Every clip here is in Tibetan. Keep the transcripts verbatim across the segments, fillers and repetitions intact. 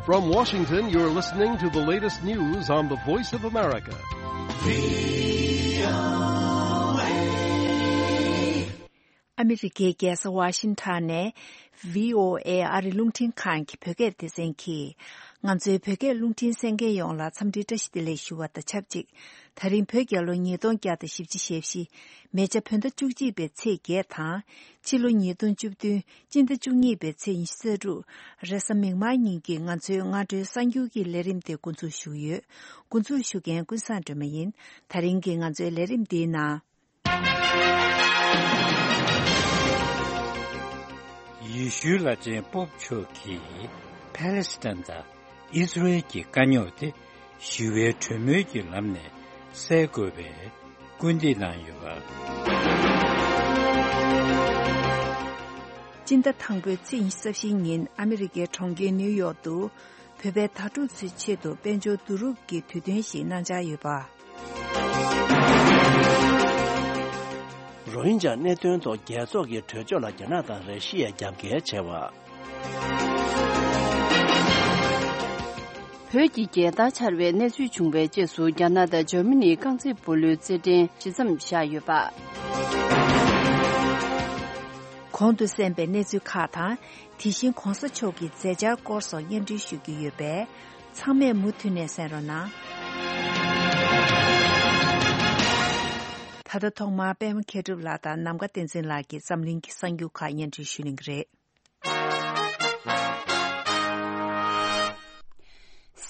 From Washington, you're listening to the latest news on the Voice of America. ཨ་མི་རི་ཀའི་རྒྱལ་ས་ཝ་ཤིང་ཊོན་ནས་བྷི་ཨོ་ཨེ་ཨ་རི་རླུང་འཕྲིན་ཁང་གི་བོད་སྐད་སྡེ་ཚན་གྱིས། ང་ཚོའི་བོད་སྐད་རླུང་འཕྲིན་གསན་མཁན་ཡོངས་ལ་འཚམས་འདྲིའི་བཀྲ་ཤིས་བདེ་ལེགས་ཞུ་བ་དང་ཆབས་ཅིག་ད་རིང་བོད་རྒྱལ་ལོ་ཉིས་སྟོང་བརྒྱ་དང་བཞི་བཅུ་ཞེ་བཞི། མེ་བྱ་བོད་ཟླ་བཅུ་གཅིག་པའི་ཚེས་བརྒྱད་དང་། ཕྱི་ལོ་ཉིས་སྟོང་བཅུ་བདུན་སྤྱི་ཟླ་བཅུ་གཉིས་པའི་ཚེས་ཉི་ཤུ་རྩ་དྲུག་རེས་གཟའ་མིག་དམར་ཉིན་གྱི་ང་ཚོའི་སྔ་དྲོའི་གསར་འགྱུར་གྱི་ལས་རིམ་དེ་འགོ་འཛུགས་ཞུ་གི་ཡོད། འགོ་འཛུགས་ཞུ་མཁན་ཀུན་བཟང་སྒྲོལ་མ་ཡིན། ད་རིང་གི་ང་ཚོའི་ལས་རིམ་འདིའི་ནང་། ཡེ་ཤུའི་བླ་ཆེན་པོབ་མཆོག་གིས་ཕཱ་ལེ་སི་ཐན་དང་ཨིས་ར་ཨེལ་གྱི་དཀའ་རྙོག་དེ་ཞི་བའི་གྲོས་མོལ་གྱི་ལམ་ནས་སེལ་དགོས་པའི་སྐུལ་འདེད་གནང་ཡོད་པ། སྤྱི་ཟླ་དང་པོའི་ཚེས་ཉི་ཤུ་རྩ་བཞིའི་ཉིན་ཨ་མི་རི་ཀའི་གྲོང་ཁྱེར་ནིའུ་ཡོག་ཏུ། བོད་པའི་དྭ་ཕྲུག་ཚོའི་ཆེད་དུ་དཔལ་འབྱོར་བསྡུ་རུབ་ཀྱི་དུས་སྟོན་ཞིག་གནང་འཆར་ཡོད་པ། རོ་ཧིན་ཇཱ་གནད་དོན་ཐོག་རྒྱལ་ཚོགས་ཀྱི་གྲོས་ཆོད་ལ་རྒྱ་ནག་དང་ར་ཤི་ཡས་རྒྱབ་འགལ་བྱས་པ། བོད་ཀྱི་རྒྱལ་དར་འཕྱར་བའི་གནས་ཚུལ་བྱུང་བའི་རྗེས་སུ་རྒྱ་ནག་དང་འཇར་མ་ནིའི་རྐང་རྩེད་སྤོ་ལོའི་རྩེད་འགྲན་ཇི་ཙམ་བཞག་ཡོད་པ། གོང་དུ་གསན་པའི་གནས་ཚུལ་ཁག་དང་། དེ་བཞིན་གོང་ས་མཆོག་གི་མཛད་འཆར་སྐོར་སོགས་སྙན་སྒྲོན་ཞུ་རྒྱུ་ཡོད་པས། ཚང་མས་མུ་མཐུད་ནས་གསན་རོགས་གནང་། ད་ལྟ་ཐོག་མར་པད་མ་མཁས་གྲུབ་ལགས་དང་ནམ་མཁའ་བསྟན་འཛིན་ལགས་ཀྱིས་འཛམ་གླིང་གི་གསར་འགྱུར་ཁག་སྙན་སྒྲོན་ཞུ་གླེང་གི་རེད།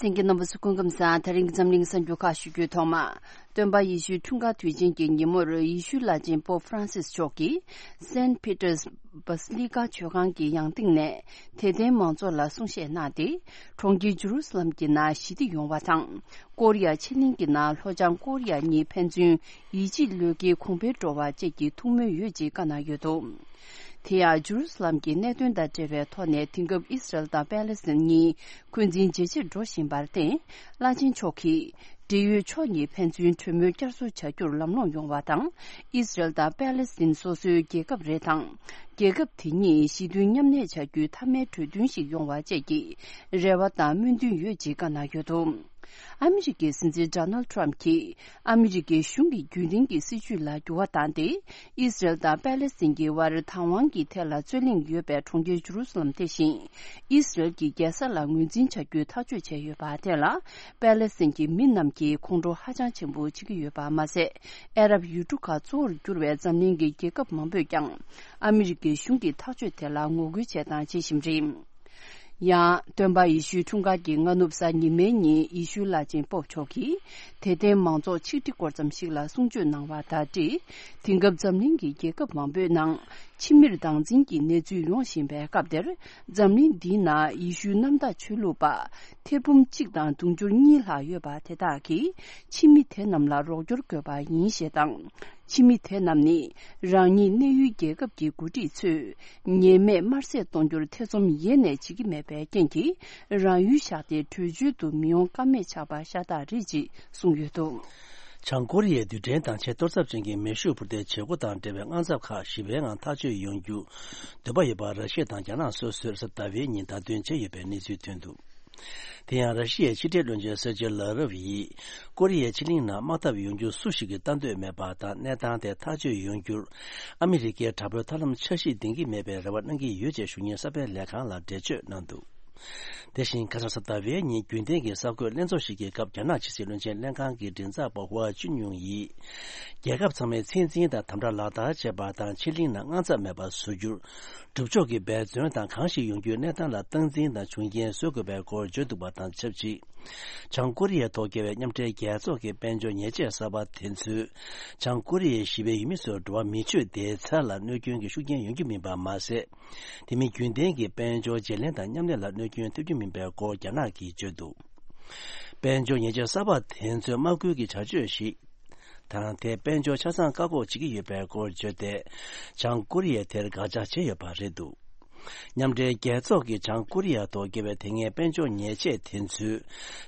གསན་མཁན་རྣམ་པ་ཚོ་སྐུ་ཁམས་བཟང་། ད་རིང་གི་འཛམ་གླིང་གསར་འགྱུར་ཁག་ཞུ་རྒྱུའི་ཐོག་མ། སྟོན་པ་ཡེ་ཤུའི་འཁྲུངས་སྐར་དུས་ཆེན་གྱི་ཉིན་མོར་ཡེ་ཤུའི་བླ་ཆེན་པོབ་ཧྥ་རན་སིས་མཆོག་གིས་སེན་ཕི་ཏར་སྦ་སི་ལི་ཀ་མཆོད་ཁང་གི་ཡང་སྟེང་ནས་དད་ལྡན་མང་ཚོགས་ལ་གསུང་བཤད་གནང་སྟེ། གྲོང་ཁྱེར་ཇུ་རུ་སི་ལམ་གྱི་ནང་ཞི་བདེ་ཡོང་བ་དང་། ཀོ་རི་ཡ་ཕྱེད་གླིང་གི་ནང་ལྷོ་བྱང་ཀོ་རི་ཡ་གཉིས་ཕན་ཚུན་ཡིད་ཆེས་བློས་འགེལ་གོང་འཕེལ་འགྲོ་བ་བཅས་ཀྱི་ཐུགས་སྨོན་ཡོད་ཅེས་བཀའ་གནང་ཡོད་འདུག་དེ་ཡང་ཇུ་རུ་སི་ལམ་གྱི་གནད་དོན་དང་འབྲེལ་བའི་ཐོག་ནས་དེང་སྐབས་ཨི་སི་རལ་དང་པེ་ལེ་སི་ཐན་གཉིས་འཁོན་འཛིན་ཇེ་ཆེར་འགྲོ་བཞིན་པར་བརྟེན། བླ་ཆེན་མཆོག་གིས་འབྲེལ་ཡོད་ཕྱོགས་གཉིས་ཕན་ཚུན་གྲོས་མོལ་བསྐྱར་གསོ་བྱ་རྒྱུར་ལམ་ལྷོང་ཡོང་བ་དང་། ཨི་སི་རལ་དང་པེ་ལེ་སི་ཐན་སོ་སོའི་རྒྱལ་ཁབ་རེད་དང་། རྒྱལ་ཁབ་དེ་གཉིས་ཞི་མཐུན་མཉམ་གནས་བྱ་རྒྱུའི་མཐའ་མའི་གྲོས་མཐུན་ཞིག་ཡོང་བ་བཅས་ཀྱི་རེ་བ་དང་སྨོན་འདུན་ཡོད་ཅེས་བཀའ་གནང་ཡོད་འདུག་ཨ་མི་རི་ཀའི་སྲིད་འཛིན་ཌོ་ནལ་ཊམ་གྱིས་ཨ་མི་རི་ཀའི་གཞུང་གི་རྒྱུན་ལྡན་གྱི་སྲིད་བྱུས་ལ་འགྱུར་བ་བཏང་སྟེ། ཨི་སི་རལ་དང་པེ་ལེ་སི་ཐན་གྱི་དབར་བདག་དབང་གི་ཐད་ལ་རྩོད་གླེང་ཡོད་པའི་གྲོང་ཁྱེར་ཇུ་རུ་སི་ལམ་དེ་བཞིན་ཨི་སི་རལ་གྱི་རྒྱལ་ས་ལ་ངོས་འཛིན་བྱ་རྒྱུའི་ཐག་གཅོད་བྱས་ཡོད་པ་དེ་ལ། པེ་ལེ་སི་ཐན་གྱི་མི་རྣམས་ཀྱིས་ཁོང་ཁྲོ་ཧ་ཅང་ཆེན་པོ་བྱེད་ཀྱི་ཡོད་པ་མ་ཟད། ཨ་རབ་ཡུལ་གྲུ་ཁག་གཙོ་བོར་གྱུར་བའི་འཛམ་གླིང་གི་རྒྱལ་ཁབ་མང་པོས་ཀྱང་ཨ་མི་རི་ཀའི་གཞུང་གི་ཐག་གཅོད་དེ་ལ་ངོ་རྒོལ་བྱས་དང་བྱེད་བཞིན་རེད། ཡང་། སྟོན་པ་ཡེ་ཤུའི་འཁྲུངས་སྐར་གྱི་སྔ་ནུབ་གཟའ་ཉི་མའི་ཉིན་ཡེ་ཤུའི་བླ་ཆེན་པོབ་མཆོག་གིས་དད་ལྡན་མང་ཚོགས་ཆིག་སྒྲིལ་སྐོར་ཙམ་ཞིག་ལ་གསུང་ཆོས་གནང་བ་དང་འབྲེལ། དེང་སྐབས་འཛམ་གླིང་གི་རྒྱལ་ཁབ་མང་པོའི་ནང་ཕྱི་མིར་སྡང་འཛིན་གྱི་གནས་ཚུལ་ཡོང་བཞིན་པའི་སྐབས་དེར། འཛམ་གླིང་འདིའི་ནང་ཡེ་ཤུའི་གནམ་བདག་ཆོས་ལུགས་པ་ཐེར་འབུམ་གཅིག་དང་དུང་ཕྱུར་གཉིས་ལྷག་ཡོད་པ་དེ་དག་གིས་ཕྱི་མི་དེ་རྣམས་ལ་རོགས་སྐྱོར་དགོས་པ་ཡིན་ཞེས་དང་། ཕྱི་མི་དེ་རྣམས་ནི་རང་ཉིད་གནས་ཡུལ་རྒྱལ་ཁབ་ཀྱི་འགོ་ཁྲིད་ཚོས་ཉེས་མེད་དམར་གསོད་གཏོང་རྒྱུར་ཐེ་ཚོམ་ཡེ་ནས་བྱེད་ཀྱི་མེད་པའི་རྐྱེན་གྱིས། རང་ཡུལ་བཞག་སྟེ་བྲོས་བྱོལ་དུ་མི་ཡོང་ཀ་མེད་ཆགས་པ་ཤ་སྟག་རེད་ཅེས་གསུངས་ཡོད་འདུག་བྱང་ཀོ་རི་ཡས་རྡུལ་ཕྲན་དང་ཆེས་གཏོར་ཚབས་ཅན་གྱི་མེ་ཤུགས་འཕུར་མདེལ་བྱེད་སྒོ་དང་འབྲེལ་བའི་དངངས་འཚབ་ཁག་ཞི་བའི་ངང་ཐག་གཅོད་ཡོང་རྒྱུ་འདོད་པ་ཡོད་པ་ར་ཤི་ཡ་དང་རྒྱ་ནག་སོ་སོས་གཟའ་ཟླ་བའི་ཉིན་བརྡ་སྟོན་བྱས་ཡོད་པའི་གནས་ཚུལ་ཐོན་འདུག་དེ་ཡང་ར་ཤི་ཡའི་ཕྱི་འབྲེལ་བློན་ཆེན་སེར་ཇེ་ལ་རོབ་ཡིས་ཀོ་རི་ཡའི་ཕྱེད་གླིང་ནང་དམག་འཐབ་ཡོང་རྒྱུ་སུ་ཞིག་གིས་ལྟ་འདོད་མེད་པ་དང་། གནས་སྟངས་དེ་ཐག་གཅོད་ཡོང་རྒྱུར་ཨ་མི་རི་ཀའི་དྲག་པོའི་ཐབས་ལམ་འཆར་གཞི་འདིང་གི་མེད་པའི་རེ་བ་གནང་གི་ཡོད་ཅེས་ཞུ་མཁན་གསར་པའི་ལས་ཁང་ལ་འགྲེལ་བརྗོད་གནང་འདུག་དེ་བཞིན་ཁ་སང་གཟའ་ཟླ་བའི་ཉིན་རྒྱུན་ལྡན་གྱི་གསར་འགོད་ལྷན་ཚོགས་ཤིག་གི་སྐབས། རྒྱ་ནག་ཕྱི་སྲིད་བློན་ཆེན་ལྷན་ཁང་གི་མགྲིན་ཚབ་པ་ཧུའ་ཅུན་ཡུང་ཡིས། རྒྱལ་ཁབ་ཚང་མས་ཚད་འཛིན་དང་དམ་དྲག་ལག་བསྟར་བྱེད་པ་དང་། ཕྱེད་གླིང་ནང་དངངས་འཚབ་མེད་པར་བཟོ་རྒྱུར། སྒྲུབ་ཕྱོགས་ཀྱི་འབད་བརྩོན་དང་། གང་ཞིག་ཡོང་རྒྱུའི་གནས་སྟངས་ལ་སྟངས་འཛིན་དང་། བྱུང་རྐྱེན་བཟོ་དགོས་པའི་སྐོར་བརྗོད་འདུག་པ་དང་ཆབས་ཅིག་བྱང་ཀོ་རི་ཡའི་ཐོག་བཀལ་བའི་མཉམ་འབྲེལ་རྒྱལ་ཚོགས་ཀྱི་དཔལ་འབྱོར་ཉེས་ཆད་གསར་པ་དེ་ཚོས། བྱང་ཀོ་རི་ཡའི་ཞི་བའི་ཡུལ་མི་ཚོར་འགྲོ་བ་མི་ཆོས་བདེ་རྩ་ལ་གནོད་སྐྱོན་གྱི་ཤུགས་རྐྱེན་ཡོང་རྒྱུ་མིན་པ་མ་ཟད། དེ་མིན་རྒྱུན་ལྡན་གྱི་དཔལ་འབྱོར་བརྗེ་ལེན་དང་མཉམ་ལས་ལ་གནོད་སྐྱོན་ཐེབས་རྒྱུ་མིན་པའི་སྐོར་རྒྱ་ནག་གིས་བརྗོད་འདུག་དཔལ་འབྱོར་ཉེས་ཆད་གསར་པ་དེ་ཚོས་དམག་སྐུལ་གྱི་བྱ་སྤྱོད་ཞིག་དང་། དེས་དཔལ་འབྱོར་ཆ་ཚང་བཀག་འགོག་བྱེད་ཀྱི་ཡོད་པའི་སྐོར་བརྗོད་དེ། བྱང་ཀོ་རི་ཡས་དེར་དགག་བྱ་བྱས་ཡོད་པ་རེད་འདུག་མཉམ་འབྲེལ་རྒྱལ་ཚོགས་ཀྱིས་བྱང་ཀོ་རི་ཡ་ཐོག་བཀལ་བའི་དེ་སྔའི་དཔལ་འབྱོར་ཉེས་ཆད་དེ་ཚོས།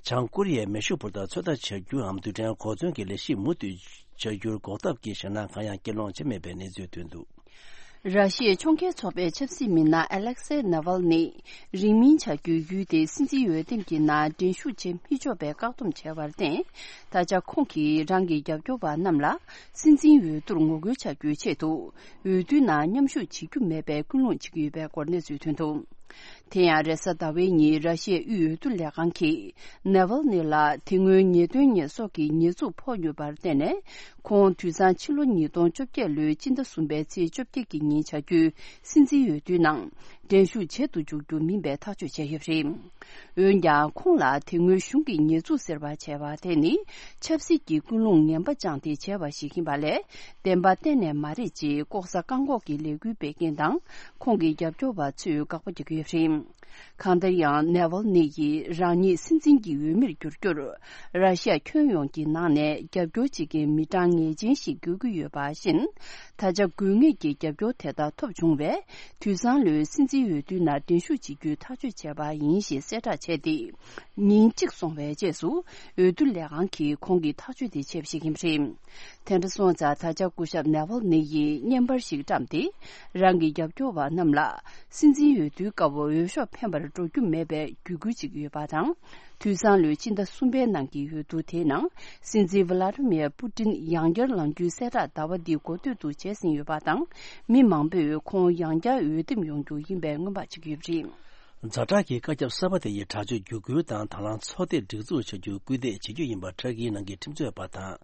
བྱང་ཀོ་རི་ཡའི་མེ་ཤུགས་འཕུར་མདའ་ཚོད་ལྟ་བྱ་རྒྱུའམ། རྡུལ་ཕྲན་གོ་མཚོན་གྱི་ལས་གཞི་མུ་མཐུད་བྱ་རྒྱུར་འགོག་ཐབས་ཀྱི་ཞེད་སྣང་གང་ཡང་སྐྱེད་སློང་བྱས་མེད་པའི་གནས་ཚུལ་ཐོན་འདུག་ར་ཤི་ཡའི་ཕྱོགས་འགལ་ཚོགས་པའི་ཆབ་སྲིད་མི་སྣ་ཨ་ལེག་སེ་ནཱ་ཝལ་ནི་རིང་མིན་བྱ་རྒྱུའི་ཡུལ་དེའི་སྲིད་འཛིན་འོས་འདེམས་ཀྱི་ནང་འགྲན་ཞུགས་བྱེད་མི་ཆོག་པའི་བཀག་སྡོམ་བྱས་པར་བརྟེན། ད་ཆ་ཁོང་གིས་རང་གི་རྒྱབ་སྐྱོར་བ་རྣམས་ལ་སྲིད་འཛིན་འོས་བསྡུར་ངོ་རྒོལ་བྱ་རྒྱུའི་ཆེད་དུ་འོས་བསྡུའི་ནང་མཉམ་ཞུགས་བྱེད་རྒྱུ་མེད་པའི་ཀུན་སློང་བྱེད་ཀྱི་ཡོད་པའི་སྐོར་གནས་ཚུལ་ཐོན་འདུག་དེ་ཡང་རེས་གཟའ་ཟླ་བའི་ཉིན་ར་ཤི་ཡའི་དབུས་འོས་བསྡུ་ལས་ཁང་གིས་ནེ་ཝལ་ནི་ལ་དེ་སྔོན་ཉེས་དོན་ཉེས་གསོག་གི་ཉེས་འཛུགས་ཕོག་ཡོད་པར་བརྟེན་ནས། ཁོང་དུས་སང་ཕྱི་ལོ་ཉིས་སྟོང་བཅོ་བརྒྱད་ལོའི་སྤྱི་ཟླ་གསུམ་པའི་ཚེས་བཅོ་བརྒྱད་ཀྱི་ཉིན་བྱ་རྒྱུའི་སྲིད་འཛིན་འོས་བསྡུའི་ནང་འགྲན་ཞུགས་བྱེད་དུ་འཇུག་རྒྱུ་མིན་པའི་ཐག་གཅོད་བྱས་ཡོད་པ་རེད། འོན་ཀྱང་ཁོང་ལ་དེ་སྔོན་གཞུང་གིས་ཉེས་འཛུགས་ཟེར་བ་བྱས་པ་དེ་ནི་ཆབ་སྲིད་ཀྱི་ཀུན་སློང་ངན་པ་བཅངས་ཏེ་བྱས་པ་ཞིག་ཡིན་པ་ལས། བདེན་པ་གཏན་ནས་མ་རེད་ཅེས་ལྐོག་ཟ་བཀག་འགོག་གི་ལས་འགུལ་སྤེལ་མཁན་དང་ཁོང་གི་རྒྱབ་སྐྱོར་བ་ཚོས་དགག་པ་རྒྱག་གི་ཡོད་པ་རེད། གང་ལྟར་ཡང་ནེ་ཝལ་ནི་ཡིས་རང་ཉིད་སྲིད་འཛིན་གྱི་འོས་མིར་འགྱུར་རྒྱུར་ར་ཤི་ཡ་ཁྱོན་ཡོངས་ཀྱི་ནང་ནས་རྒྱབ་སྐྱོར་བྱེད་མཁན་མི་གྲངས་ངེས་ཅན་ཞིག་དགོས་ཀྱི་ཡོད་པ་བཞིན། ད་ཆ་དགོས་ངེས་ཀྱི་རྒྱབ་སྐྱོར་དེ་དག་ཐོབ་བྱུང་བས། དུས་སང་ལོའི་སྲིད་འཛིན་འོས་བསྡུའི་ནང་འགྲན་ཞུགས་བྱེད་རྒྱུའི་ཐག་གཅོད་བྱས་པ་ཡིན་ཞེས་གསལ་བསྒྲགས་བྱས་ཏེ། ཉིན་གཅིག་སོང་བའི་རྗེས་སུ་འོས་བསྡུ་ལས་ཁང་གིས་ཁོང་གི་ཐག་གཅོད་དེ་བྱས་པ་ཞིག་ཡིན་པ་རེད། དེ་འདྲ་སོང་ཙང་ད་ཆ་སྐུ་ཞབས་ནེ་ཝལ་ནི་ཡིས་བརྙན་པར་ཞིག་བཀྲམ་སྟེ། རང་གི་རྒྱབ་སྐྱོར་བ་རྣམས་ལ་སྲིད་འཛིན་འོས་བསྡུའི་སྐབས་འོས་ཤོག་འཕེན་པར་འགྲོ་རྒྱུ་མེད་པའི་བརྒྱུད་སྐུལ་བྱེད་ཀྱི་ཡོད་པ་དང་། དུས་སང་ལོའི་ཕྱི་ཟླ་གསུམ་པའི་ནང་གི་འོས་བསྡུ་དེའི་ནང་སྲིད་འཛིན་ཝི་ལ་ཏི་མིར་པུ་ཏིན་ཡང་བསྐྱར་ལངས་རྒྱུའི་གསལ་བསྒྲགས་ཟླ་བ་འདིའི་འགོ་སྟོད་དུ་བྱས་ཟིན་ཡོད་པ་དང་། མི་མང་པོས་ཁོང་ཡང་བསྐྱར་འོས་འདེམས་ཡོང་རྒྱུ་ཡིན་པའི་སྔོན་དཔག་བྱེད་ཀྱི་ཡོད་པ་རེད། ཛ་དྲག་གི་བཀའ་ཁྱབ་གསར་པ་དེ་ཡི་དྲག་སྤྱོད་བརྒྱུད་སྐུལ་དང་དང་བླངས་ཚོགས་སྡེ་སྒྲིག་འཛུགས་བྱ་རྒྱུར་སྐུལ་འདེད་བྱེད་རྒྱུ་ཡིན་པ་ཊར་ཀིའི་ནང་གི་ཁྲིམས་རྩོད་པ་དང་།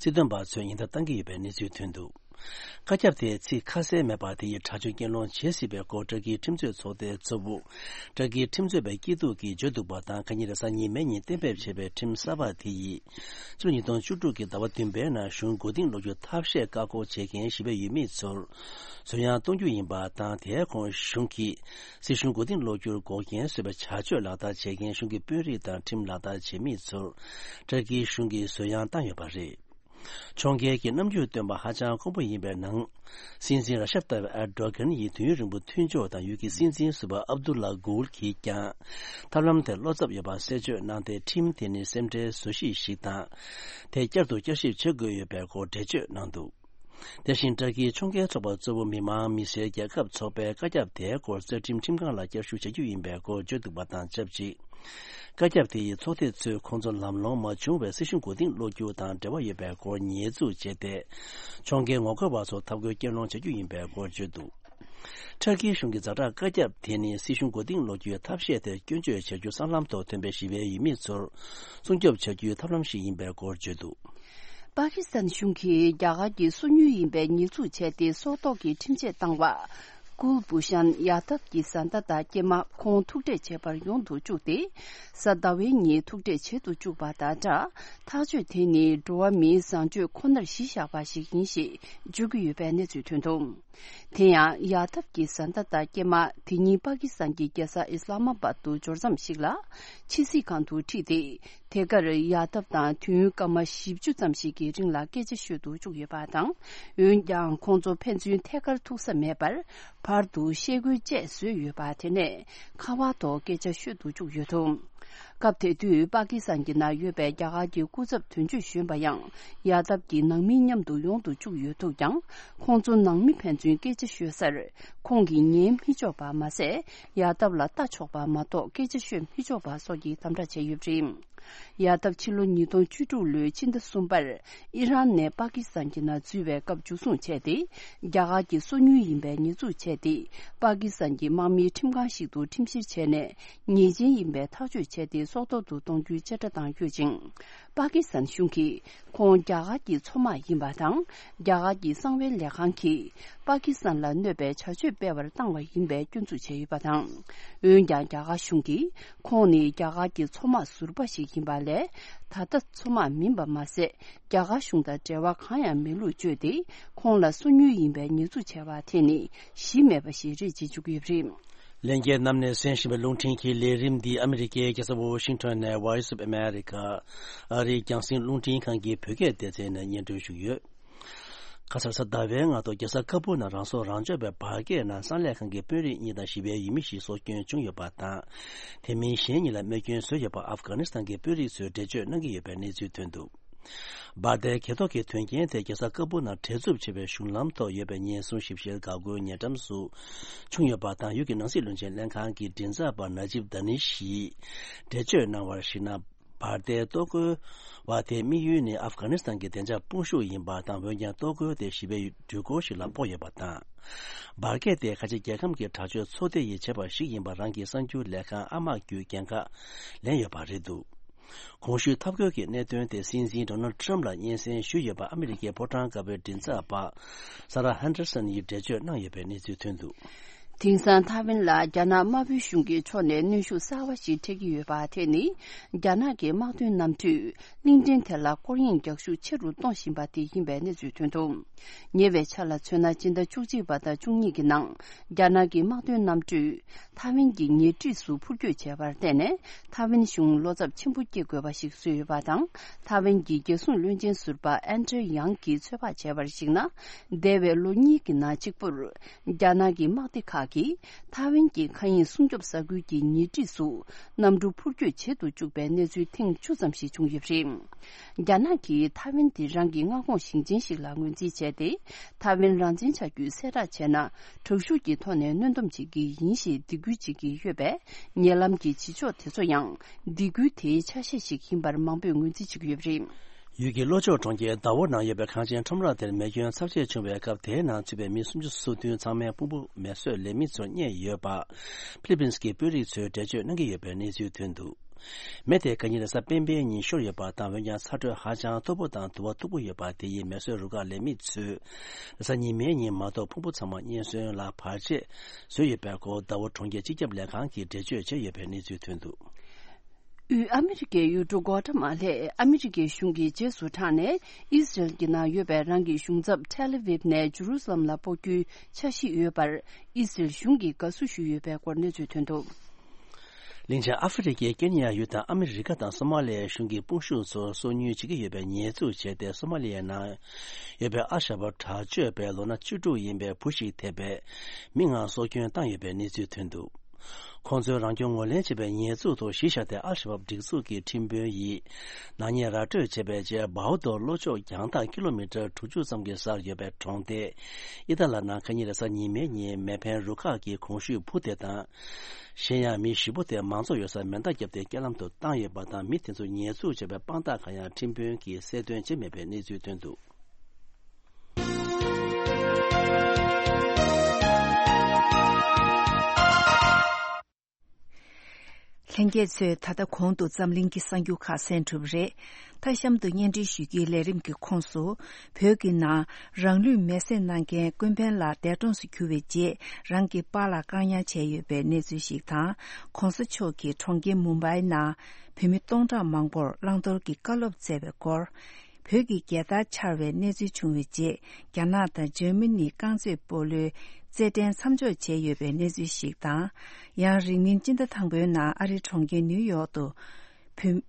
སྲིད་དོན་པ་ཚོས་ཉེན་བརྡ་བཏང་གི་ཡོད་པའི་གནས་ཚུལ་ཐོན་འདུག་བཀའ་ཁྱབ་དེས་ཚིག་ཁ་གསལ་མེད་པར་དེ་ཡི་དྲག་སྤྱོད་གྱེན་སློང་བྱེད་སྲིད་པའི་སྐོར་ཊར་ཀིའི་ཁྲིམས་རྩོད་ཚོགས་སྡེའི་གཙོ་བོ། ཊར་ཀིའི་ཁྲིམས་རྩོད་པའི་སྐྱིད་སྡུག་གིས་བརྗོད་འདུག་པ་དང་། ཁ་ཉིན་རེས་གཟའ་ཉི་མའི་ཉིན་གཏན་འབེབས་བྱས་པའི་ཁྲིམས་གསར་པ་དེ་ཡིས། ཕྱི་ལོ་ཉིས་སྟོང་བཅུ་དྲུག་གི་ཟླ་བ་བདུན་པའི་ནང་གཞུང་མགོ་རྟིང་སློག་རྒྱུ་ཐབས་ཤེས་བཀག་འགོག་བྱེད་མཁན་ཞི་བའི་ཡུལ་མི་ཚོར། བཟོད་ཡངས་གཏོང་རྒྱུ་ཡིན་པ་དང་། དེའི་ཁོངས་གཞུང་གིས་སྲིད་གཞུང་མགོ་རྟིང་སློག་རྒྱུར་འགོག་རྐྱེན་བཟོས་པའི་བྱ་སྤྱོད་ལག་བསྟར་བྱེད་མཁན་གཞུང་གི་དཔོན་རིགས་དང་ཁྲིམས་ལག་བསྟར་བྱེད་མི་ཚོར། ཊར་ཀིའི་གཞུང་གིས་བཟོད་ཡངས་བཏང་ཡོད་པ་རེད། ཕྱོགས་འགལ་གྱི་རྣམ་འགྱུར་སྟོན་པ་ཧ་ཅང་དཀོན་པོ་ཡིན་པའི་ནང་། སྲིད་འཛིན་ར་ཤབ་ཏཱ་ཡིབ་ཨར་ཌོ་གྷན་ཡི་དུས་ཡུན་རིང་པོ་མཐུན་ཕྱོགས་དང་ཡུལ་གྱི་སྲིད་འཛིན་ཟུར་པ་ཨབ་དུ་ལ་གུལ་གྱིས་ཀྱང་། ཐབས་ལམ་དེར་བློ་འཚབ་ཡོད་པ་གསལ་བརྗོད་གནང་སྟེ། ཁྲིམས་དེ་ནི་སེམས་ཁྲལ་བཟོ་གཞི་ཞིག་དང་། དེ་བསྐྱར་དུ་བསྐྱར་ཞིབ་བྱེད་དགོས་ཡོད་པའི་སྐོར་འགྲེལ་བརྗོད་གནང་འདུག་དེ་བཞིན་ཊར་ཀིའི་ཕྱོགས་འགལ་ཚོགས་པ་གཙོ་བོ་མི་མང་མི་སེར་རྒྱལ་ཁབ་ཚོགས་པའི་བཀའ་ཁྱབ་དེའི་སྐོར་རྩ་ཁྲིམས་ཁྲིམས་ཁང་ལ་བསྐྱར་ཞུ་བྱ་རྒྱུ་ཡིན་པའི་སྐོར་བརྗོད་འདུག་པ་དང་ཆབས་ཅིག་བཀའ་ཁྱབ་དེ་ཡིས་ཚོགས་སྡེ་ཚོས་ཁོང་ཚོ་ལམ་ལྷོང་མ་བྱུང་བའི་སྲིད་གཞུང་མགོ་རྟིང་སློག་རྒྱུ་དང་འབྲེལ་བ་ཡོད་པའི་སྐོར་ཉེས་འཛུགས་བྱས་ཏེ། ཕྱོགས་འགལ་ངོ་རྒོལ་བ་ཚོ་ཐབས་བཀོད་གྱེན་སློང་བྱ་རྒྱུ་ཡིན་པའི་སྐོར་བརྗོད་འདུག་ཊར་ཀིའི་གཞུང་གི་ཛ་དྲག་བཀའ་ཁྱབ་དེ་ནི་སྲིད་གཞུང་མགོ་རྟིང་སློག་རྒྱུའི་ཐབས་ཤེས་དེར་སྐྱོན་བརྗོད་བྱ་རྒྱུ་སྲང་ལམ་ཐོག་ཐོན་པའི་ཞི་བའི་ཡུལ་མི་ཚོར་སྲུང་སྐྱོབ་བྱ་རྒྱུའི་ཐབས་ལམ་ཞིག་ཡིན་པའི་སྐོར་བརྗོད་འདུག་པ་ཀི་སི་ཐན་གཞུང་གིས་རྒྱ་གར་གྱི་སོ་ཉུལ་ཡིན་པའི་ཉེས་འཛུགས་བྱས་ཏེ། སྲོག་ཐོག་གི་ཁྲིམས་ཆད་བཏང་བ། ཀུལ་བྷུ་ཤན་ཡ་དབ་ཀྱི་བཟའ་ཟླ་དང་སྐྱེས་མ་ཁོང་ཐུག་འཕྲད་བྱེད་པར་ཡོང་དུ་བཅུག་སྟེ། གཟའ་ཟླ་བའི་ཉིན་ཐུག་འཕྲད་བྱེད་དུ་བཅུག་པ་དང་སྦྲགས། ཐག་གཅོད་དེ་ནི་འགྲོ་བ་མིའི་བཟང་སྤྱོད་ཁོ་ནར་གཞི་བཞག་པ་ཞིག་ཡིན་ཞེས་བརྗོད་ཀྱི་ཡོད་པའི་གནས་ཚུལ་ཐོན་འདུག་དེ་ཡང་ཡ་དབ་ཀྱི་བཟའ་ཟླ་དང་སྐྱེས་མ་དེ་ཉིད་པ་ཀི་སི་ཐན་གྱི་རྒྱལ་ས་ཨི་སི་ལ་མ་པཱད་དུ་འབྱོར་མཚམས་ཤིག་ལ་ཕྱི་སྲིད་ཁང་དུ་ཁྲིད་དེ། དེ་གར་ཡ་དབ་དང་དུས་ཡུན་སྐར་མ་བཞི་བཅུ་ཙམ་ཞིག་གི་རིང་ལ་སྐད་ཆ་ཤོད་དུ་བཅུག་ཡོད་པ་དང་། འོན་ཀྱང་ཁོང་ཚོ་ཕན་ཚུན་ཐད་ཀར་ཐུག་ས་མེད་པར། བར་དུ་ཤེལ་སྒོའི་བཅད་བཟོས་ཡོད་པ་དེ་ནས་ཁ་པར་ཐོག་སྐད་ཆ་ཤོད་དུ་བཅུག་ཡོད་འདུག་སྐབས་དེ་དུས་པ་ཀི་སི་ཐན་གྱི་ནང་ཡོད་པའི་རྒྱ་གར་གྱི་སྐུ་ཚབ་དོན་གཅོད་གཞོན་པ་ཡང་ཡ་དབ་ཀྱི་ནང་མི་མཉམ་དུ་ཡོང་དུ་བཅུག་ཡོད་འདུག་ཀྱང་། ཁོང་ཚོ་ནང་མི་ཕན་ཚུན་སྐད་ཆ་ཤོད་སར་ཁོང་གིས་ཉན་མི་ཆོག་པ་མ་ཟད། ཡ་དབ་ལ་ལྟ་ཆོག་པ་མ་གཏོགས་སྐད་ཆ་ཤོད་མི་ཆོག་པ་སོགས་ཀྱི་དམ་དྲག་བྱས་ཡོད་པ་རེད། ཡ་དབ་ཕྱི་ལོ་ཉིས་སྟོང་བཅུ་དྲུག་ལོའི་ཕྱི་ཟླ་གསུམ་པར་ཨི་རན་ནས་པ་ཀི་སི་ཐན་གྱི་ནང་འཛུལ་བའི་སྐབས་འཇུ་བཟུང་བྱས་ཏེ། རྒྱ་གར་གྱི་སོ་ཉུལ་ཡིན་པའི་ཉེས་འཛུགས་བྱས་ཏེ། པ་ཀི་སི་ཐན་གྱི་དམག་མིའི་ཁྲིམས་ཁང་ཞིག་ཏུ་ཁྲིམས་བཤེར་བྱས་ནས། ཉེས་ཅན་ཡིན་པའི་ཐག་གཅོད་བྱས་ཏེ། སྲོག་ཐོག་ཏུ་གཏོང་རྒྱུའི་དཔྱད་ཁྲ་བཏང་ཡོད་ཅིང་། པ་ཀི་སི་ཐན་གཞུང་གིས་ཁོང་རྒྱ་གར་གྱི་མཚོ་དམག་ཡིན་པ་དང་། རྒྱ་གར་གྱི་གསང་བའི་ལས་ཁང་གིས་པ་ཀི་སི་ཐན་ལ་གནོད་པའི་བྱ་སྤྱོད་སྤེལ་བར་བཏང་བ་ཡིན་པའི་སྐྱོན་འཛུགས་བྱས་ཡོད་པ་དང་། འོན་ཀྱང་རྒྱ་གར་གཞུང་གིས་ཁོང་ནི་རྒྱ་གར་གྱི་མཚོ་དམག་ཟུར་པ་ཞིག་ཡིན་པ་ལས། ད་ལྟ་མཚོ་དམག་མིན་པ་མ་ཟད། རྒྱ་གར་གཞུང་དང་འབྲེལ་བ་གང་ཡང་མེད་ལུགས་བརྗོད་དེ། ཁོང་ལ་སོ་ཉུལ་ཡིན་པའི་ཉེས་འཛུགས་བྱས་པ་དེ་ནི་གཞི་མེད་པ་ཞིག་རེད་ཅེས་བརྗོད་ཀྱི་ཡོད་པ་རེད། ལྷན་རྒྱས་རྣམས་ནས་གསན་བཞིན་པའི་རླུང་འཕྲིན་གྱི་ལས་རིམ་འདི་ཨ་མི་རི་ཀའི་རྒྱལ་ས་ཝོ་ཤིང་ཊོན་ནས་Voice of America ཨ་རིའི་རྒྱང་སྲིང་རླུང་འཕྲིན་ཁང་གི་བོད་སྐད་སྡེ་ཚན་ནས་སྙན་སྒྲོན་ཞུས་ཡོད། ཁ་སང་གཟའ་ཟླ་བའི་སྔ་དྲོ་རྒྱལ་ས་ཁ་པུར་ནང་རང་སྲོག་རང་སྐྱོབ་པའི་འབར་གས་ནང་གསང་ལས་ཁང་གི་དཔོན་རིགས་གཉིས་དང་ཞི་བའི་ཡུལ་མི་ཞིག་སྲོག་སྐྱོན་བྱུང་ཡོད་པ་དང་། དེ་མིན་གཞན་གཉིས་ལ་རྨས་སྐྱོན་བཟོས་ཡོད་པ་ཨབ་གྷ་ནི་སི་ཐན་གྱི་དཔོན་རིགས་ཚོས་འགྲེལ་བརྗོད་གནང་གི་ཡོད་པའི་གནས་ཚུལ་ཐོན་འདུག་འབར་མདེལ་གྱེན་ལོག་གི་དོན་རྐྱེན་དེ་རྒྱལ་ས་ཀ་སྦུག་ནང་བྲེལ་འཚུབ་ཆེ་བའི་གཞུང་ལམ་ཐོག་ཡོད་པའི་ཉེན་སྲུང་ཞིབ་བཤེར་འགག་སྒོའི་ཉེ་འགྲམ་སུ་བྱུང་ཡོད་པ་དང་། ཡུལ་གྱི་ནང་སྲིད་བློན་ཆེན་ལྷན་ཁང་གི་མགྲིན་ཚབ་པ་ན་ཇིབ་དཱ་ནི་ཤིས་འགྲེལ་བརྗོད་གནང་བར་གཞིགས་ན། འབར་མདེལ་གཏོར་རྒོལ་བ་དེའི་དམིགས་ཡུལ་ནི་ཨབ་གྷ་ནི་སི་ཐན་གྱི་བདེ་འཇགས་དཔུང་ཤུགས་ཡིན་པ་དང་། འོན་ཀྱང་གཏོར་རྒོལ་དེ་ཞི་བའི་འགྲུལ་འཁོར་ཞིག་ལ་ཕོག་ཡོད་པ་དང་། འབར་གས་དེ་ཁ་ཆེ་རྒྱལ་ཁམས་ཀྱི་དྲག་སྤྱོད་ཚོགས་སྡེ་ཡིས་བྱས་པ་ཞིག་ཡིན་པ་རང་གི་གསར་འགྱུར་ལས་ཁང་ཨ་མ་བརྒྱུད་འགན་ཁག་ལེན་ཡོད་པ་རེད་འདུག་གོང་ཞུས་འཐབ་རྒོལ་གྱི་གནད་དོན་དེ་སྲིད་འཛིན་ཌོ་ནལ་ཊམ་ལ་སྙན་སེང་ཞུས་ཡོད་པ་ཨ་མི་རི་ཀའི་ཕོ་བྲང་དཀར་པོའི་མགྲིན་ཚབ་པ་ས་ར་ཧན་ཌར་སན་ཡིས་འགྲེལ་བརྗོད་གནང་ཡོད་པའི་གནས་ཚུལ་ཐོན་འདུག་དེང་སང་ཐའེ་ཝན་ལ་རྒྱ་ནག་དམར་པོའི་གཞུང་གི་ཕྱོགས་ནས་གནོན་ཤུགས་གསར་བ་ཞིག་འཕྲད་ཀྱི་ཡོད་པ་དེ་ནི། རྒྱ་ནག་གི་དམག་དོན་གནམ་གྲུས་གླིང་ཕྲན་དེ་ལ་སྐོར་གཡེང་རྒྱག་ཤུགས་ཆེ་རུ་གཏོང་བཞིན་པ་དེ་ཡིན་པའི་གནས་ཚུལ་ཐོན་འདུག་ཉེ་བའི་ཆར་ལ་མཚོན་ན། སྤྱི་ཟླ་བཅུ་གཅིག་པ་དང་བཅུ་གཉིས་ཀྱི་ནང་རྒྱ་ནག་གི་དམག་དོན་གནམ་གྲུས་ཐའེ་ཝན་གྱི་ཉེ་འཁྲིས་སུ་འཕུར་སྐྱོད་བྱས་པར་བརྟེན་ནས། ཐའེ་ཝན་གཞུང་བློ་འཚབ་ཆེན་པོ་སྐྱེ་དགོས་པ་ཞིག་བཟོས་ཡོད་པ་དང་། ཐའེ་ཝན་གྱི་རྒྱལ་སྲུང་བློན་ཆེན་ཟུར་པ་ཨན་ཏྲེ་ཡང་གིས་ཚོད་དཔག་བྱས་པར་གཞིགས་ན། འདས་པའི་ལོ་གཉིས་ཀྱི་ནང་གཅིག་པུར། རྒྱ་ནག་གི་དམག་སྡེ་ཁག་གིས་ཐའེ་ཝན་གྱི་མཁའ་དབྱིངས་སྲུང་སྐྱོབ་ས་ཁུལ་གྱི་ཉེ་འཁྲིས་སུ་གནམ་གྲུ་འཕུར་སྐྱོད་བྱེད་དུ་བཅུག་པའི་གནས་ཚུལ་ཐེངས་བཅུ་ཙམ་ཞིག་བྱུང་ཡོད་པ་རེད། རྒྱ་ནག་གིས་ཐའེ་ཝན་དེ་རང་གི་མངའ་ཁོངས་ཞིང་ཆེན་ཞིག་ལ་ངོས་འཛིན་བྱས་ཏེ། ཐའེ་ཝན་རང་བཙན་ཆགས་རྒྱུའི་གསལ་བསྒྲགས་བྱས་ན། དྲག་ཤུགས་ཀྱི་ཐོག་ནས་གནོན་སྡོམ་བྱེད་ཀྱི་ཡིན་ཞེས་སྡིགས་སྐུལ་བྱེད་ཀྱི་ཡོད་པས། ཉེ་ལམ་གྱི་བྱེད་ཕྱོགས་དེ་ཚོ་ཡང་སྡིགས་སྐུལ་དེའི་ཆ་ཤས་ཤིག་ཡིན་པར་མང་པོས་ངོས་འཛིན་བྱེད་ཀྱི་ཡོད་པ་རེད། ཡུལ་གྱི་ལྷོ་ཕྱོགས་གྲོང་ཁྱེར་དཱ་ཝོ་ནང་ཡོད་པའི་ཁང་ཆེན་ཁྲོམ་ར་དེར་མེ་སྐྱོན་ཚབས་ཆེ་བྱུང་བའི་སྐབས། དེའི་ནང་ཚུད་པའི་མི་སུམ་ཅུ་སོ་བདུན་ཚང་མའི་ཕུང་པོ་མེ་གསོད་ལས་མི་ཚོར་རྙེད་ཡོད་པ་ཕི་ལི་པིན་སི་གི་དཔོན་རིགས་ཚོས་འགྲེལ་བརྗོད་གནང་གི་ཡོད་པའི་གནས་ཚུལ་ཐོན་འདུག་མེ་དེ་དགའ་ཉིན་རེས་གཟའ་སྤེན་པའི་ཉིན་ཤོར་ཡོད་པ་དང་། འོན་ཀྱང་ཚ་དྲོད་ཧ་ཅང་མཐོ་པོ་དང་དུ་བ་མཐུག་པོ་ཡོད་པ་དེ་ཡིས་མེ་གསོད་རུ་ཁག་ལས་མི་ཚོས་རེས་གཟའ་ཉི་མའི་ཉིན་མ་གཏོགས་ཕུང་པོ་ཚང་མ་རྙེད་སོན་ལ་བར་ཆད་བཟོས་ཡོད་པའི་སྐོར་དཱ་ཝོ་གྲོང་ཁྱེར་སྤྱི་ཁྱབ་ལས་ཁང་གིས་འགྲེལ་བརྗོད་བྱས་ཡོད་པའི་གནས་ཚུལ་ཐོན་འདུག་དབུས་ཨ་མི་རི་ཀའི་ཡུལ་གྲུ་གོ་ཏྲ་མ་ལས་ཨ་མི་རི་ཀའི་གཞུང་གིས་རྗེས་སུ་འབྲངས་ནས། ཨི་སི་རེལ་གྱི་ནང་ཡོད་པའི་རང་གི་གཞུང་ཚབ་ཐེལ་ཨ་ཝིབ་ནས་ཇུ་རུ་སི་ལམ་ལ་སྤོ་རྒྱུའི་འཆར་གཞི་ཡོད་པར། ཨི་སི་རེལ་གཞུང་གིས་དགའ་བསུ་ཞུས་ཡོད་པའི་སྐོར་གནས་ཚུལ་ཐོན་འདུག་གླིང་ཆེན་ཨ་ཧྥེ་རི་ཁའི་ཀེན་ཡ་ཡུལ་དང་ཨ་མི་རི་ཀ་དང་སོ་མ་ལི་ཡའི་གཞུང་གི་དཔུང་ཤུགས་ཚོར་སོ་ཉུལ་བྱེད་ཀྱི་ཡོད་པའི་ཉེས་འཛུགས་བྱས་ཏེ། སོ་མ་ལི་ཡའི་ནང་ཡོད་པའི་ཨལ་ཤ་བབ་དྲག་སྤྱོད་པའི་ལོ་ན་བཅུ་དྲུག་ཡིན་པའི་བུ་ཞིག་ཐེ་བའི་མི་ལྔ་སྲོག་སྐྱོན་བཏང་ཡོད་པའི་གནས་ཚུལ་ཐོན་འདུག་ཁོང་ཚོས་རང་སྐྱོན་ངོས་ལེན་བྱས་པའི་ཉེས་འཛུགས་ཐོག་གཞི་བཞག་སྟེ། ཨལ་ཤ་བབ་སྒྲིག་འཛུགས་ཀྱི་ཁྲིམས་དཔོན་ཡིས་ནག་ཉེས་ར་སྤྲོད་བྱས་པའི་རྗེས། བའུ་དོར་ལྷོ་ཕྱོགས་རྒྱང་ཐག་ཀི་ལོ་མི་ཊར་དྲུག་ཅུ་ཙམ་གྱི་སར་ཡོད་པའི་གྲོང་སྡེ་ཨི་ཏཱ་ལ་ནང་ཁ་ཉིན་རེས་གཟའ་ཉི་མའི་ཉིན་མེ་འཕེན་རུ་ཁག་གིས་གོང་ཞུས་བུ་དེ་དང་། གཞན་ཡང་མི་བཞི་པོ་དེ་མང་ཚོགས་ཡོད་སར་མེ་མདའ་བརྒྱབ་སྟེ་རྐྱེན་ལམ་དུ་བཏང་ཡོད་པ་དང་། མི་དེ་ཚོ་ཉེས་འཛུགས་བྱས་པའི་དཔང་རྟགས་གང་ཡང་ཁྲིམས་དཔོན་གྱིས་གསལ་སྟོན་བྱས་མེད་པའི་གནས་ཚུལ་ཐོན་འདུག་ལྷན་རྒྱས་ཚོས། ད་ལྟ་གོང་དུ་འཛམ་གླིང་གི་གསར་འགྱུར་ཁག་གསན་གྲུབ་རེད། མཐའ་གཤམ་དུ་སྙན་སྒྲོན་ཞུ་རྒྱུའི་ལས་རིམ་གྱི་ཁོངས་སུ། བོད་ཀྱི་ནང་རང་ལུས་མེར་སྲེག་གནང་མཁན་ཀུན་ཕན་ལགས་འདས་གྲོངས་སུ་གྱུར་བའི་རྗེས། རང་གི་པཱ་ལགས་བཀག་ཉར་བྱས་ཡོད་པའི་གནས་ཚུལ་ཞིག་དང་། གོང་ས་མཆོག་གིས་གྲོང་ཁྱེར་མུམ་བྷའི་ནང་བོད་མི་སྟོང་ཕྲག་མང་པོར་བླང་དོར་གྱི་བཀའ་སློབ་སྩལ་བའི་སྐོར། བོད་ཀྱི་རྒྱལ་དར་འཕྱར་བའི་གནས་ཚུལ་བྱུང་བའི་རྗེས། རྒྱ་ནག་དང་འཇར་མ་ནི་རྐང་རྩེད་སྤོ་ལོའི་རྩེད་འགྲན་མཚམས་འཇོག་བྱས་ཡོད་པའི་གནས་ཚུལ་ཞིག་དང་། ཡང་རིང་མིན་སྤྱི་ཟླ་དང་པོའི་ནང་ཨ་རིའི་གྲོང་ཁྱེར་ནིའུ་ཡོག་ཏུ། བོད།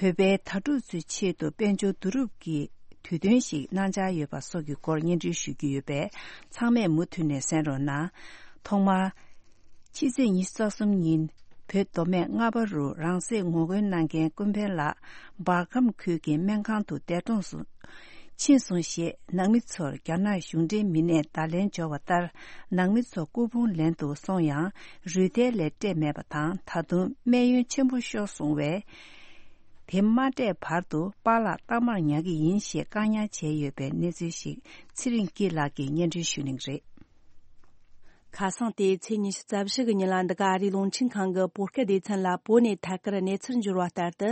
བོད་པའི་དྭ་ཕྲུག་ཚོའི་ཆེད་དུ་དཔལ་འབྱོར་བསྡུ་རུབ་ཀྱི་དུས་སྟོན་ཞིག་གནང་འཆར་ཡོད་པ་སོགས་ཀྱི་སྐོར་སྙན་སྒྲོན་ཞུ་རྒྱུ་ཡོད་པས། ཚང་མས་མུ་མཐུད་ནས་གསན་རོགས་གནང་། ཐོག་མར། ཕྱི་ཚེས་ཉི་ཤུ་རྩ་གསུམ་ཉིན། བོད་མདོ་སྨད་རྔ་བ་རུ་རང་སྲེག་ངོ་རྒོལ་གནང་མཁན་ཀུན་ཕན་ལགས་འབར་ཁམས་ཁུལ་གྱི་སྨན་ཁང་དུ་འདས་གྲོངས་སུ་ཕྱིན་སོང་ཞེས་ནང་མི་ཚོར་རྒྱ་ནག་གཞུང་འབྲེལ་མི་སྣས་བརྡ་ལན་འབྱོར་བ་ལྟར། ནང་མི་ཚོ་སྐུ་ཕུང་ལེན་དུ་སོང་ཡང་རུས་ཐལ་ལས་སྤྲད་མེད་པ་དང་། ད་དུང་སྨན་ཡོན་ཆེན་པོ་ཤོར་སོང་བས། དེ་མ་སྤྲད་བར་དུ་པཱ་ལགས་རྟག་མར་ཉར་གྱི་ཡིན་ཞེས་བཀག་ཉར་བྱས་ཡོད་པའི་གནས་ཚུལ་ཞིག་ཚེ་རིང་སྐྱིད་ལགས་ཀྱིས་སྙན་སྒྲོན་ཞུ་གླེང་རེད། ཁ་སང་སྟེ་ཚེས་ཉི་ཤུ་རྩ་བཞི་གི་ཉིན་ལ། འདི་ག་ཨ་རིའི་རླུང་འཕྲིན་ཁང་གི་བོད་སྐད་སྡེ་ཚན་ལ་བོད་ནས་ཐད་ཀར་གནས་ཚུལ་འབྱོར་བ་ལྟར་དུ།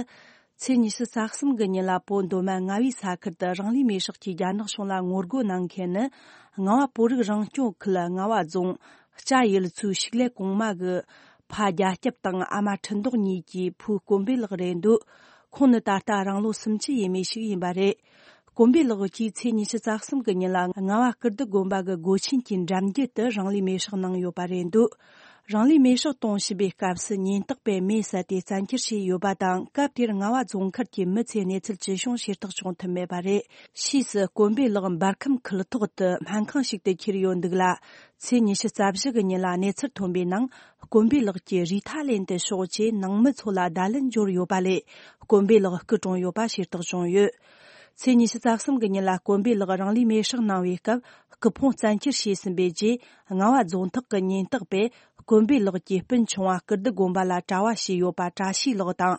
ཚེས་ཉི་ཤུ་རྩ་གསུམ་གི་ཉིན་ལ་བོད་མདོ་སྨད་རྔ་བའི་ས་ཁུལ་དུ་རང་ལུས་མེར་སྲེག་གིས་རྒྱ་ནག་གཞུང་ལ་ངོ་རྒོལ་གནང་མཁན་ནི། རྔ་བ་བོད་རིགས་རང་སྐྱོང་ཁུལ་རྔ་བ་རྫོང་སྐྱ་ཡུལ་ཚོའི་ཕྱུགས་ལས་གོང་མ་གི་ཕ་རྒྱ་སྐྱབས་དང་ཨ་མ་ཁྲི་མདོག་གཉིས་ཀྱི་བུ་དཀོན་པའི་ལགས་རེད་འདུག་ཁོང་ནི་ད་ལྟ་རང་ལོ་སུམ་ཅུ་ཡས་མས་ཤིག་ཡིན་པ་རེད། དཀོན་པའི་ལགས་ཀྱིས་ཚེས་ཉི་ཤུ་རྩ་གསུམ་གྱི་ཉིན་ལ་རྔ་བ་སྐུ་རྡི་དགོན་པ་གི་སྒོ་ཆེན་གྱི་འགྲམ་རྒྱུད་དུ་རང་ལུས་མེར་སྲེག་གནང་ཡོད་པ་རེད་འདུག་རང་ལུས་མེར་སྲེག་གཏོང་བཞིན་པའི་སྐབས་སུ་ཉེན་རྟོག་པས་མེ་བསད་དེ་བཙན་འཁྱེར་བྱས་ཡོད་པ་དང་། སྐབས་དེར་རྔ་བ་རྫོང་མཁར་གྱི་མི་ཚོས་གནས་ཚུལ་ཅི་བྱུང་ཤེས་རྟོགས་བྱུང་ཐུབ་མེད་པ་རེད། ཕྱིས་སུ་དཀོན་པའི་ལགས་འབར་ཁམས་ཁུལ་ཐོག་ཏུ་སྨན་ཁང་ཞིག་ཏུ་ཁྱེར་ཡོད་འདུག་ལ། ཚེས་ཉི་ཤུ་རྩ་བཞི་གི་ཉིན་ལ་གནས་ཚུལ་ཐོན་པའི་ནང་། དཀོན་པའི་ལགས་ཀྱིས་རུས་ཐལ་ལེན་དུ་ཤོག་ཅེས་ནང་མི་ཚོ་ལ་བརྡ་ལན་འབྱོར་ཡོད་པ་ལས། དཀོན་པའི་ལགས་སྐུ་གྲོངས་ཡོད་པ་ཤེས་རྟོགས་བྱུང་ཡོད། ཚེས་ཉི་ཤུ་རྩ་གསུམ་གི་ཉིན་ལ་དཀོན་པའི་ལགས་རང་ལུས་མེར་སྲེག་གནང་བའི་སྐབས། སྐུ་ཕུང་བཙན་འཁྱེར་བྱས་ཟིན་པའི་རྗེས། རྔ་བ་རྫོང་ཐག་གི་ཉེན་རྟགས་པས། དཀོན་པའི་ལགས་ཀྱི་སྤུན་ཆུང་བ་ཀིརྟི་དགོན་པ་ལ་གྲྭ་བ་བྱས་ཡོད་པ་བཀྲ་ཤིས་ལགས་དང་།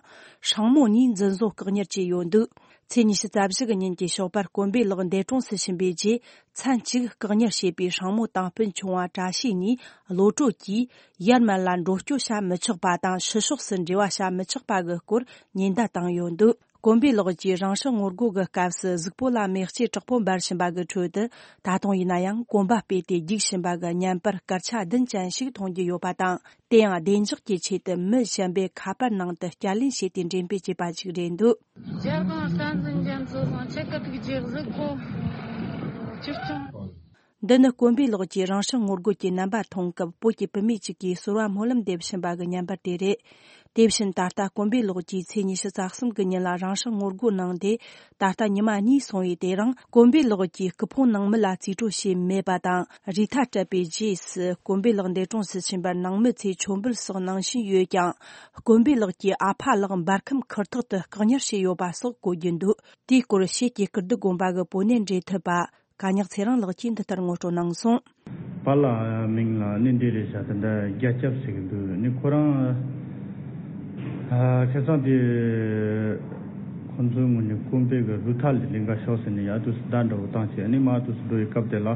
སྲིང་མོ་གཉིས་འཛིན་བཟུང་བཀག་ཉར་བྱས་ཡོད་འདུག་ཚེས་ཉི་ཤུ་རྩ་བཞི་གི་ཉིན་གྱི་ཞོགས་པར་དཀོན་པའི་ལགས་འདས་གྲོངས་སུ་ཕྱིན་པའི་རྗེས། མཚན་གཅིག་བཀག་ཉར་བྱས་པའི་སྲིང་མོ་དང་སྤུན་ཆུང་བ་བཀྲ་ཤིས་གཉིས་གློད་གྲོལ་གྱིས། ཡར་མར་ལ་འགྲོ་སྐྱོད་བྱ་མི་ཆོག་པ་དང་། ཕྱི་ཕྱོགས་སུ་འབྲེལ་བ་བྱ་མི་ཆོག་པ་གི་སྐོར་ཉེན་བརྡ་བཏང་ཡོད་འདུག་དཀོན་པའི་ལགས་ཀྱིས་རང་སྲོག་ངོ་རྒོལ་གྱི་སྐབས་སུ་གཟུགས་པོ་ལ་མེ་ལྕེ་དྲག་པོ་འབར་བཞིན་པ་གི་ཁྲོད་དུ། ད་དུང་ཡིན་ན་ཡང་གོམ་པ་སྤོས་ཏེ་རྒྱུག་བཞིན་པ་གི་བརྙན་པར་སྐར་ཆ་བདུན་ཅན་ཞིག་མཐོང་རྒྱུ་ཡོད་པ་དང་། དེ་ཡང་བདེ་འཇགས་ཀྱི་ཆེད་དུ་མི་གཞན་པའི་ཁ་པར་ནང་དུ་བསྐྱར་ལེན་བྱས་ཏེ་འགྲེམས་སྤེལ་བྱས་པ་ཞིག་རེད་འདུག་རྒྱལ་དབང་བསྟན་འཛིན་རྒྱ་མཚོ་དང་ཆེ་ཁ་ཐུག་རྗེ་གཟིགས་པོ་ཆིབས་སྐྱོང་། འདི་ནི་དཀོན་པའི་ལགས་ཀྱིས་རང་སྲོག་ངོ་རྒོལ་གྱི་རྣམ་པ་མཐོང་སྐབས། བོད་ཀྱི་བུད་མེད་ཅིག་གིས་ཟོར་བ་སྨོན་ལམ་འདེབས་བཞིན་པ་གི་བརྙན་པར་དེ་རེད། དེ་བཞིན་ད་ལྟ་དཀོན་པའི་ལགས་ཀྱིས་ཚེས་ཉི་ཤུ་རྩ་གསུམ་གི་ཉིན་ལ་རང་སྲོག་ངོ་རྒོལ་གནང་སྟེ། ད་ལྟ་ཉི་མ་གཉིས་སོང་བའི་དེ་རིང་དཀོན་པའི་ལགས་ཀྱི་སྐུ་ཕུང་ནང་མི་ལ་རྩིས་སྤྲོད་བྱས་མེད་པ་དང་། རུས་ཐལ་སྤྲད་པའི་རྗེས་སུ་དཀོན་པའི་ལགས་འདས་གྲོངས་སུ་ཕྱིན་པར་ནང་མི་ཚོས་མཆོད་འབུལ་སོགས་གནང་བཞིན་ཡོད་ཀྱང་། དཀོན་པའི་ལགས་ཀྱི་ཨ་ཕ་ལགས་འབར་ཁམས་ཁུར་ཐོག་ཏུ་བཀག་ཉར་བྱས་ཡོད་པ་སོགས་གོ་རྒྱུ་འདུག་དེའི་སྐོར་ཕྱེད་ཀྱི་ཀིརྟི་དགོན་པ་གི་བོད་གནས་འབྲེལ་མཐུད་པ་ཀ་ཉག་ཚེ་རིང་ལགས་ཀྱིས་འདི་ལྟར་ངོ་སྤྲོད་གནང་སོང་། པཱ་ལགས་མིང་ལ་ནི་འདི་རེད་ཤག་དེ་འདྲ་རྒྱ་ཁྱབ་ཟེར་གི་འདུག་ནི་ཁོ་རང་ཨ་ཁ་སང་དེ་ཁོ་ཚོའི་ངོས་ནས་དཀོན་པའི་གི་རུས་ཐལ་དེ་ལེན་ག་ཤོག་ཟེར་ནས་ཡར་དུས་སུ་བརྡ་འདྲ་བོ་བཏང་བྱས། ནི་མར་དུས་སུ་འགྲོ་བའི་སྐབས་དེ་ལ་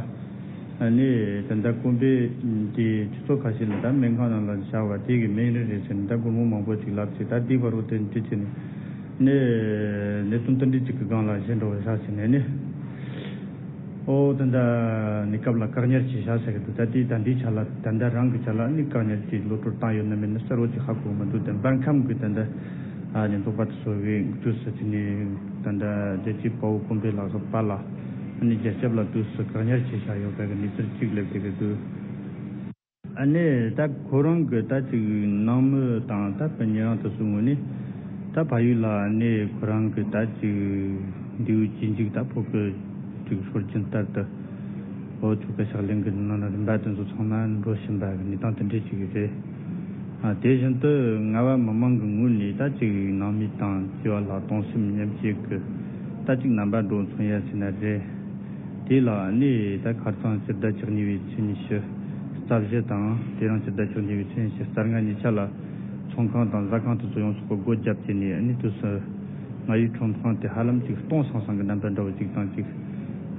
ནི་དེ་འདྲ་དཀོན་པའི་དེ་ཆུ་ཚོད་ཁ་ཤས་ལ་ད་སྨན་ཁང་ནང་ལ་བཞག་པ་དེ་གི་སྨན་རིན་རེད་ཟེར་ནས་ད་སྒོར་མོ་མང་པོ་ཅིག་ལབ་བྱས། ད་དེ་བར་དུ་དེ་འདྲ་བྱས་ནས་ནི་གནད་དོན་དེ་འདྲ་ཅིག་གི་སྒང་ལ་གཞན་འགྲོ་བ་བཞག་བྱས་ནས་ནི། ཨོ་ད་ལྟ་གནས་སྐབས་ལ་བཀག་ཉར་བྱས་བཞག་ཟེར་གི་འདུག་ད་ལྟའི་ད་ལྟའི་ཆ་ལ་ད་ལྟ་རང་གི་ཆ་ལ་ནི་བཀག་ཉར་གྱི་གློད་གྲོལ་བཏང་ཡོད་ན་མེད་ན་གསལ་བོ་ཅིག་ཧ་གོ་མི་འདུག་དེ་འབར་ཁམས་ཀྱི་ད་ལྟ་ཨ་ནི་ཚོགས་པ་དེ་ཚོ་གི་དུས་སུ་དེ་ནི་ད་ལྟ་རྒྱལ་གཅེས་དཔའ་བོ་དཀོན་པའི་ལགས་སོགས་པ་ལ་ཨ་ནི་རྒྱལ་ཁབ་ལ་དུས་སུ་བཀག་ཉར་བྱས་བཞག་ཡོད་པའི་གི་གནས་ཚུལ་ཅིག་སླེབས་བསྡད་ཀྱི་འདུག་ཨ་ནི་ད་ཁོ་རང་གི་ད་ཅིག་ནང་མི་དང་ད་ཕ་ཉེ་རང་དེ་ཚོའི་ངོས་ནས་ད་ཕ་ཡུལ་ལ་ཨ་ནི་ཁོ་རང་གི་ད་ཅིག་མདེའུ་གཅིག་མཇུག་ད་ཕོ་སྐུ་ཅིག་ཤོར་རྐྱེན་ལྟར་དུ་ཨོ་ཆོལ་ཁ་ཕྱག་ལེན་གི་ནང་ན་རིམ་པ་དེ་ཚོ་ཚང་མ་འགྲོ་བཞིན་པ་གི་གནས་སྟངས་དེ་འདྲ་ཅིག་རེད། ཨ་དེ་བཞིན་དུ་རྔ་བ་མི་མང་གི་ངོས་ནས་ད་ཅིག་ནང་མི་དང་བཅས་པ་ལ་གདུང་སེམས་མཉམ་སྐྱེད་ཀྱི་ད་ཅིག་རྣམ་པ་འགྲོ་མཚོན་ཡ་ཟེར་ན་རེད། དེ་ལ་ནི་ད་ཁ་རྩང་སྤྱི་ཟླ་བཅུ་གཉིས་པའི་ཚེས་ཉི་ཤུ་རྩ་བཞི་དང་དེ་རིང་སྤྱི་ཟླ་བཅུ་གཉིས་པའི་ཚེས་ཉི་ཤུ་རྩ་ལྔ་གཉིས་ཆ་ལ་ཚོང་ཁང་དང་ཟ་ཁང་དེ་ཚོ་ཡོངས་སུ་སྒོ་བརྒྱབ་བྱས་ནས་ནི་དུས་སུ་རྔ་ཡུལ་ཁྲོམ་ཁང་དེ་ཧ་ལམ་ཅིག་སྟོང་སང་སང་གི་རྣམ་པ་འདྲ་བོ་ཅིག་དང་ཅིག་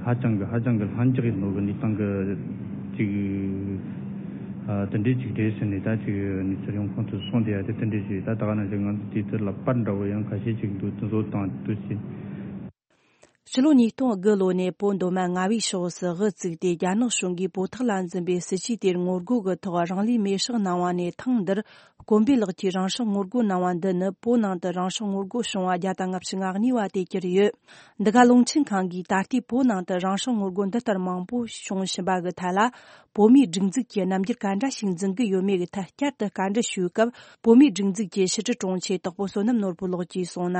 ཧ་ཅང་གི་ཧ་ཅང་གི་ལྷིང་འཇགས་ཡིན་ནོ་གི་གནས་སྟངས་གི་ཅིག་ཨ་དེ་འདྲའི་ཅིག་རེད་ཟེར་ནས་ད་ཅིག་གནས་ཚུལ་ཡོང་ཁུངས་དེ་གསུངས་བསྡད་ཡ་དེ་དེ་འདྲའི་ཞིག་ད་ད་ག་ནང་བཞིན་ང་ཚོ་དེའི་ཚུལ་ལ་པར་འདྲ་བོ་ཡང་ཁ་ཤས་ཅིག་འདུག་དེ་ཚོ་དང་དུས་ཕྱིན། ཕྱི་ལོ་ཉིས་སྟོང་དགུ་ལོ་ནས་བོད་མདོ་སྨད་རྔ་བའི་ཕྱོགས་སུ་དབུ་བཙུགས་ཏེ་རྒྱ་ནག་གཞུང་གིས་བོད་ཐོག་ལ་འཛིན་པའི་སྲིད་བྱུས་དེར་ངོ་རྒོལ་གྱི་ཐོག་རང་ལུས་མེར་སྲེག་གནང་བ་ནས་ཐེངས་འདིར་དཀོན་པའི་ལགས་ཀྱིས་རང་སྲོག་ངོ་རྒོལ་གནང་བ་འདི་ནི་བོད་ནང་དུ་རང་སྲོག་ངོ་རྒོལ་བྱུང་བ་བརྒྱ་དང་ལྔ་བཅུ་ང་གཉིས་པ་དེ་གྱུར་ཡོད། འདི་ག་རླུང་འཕྲིན་ཁང་གིས་ད་ལྟའི་བོད་ནང་དུ་རང་སྲོག་ངོ་རྒོལ་འདི་ལྟར་མང་པོ་བྱུང་བཞིན་པ་གི་ཐད་ལ། བོད་མིའི་སྒྲིག་འཛུགས་ཀྱིས་རྣམ་འགྱུར་ག་འདྲ་ཞིག་འཛིན་གྱི་ཡོད་མེད་ཀྱི་ཐད་བསྐྱར་དུ་བཀའ་འདྲི་ཞུས་སྐབས། བོད་མིའི་སྒྲིག་འཛུགས་ཀྱི་ཕྱི་དྲིལ་དྲུང་ཆེ་དྭགས་པོ་བསོད་ནམས་ནོར་བུ་ལགས་ཀྱིས་གསུངས་ན།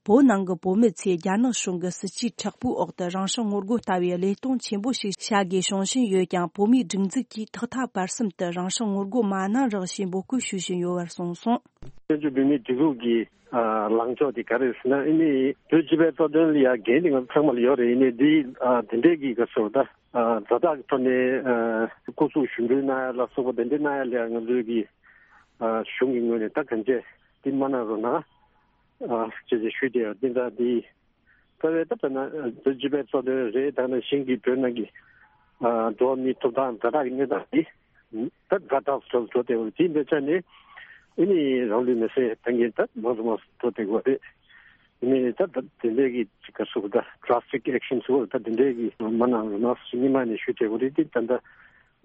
བོད་ནང་གི་བོད་མི་ཚོས་རྒྱ་ནག་གཞུང་གི་སྲིད་ཇུས་མཁྲེགས་པོའི་འོག་ཏུ་རང་སྲོག་ངོ་རྒོལ་ལྟ་བུའི་བློས་གཏོང་ཆེན་པོ་ཞིག་བྱ་དགོས་བྱུང་བཞིན་ཡོད་ཀྱང་། བོད་མིའི་སྒྲིག་འཛུགས་ཀྱིས་ཐོག་མཐའ་བར་གསུམ་དུ་རང་སྲོག་ངོ་རྒོལ་མ་གནང་རོགས་ཞེས་འབོད་སྐུལ་ཞུ་བཞིན་ཡོད་པར་གསུངས་སོང་། བཙན་བྱོལ་བོད་མིའི་སྒྲིག་འཛུགས་ཀྱི་ཨ་ལངས་ཕྱོགས་དེ་ག་རེ་ཟེར་ན། ཨ་ནི་བོད་སྤྱི་པའི་རྩ་དོན་ལ་ཡ་འགན་དེ་ང་ཚོ་ཚང་མ་ལ་ཡོད་རེད། ཨ་ནི་འདི་ཨ་དེ་འདྲའི་གི་ག་ཚོད་ད་ཨ་དྲ་བདག་གི་ཐོག་ནས་ཨ་སྐུ་གཟུགས་ཞུ་འབུལ་གནང་ཡ་ལ་སོགས་པ་དེ་འདྲ་གནང་ཡ་ལ་ཡ་ང་ཚོའི་གི་ཨ་གཞུང་གི་ངོས་ནས་ད་གང་བྱས་འདི་མ་གནང་རོགས་གནང་ཨ་ཅེས་ཅེས་ཞུས་ཏེ། འདི་འདྲ་འདི་རྩ་བའི་ད་ལྟ་ན་བོད་སྤྱི་པའི་རྩ་དོན་རེད། ད་ནང་བཞིན་གྱི་བོད་ནང་གི་ཨ་འགྲོ་བ་མིའི་ཐོབ་ཐང་དྲ་བདག་གི་གནས་སྟངས་འདི་ད་དྲ་བདག་ཚོ་འགྲོ་བསྡད་པ་དེ་འདྲ་ཆ་ནས་ཨ་ནི་རང་ལུས་མེར་སྲེག་གཏང་མཁན་ད་མང་དུ་མང་དུ་འགྲོ་བསྡད་ཀྱི་ཡོད་རེད། ཨ་ནི་ད་ད་དེ་འདྲའི་གི་ཅིག་ག་ཟེར་དགོས། ད་drastic action་ཟེར་དགོས། ད་དེ་འདྲའི་གི་མ་གནང་རོགས་གནང་ཟེར་སྔོན་མ་ནས་ཞུས་བསྡད་ཀྱི་ཡོད་རེད། དེ་ད་ལྟ་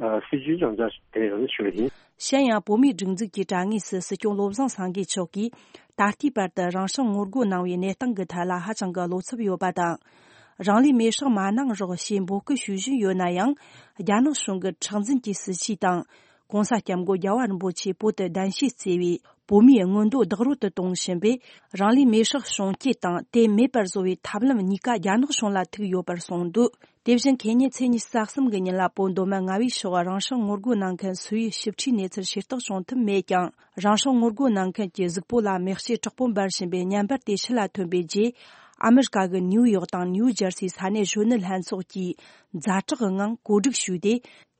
ཨ་སྲིད་ཇུས་ཡང་བསྐྱར་དེ་ཡང་ཞུ་བ་ཡིན། གཞན་ཡང་། བོད་མིའི་སྒྲིག་འཛུགས་ཀྱི་དྲ་ངོས་སུ་སྲིད་སྐྱོང་བློ་བཟང་སེང་གེ་མཆོག་གིས་ད་ལྟའི་བར་དུ་རང་སྲོག་ངོ་རྒོལ་གནང་བའི་གནས་སྟངས་ཀྱི་ཐད་ལ་ཧ་ཅང་གི་བློ་འཚབ་ཡོད་པ་དང་། རང་ལུས་མེར་སྲེག་མ་གནང་རོགས་ཞེས་འབོད་སྐུལ་ཞུ་བཞིན་ཡོད་ན་ཡང་། རྒྱ་ནག་གཞུང་གི་མཁྲེགས་འཛིན་གྱི་སྲིད་བྱུས་དང་། ྋགོང་ས་ྋསྐྱབས་མགོན་རྒྱལ་བ་རིན་པོ་ཆེས་བོད་དུ་གདན་ཞུས་བསྩལ་བའི་བོད་མིའི་མངོན་འདོད་བདག་རོལ་དུ་གཏོང་བཞིན་པས། རང་ལུས་མེར་སྲེག་བྱུང་རྐྱེན་དང་དེ་མེད་པར་བཟོ་བའི་ཐབས་ལམ་གཉིས་ཀ་རྒྱ་ནག་གཞུང་ལ་ཐུག་ཡོད་པར་གསུངས་འདུག་དེ་བཞིན་ཁེ་ཉིན་ཚེས་ཉི་ཤུ་རྩ་གསུམ་གྱི་ཉིན་ལ་བོད་མདོ་སྨད་རྔ་བའི་ཕྱོགས་རང་སྲོག་ངོ་རྒོལ་གནང་མཁན་སུ་ཡིས་ཞིབ་ཕྲའི་གནས་ཚུལ་ཤེས་རྟོགས་བྱུང་ཐུབ་མེད་ཀྱང་། རང་སྲོག་ངོ་རྒོལ་གནང་མཁན་གྱི་གཟུགས་པོ་ལ་མེ་ལྕེ་དྲག་པོ་འབར་བཞིན་པའི་བརྙན་པར་དེ་ཕྱི་ལ་ཐོན་པའི་རྗེས། ཨ་མི་རི་ཀ་གི་ནིའུ་ཡོག་དང་ནིའུ་ཇར་སི་ས་གནས་གཞོན་ནུ་ལྷན་ཚོགས་ཀྱིས་ཛ་དྲག་གི་ངང་གོ་སྒྲིག་ཞུས་ཏེ།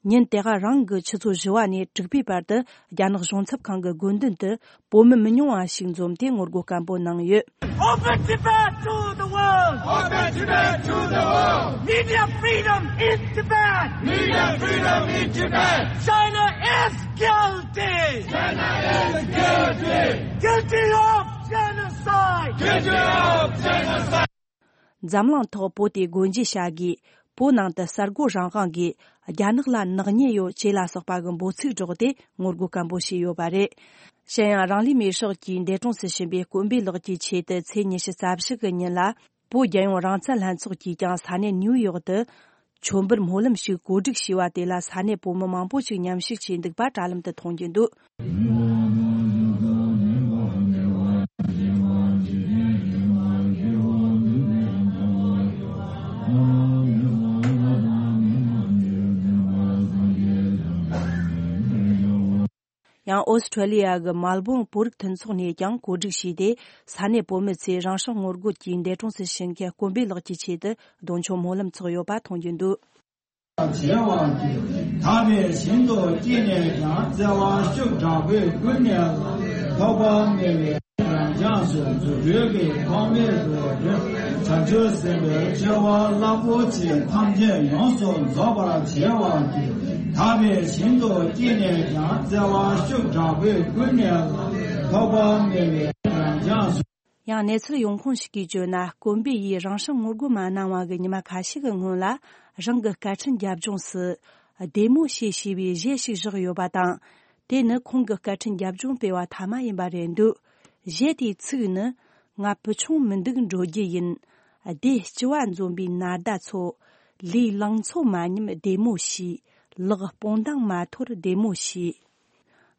ཉིན་དེ་ག་རང་གི་ཆུ་ཚོད་བཞི་བ་ནས་དྲུག་པའི་བར་དུ་རྒྱ་ནག་གཞུང་ཚབ་ཁང་གི་དགོན་མདུན་དུ་བོད་མི་མི་ཉུང་བ་ཞིག་འཛོམས་ཏེ་ངོ་རྒོལ་སྐད་འབོད་གནང་ཡོད། Open Tibet to the world! Open Tibet to the world! Media freedom in Tibet! Media freedom in Tibet! China is guilty! China is guilty! Guilty of genocide! Guilty of genocide! འཛམ་གླིང་ཐོག་བོད་དེ་སྒོ་འབྱེད་བྱ་དགོས། བོད་ནང་དུ་གསར་འགོད་རང་དབང་དགོས། རྒྱ་ནག་ལ་ནག་ཉེས་ཡོད་ཅེས་ལ་སོགས་པ་གི་འབོད་ཚིག་སྒྲོག་སྟེ་ངོ་རྒོལ་སྐད་འབོད་བྱས་ཡོད་པ་རེད། གཞན་ཡང་རང་ལུས་མེར་སྲེག་གིས་འདས་གྲོངས་སུ་ཕྱིན་པའི་དཀོན་པའི་ལགས་ཀྱི་ཆེད་དུ་ཚེས་ཉི་ཤུ་རྩ་བཞི་གི་ཉིན་ལ་བོད་རྒྱལ་ཡོངས་རང་བཙན་ལྷན་ཚོགས་ཀྱིས་ཀྱང་ས་གནས་ནིའུ་ཡོག་ཏུ་མཆོད་འབུལ་སྨོན་ལམ་ཞིག་གོ་སྒྲིག་བྱས་པ་དེ་ལ་ས་གནས་བོད་མི་མང་པོ་ཞིག་མཉམ་ཞུགས་བྱས་འདུག་པ་དྲ་ལམ་དུ་མཐོང་རྒྱུ་འདུག། ཡང་ཨོ་སི་ཁྲེ་ལི་ཡ་གི་མལ་བོན་བོད་རིགས་མཐུན་ཚོགས་ནས་ཀྱང་གོ་སྒྲིག་བྱས་ཏེ། ས་གནས་བོད་མི་ཚོས་རང་སྲོག་ངོ་རྒོལ་གྱིས་འདས་གྲོངས་སུ་ཕྱིན་མཁན་དཀོན་པའི་ལགས་ཀྱི་ཆེད་དུ་གདུང་མཆོད་སྨོན་ལམ་ཚོགས་ཡོད་པ་མཐོང་རྒྱུ་འདུག། བྱེ་བ་ཀུན། དག་པའི་ཞིང་དུ་སྐྱེས་ནས་ཀྱང་། བརྩེ་བ་ཤུགས་དྲག་པོས་ཀུན་ནས་བསླངས། ཐོགས་པ་མེད་པའི་རང་བྱམས་སུ། རྫུ་འཕྲུལ་གྱི་ཐོགས་མེད་དུ་སྤྲུལ། བྱང་ཆུབ་སེམས་དཔའི་སྤྱོད་པ་རླབས་པོ་ཆེ། ཐམས་ཅད་ཡོངས་སུ་རྫོགས་པར་བྱེད་པ་ཀུན། དག་པའི་ཞིང་དུ་སྐྱེས་ནས་ཀྱང་། བརྩེ་བ་ཤུགས་དྲག་པོས་ཀུན་ནས་བསླངས། ཐོགས་པ་མེད་པའི་རང་བྱམས་སུ། ཡང་གནས་ཚུལ་ཡོང་ཁུངས་ཤིག་གིས་བརྗོད་ན། དཀོན་པའི་ཡིས་རང་སྲོག་ངོ་རྒོལ་མ་གནང་བ་གི་ཉི་མ་ཁ་ཤས་ཀྱི་སྔོན་ལ། རང་གི་སྐད་འཕྲིན་རྒྱབ་ལྗོངས་སུ། བདེ་མོ་བྱོས་ཞེས་པའི་གཞས་ཤིག་བཞག་ཡོད་པ་དང་། དེ་ནི་ཁོང་གི་སྐད་འཕྲིན་རྒྱབ་ལྗོངས་སྤེལ་བ་ཐ་མ་ཡིན་པ་རེད་འདུག། གཞས་དེའི་ཚིག་ནི། ང་བུ་ཆུང་མི་འདུག་འགྲོ་རྒྱུ་ཡིན། སྡེ་སྤྱི་བ་འཛོམས་པའི་ནཱ་ཟླ་ཚོ། ལུས་ལང་ཚོ་མ་ཉམས་བདེ་མོ་བྱོས། ལག་སྤོང་ཐང་མ་འཐོར་བདེ་མོ་བྱོས།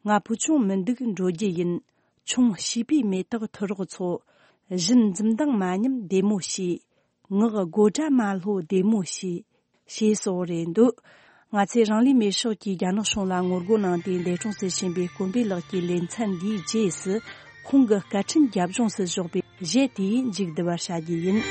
ང་བུ་ཆུང་མི་འདུག་འགྲོ་རྒྱུ་ཡིན། ཆུང་བྱིས་པའི་མེ་ཏོག་ཐུ་རོག་ཚོ། བཞིན་འཛུམ་མདངས་མ་ཉམས་བདེ་མོ་བྱོས། ངག་དགོད་སྒྲ་མ་ལྷོད་བདེ་མོ་བྱོས། ཞེས་སོགས་རེད་འདུག། ང་ཚོས་རང་ལུས་མེར་སྲེག་གིས་རྒྱ་ནག་གཞུང་ལ་ངོ་རྒོལ་གནང་སྟེ་འདས་གྲོངས་སུ་ཕྱིན་པའི་དཀོན་པའི་ལགས་ཀྱི་ལེ་ཚན་འདིའི་རྗེས་སུ། ཁོང་གི་སྐད་འཕྲིན་རྒྱབ་ལྗོངས་སུ་བཞག་པའི་གཞས་དེས་མཇུག་བསྡུ་བར་བྱ་རྒྱུ་ཡིན།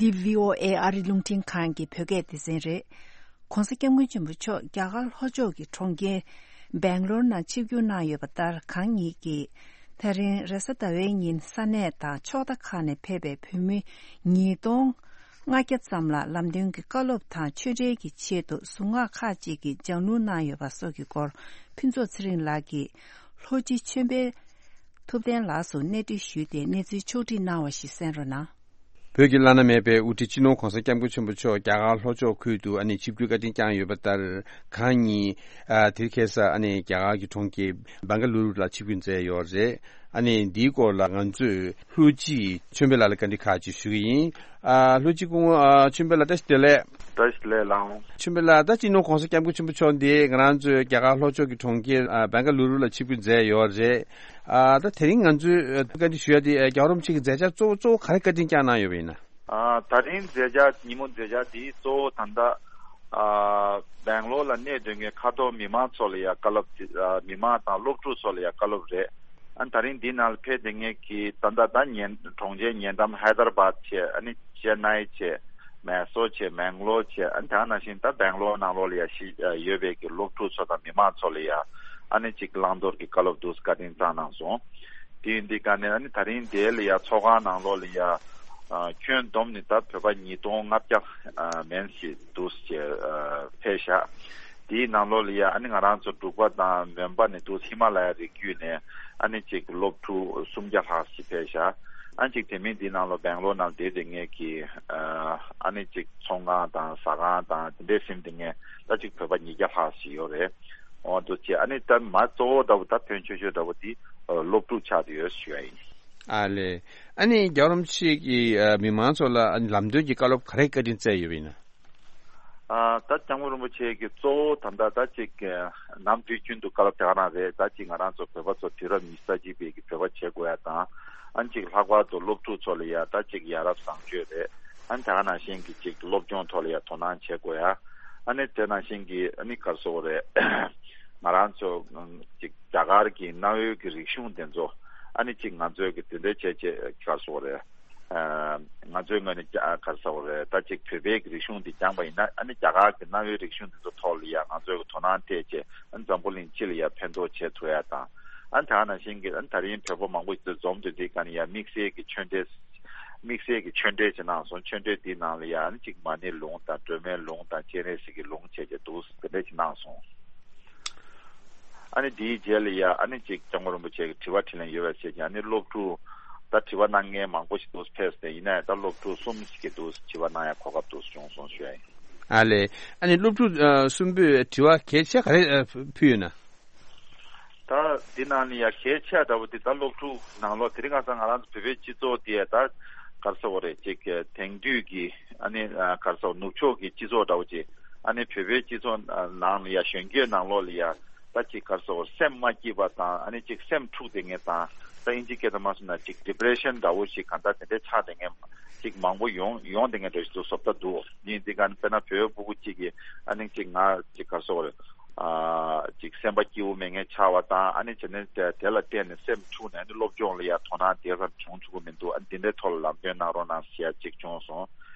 འདི་བྷི་ཨོ་ཨེ་ཨ་རི་རླུང་འཕྲིན་ཁང་གི་བོད་སྐད་སྡེ་ཚན་རེད། ༸གོང་ས་༸སྐྱབས་མགོན་ཆེན་པོ་མཆོག་རྒྱ་གར་ལྷོ་ཕྱོགས་ཀྱི་གྲོང་ཁྱེར་སྦེང་ལོར་ནང་ཆིབས་བསྒྱུར་གནང་ཡོད་པ་ལྟར། གང་ཉིད་ཀྱིས་ད་རིང་རེས་གཟའ་ཟླ་བའི་ཉིན་ས་གནས་དང་ཕྱོགས་མཐའ་ཁག་ནས་ཕེབས་པའི་བོད་མི་ཉིས་སྟོང་ལྔ་བརྒྱ་ཙམ་ལ་ལམ་སྟོན་གྱི་བཀའ་སློབ་དང་ཆོས་འབྲེལ་གྱི་ཆེད་དུ་གཟུངས་སྔགས་ཁག་ཅིག་གི་སྦྱང་བསླུར་གནང་ཡོད་པ་སོགས་ཀྱི་སྐོར། ཕུན་ཚོགས་ཚེ་རིང་ལགས་ཀྱིས་ལྷོ་སྤྱི་ཆོས་འཕེལ་ཐུབ་བསྟན་ལགས་སུ་གནས་འདྲི་ཞུས་ཏེ་གནས་ཚུལ་ཕྱོགས་སྒྲིག་གནང་བ་ཞིག་གསན་རོགས་གནང་། བོད་ཀྱི་བླ་ན་མེད་པའི་དབུ་ཁྲིད་སྤྱི་ནོར་༸གོང་ས་༸སྐྱབས་མགོན་ཆེན་པོ་མཆོག་རྒྱ་གར་ལྷོ་ཕྱོགས་ཁུལ་དུ་ཨ་ནི་ཆིབས་བསྒྱུར་བཀའ་དྲིན་བསྐྱངས་ཡོད་པ་ལྟར། གང་ཉིད་ཨ་དེ་རིང་ཁ་སང་ཨ་ནི་རྒྱ་གར་གྱི་གྲོང་ཁྱེར་སྦང་ག་ལུ་རུ་ལ་ཆིབས་བསྒྱུར་མཛད་ཡོད་རེད། ཨ་ནི་འདིའི་སྐོར་ལ་ང་ཚོས་ལྷོ་སྤྱི་ཆོས་འཕེལ་ལགས་ལ་བཀའ་འདྲི་ཁག་ཅིག་ཞུ་གི་ཡིན། ཨ་ལྷོ་སྤྱི་སྐུ་ངོ་ཨ་ཆོས་འཕེལ་ལགས་བཀྲ་ཤིས་བདེ་ལེགས། བཀྲ་ཤིས་བདེ་ལེགས་ལགས། ཆོས་འཕེལ་ལགས། ད་སྤྱི་ནོར་༸གོང་ས་༸སྐྱབས་མགོན་ཆེན་པོ་མཆོག་འདི་ང་རང་ཚོའི་རྒྱ་གར་ལྷོ་ཕྱོགས་ཀྱི་གྲོང་ཁྱེར་ཨ་སྦང་ག་ལུ་རུ་ལ་ཆིབས་བསྒྱུར་མཛད་ཡོད་རེད། ཨ་ད་དེ་རིང་ང་ཚོས་ཨ་བཀའ་འདྲི་ཞུ་ཡ་དེ་ཨ་རྒྱལ་བ་རིན་པོ་ཆེ་གི་མཛད་འཆར་གཙོ་བོ་གཙོ་བོ་ག་རེ་བཀའ་དྲིན་བསྐྱངས་གནང་ཡོད་པ་ཡིན་ན། ཨ་ད་རིང་མཛད་འཆར་ཉིན་མོ་མཛད་འཆར་དེ་གཙོ་བོ་ད་ལྟ་ ཨ་སྦེང་ལོར་ལ་གནས་སྡོད་མཁན་ཁ་ཐོར་མི་མང་ཚོ་ལ་ཡ་བཀའ་སློབ་དེ་ཨ་མི་མང་དང་སློབ་ཕྲུག་ཚོ་ལ་ཡ་བཀའ་སློབ་རེད། ཨ་ནི་ད་རིང་འདི་ནང་ལ་ཕེབས་བསྡད་མཁན་གྱི་ད་ལྟ་ད་ཉེ་གྲོང་ཁྱེར་ཉེ་འགྲམ་ཧའི་དར་བཱད་བྱས། ཨ་ནི་ཅེ་ནའི་བྱས། མེ་སོར་བྱས། མེང་ལོར་བྱས། ཨ་ནི་ད་ག་ནང་བཞིན་ད་སྦེང་ལོར་ནང་ལོགས་ལ་ཡ་ཤི་ཡོད་པའི་གི་སློབ་ཕྲུག་ཚོ་དང་མི་མང་ཚོ་ལ་ཡ་ཨ་ནི་ཅིག་བླང་དོར་གྱི་བཀའ་སློབ་འདུག་སེ་བཀའ་དྲིན་བསྐྱངས་གནང་སོང་། དེ་ཡིན་དུས་ཀ་ནས་ཨ་ནི་ད་རིང་དེ་ལ་ཡ་ཚོགས་ཁང་ནང་ལོགས་ལ་ཡ་ཨ་ཁྱོན་བསྡོམས་ནས་ད་བོད་པ་ཉིས་སྟོང་ལྔ་བརྒྱ་ཨ་མན་ཞིག་འདུག་སེ་ཨ་ཕེབས་ཤག་དེའི་ནང་ལོགས་ལ་ཡ་ཨ་ནི་ང་རང་ཚོ་འབྲུག་པ་དང་མོན་པ་ནས་འདུག་སེ་ཧི་མ་ལ་ཡ་རི་རྒྱུད་ནས་ཨ་ནི་ཅིག་སློབ་ཕྲུག་སུམ་བརྒྱ་ལྷག་ཞིག་ཕེབས་ཤག་ཨ་ནི་ཅིག་དེ་མིན་འདི་ནང་ལོགས་སྦེང་ལོར་ནང་བསྡད་བསྡད་མཁན་གྱི་ཨ་ཨ་ནི་ཅིག་ཚོང་ཁང་དང་ཟ་ཁང་དང་དེ་འདྲས་ཟིན་བསྡད་མཁན་ད་ཅིག་བོད་པ་ཉིས་བརྒྱ་ལྷག་ཞིག་ཡོད་རེད། འོ་འདུག་སེ་ཨ་ནི་ད་མ་གཙོ་བོ་འདྲ་བོ་ད་ཕོན་ཆེ་ཤོས་འདྲ་བོ་དེ་ཨ་སློབ་ཕྲུག་ཆགས་བསྡད་ཡོད་ཞུ་ཡ་ཡིན། ཨ་ལས། ཨ་ནི་རྒྱལ་བ་རིན་པོ་ཆེ་གིས་ཨ་མི་མང་ཚོ་ལ་ཨ་ནི་ལམ་སྟོན་གྱི་བཀའ་སློབ་ག་རེ་བཀའ་དྲིན་སྩལ་ཡོད་པ་ཡིན་ན། ཨ་ད་སྐྱབས་མགོན་རིན་པོ་ཆེ་གིས་གཙོ་བོ་ད་ལྟ་ད་ཅིག་ཨ་ནམ་དུས་རྒྱུན་དུ་བཀའ་སློབ་དེ་ག་རང་རེད། ད་ཅིག་ང་རང་ཚོ་བོད་པ་ཚོ་དུས་རབས་ཉི་ཤུ་རྩ་གཅིག་པའི་གི་བོད་པ་བྱེད་དགོས་ཡ་དང་། ཨ་ནི་ཅིག་ལྷག་པར་དུ་སློབ་ཕྲུག་ཚོ་ལ་ཡ་ད་ཅིག་ཡ་རབས་བཟང་སྤྱོད་རེད། ཨ་ནི་ད་ག་ནང་བཞིན་གྱི་ཅིག་སློབ་སྦྱོང་ཐོག་ལ་ཡ་དོ་སྣང་བྱེད་དགོས་ཡ། ཨ་ནི་དེ་ནང་བཞིན་གྱི་ཨ་ནི་ག་རེ་ཟེར་དགོས་རེད། ང་རང་ཚོ་ཨམ་ཅིག་རྒྱ་གར་གྱི་གནའ་བོའི་གི་རིག་གཞུང་དེ་ཚོ་ཨ་ནི་ཅིག་ང་ཚོའི་གི་དེ་འདྲ་བྱས་བྱས་ག་རེ་ཟེར་དགོས་རེད། ཨ་ང་ཚོའི་ངོས་ནས་རྒྱ་ག་རེ་ཟེར་དགོས་རེད། ད་ཅིག་བོད་པའི་གི་རིག་གཞུང་འདི་སྦྱངས་པ་ཡིན་ན་ཨ་ནི་རྒྱ་གར་གྱི་གནའ་བོའི་རིག་གཞུང་འདི་ཚོ་ཐོག་ལ་ཡ་ང་ཚོའི་གི་དོ་སྣང་སྤྲད་བྱས་ཨ་ནི་འཛམ་བུ་གླིང་སྤྱི་ལ་ཡ་ཕན་ཐོགས་བྱེད་ཐུབ་ཡ་དང་། ཨ་ནི་ད་ག་ནང་བཞིན་གྱི་ཨ་ནི་ད་རིང་བོད་པ་མང་པོ་ཞིག་འཛོམས་འདུག་དེའི་སྒང་ནས་ཡ་དམིགས་བསལ་གྱི་ཆོས་འབྲེལ། དམིགས་བསལ་གྱི་ཆོས་འབྲེལ་ཅིག་གནང་སོང་། ཆོས་འབྲེལ་འདིའི་ནང་ལ་ཡ་ཨ་ནི་གཅིག་མ་ཎིའི་ལུང་དང་སྒྲོལ་མའི་ལུང་དང་སྤྱན་རས་གཟིགས་ཀྱི་ལུང་བྱས་བྱས་འདུག་དེ་འདྲ་ཅིག་གནང་སོང་། ཨ་ནི་འདིའི་རྗེས་ལ་ཡ་ཨ་ནི་གཅིག་སྐྱབས་མགོན་རིན་པོ་ཆེ་གི་དྲི་བ་དྲིས་ལན་ཡོད་པ་བྱས་ཀྱང་ཨ་ནི་སློབ་ཕྲུག་ད་དྲི་བ་གནང་མཁན་མང་པོ་ཞིག་འདུག་ཕེབས་ཏེ་ཡིན་ན་ཡང་ད་སློབ་ཕྲུག་གསུམ་ཞིག་གིས་འདུག་དྲི་བ་གནང་ཡ་གོ་སྐབས་འདུག་བྱུང་སོང་ཞུ་ཡ་ཡིན། ཨ་ལས། ཨ་ནི་སློབ་ཕྲུག་ཨ་གསུམ་པོས་དྲི་བ་གལ་ཆེ་ག་རེ་ཨ་ཕུལ་ཡོད་ན། ད་འདི་ནང་ནས་ཡ་གལ་ཆེ་དྲགས་པོ་དེ་ད་སློབ་ཕྲུག་ནང་ལོགས་དེ་རིང་ཁ་སང་ང་རང་ཚོ་བོད་པའི་སྤྱི་ཚོགས་དེ་ད་ག་རེ་ཟེར་དགོས་རེད། ཅིག་དེང་དུས་ཀྱི་ཨ་ནི་ག་རེ་ཟེར་ནུབ་ཕྱོགས་ཀྱི་སྤྱི་ཚོགས་འདྲ་བོ་ཅིག་ཨ་ནི་བོད་པའི་སྤྱི་ཚོགས་ནང་ལ་ཡ་གཞོན་སྐྱེས་ནང་ལོགས་ལ་ཡ་ད་ཅིག་ག་རེ་ཟེར་དགོས་རེད། སེམས་མ་སྐྱིད་པ་དང་ཨ་ནི་ཅིག་སེམས་འཁྲུགས་བསྡད་མཁན་དང་། ད་ཨིན་ཇི་སྐད་དུ་མ་སོང་ན་ཅིག་ཌི་པི་རེ་ཤན་འདྲ་བོ་ཞིག་གང་ལྟར་དེ་འདྲའི་ཆགས་བསྡད་མཁན་ཅིག་མང་པོ་ཡོང་ཡོང་བསྡད་མཁན་འདྲ་ཞིག་འདུག་བཟོ་ལྟ་འདུག་ཡིན་དེ་ག་ནི་དཔེར་ན་བོད་ཕྲུ་གུ་གཅིག་གིས་ཨ་ནི་ཅིག་ང་ཅིག་ག་རེ་ཟེར་དགོས་རེད། ཨ་ཅིག་སེམས་པ་སྐྱིད་པོ་མེད་མཁན་ཆགས་པ་དང་། ཨ་ནི་བྱས་ནས་དེ་དེ་ལ་བརྟེན་ནས་སེམས་འཁྲུགས་ནས་ཨ་ནི་སློབ་སྦྱོང་ལ་ཡ་དོ་སྣང་དེ་ཙམ་བྱུང་ཆོག་གི་མི་འདུག་ཨ་ནི་འདི་འདྲའི་ཐོག་ལ་ལམ་སྟོན་གནང་རོགས་གནང་ཟེར་ཡ་ཅིག་བྱུང་སོང་།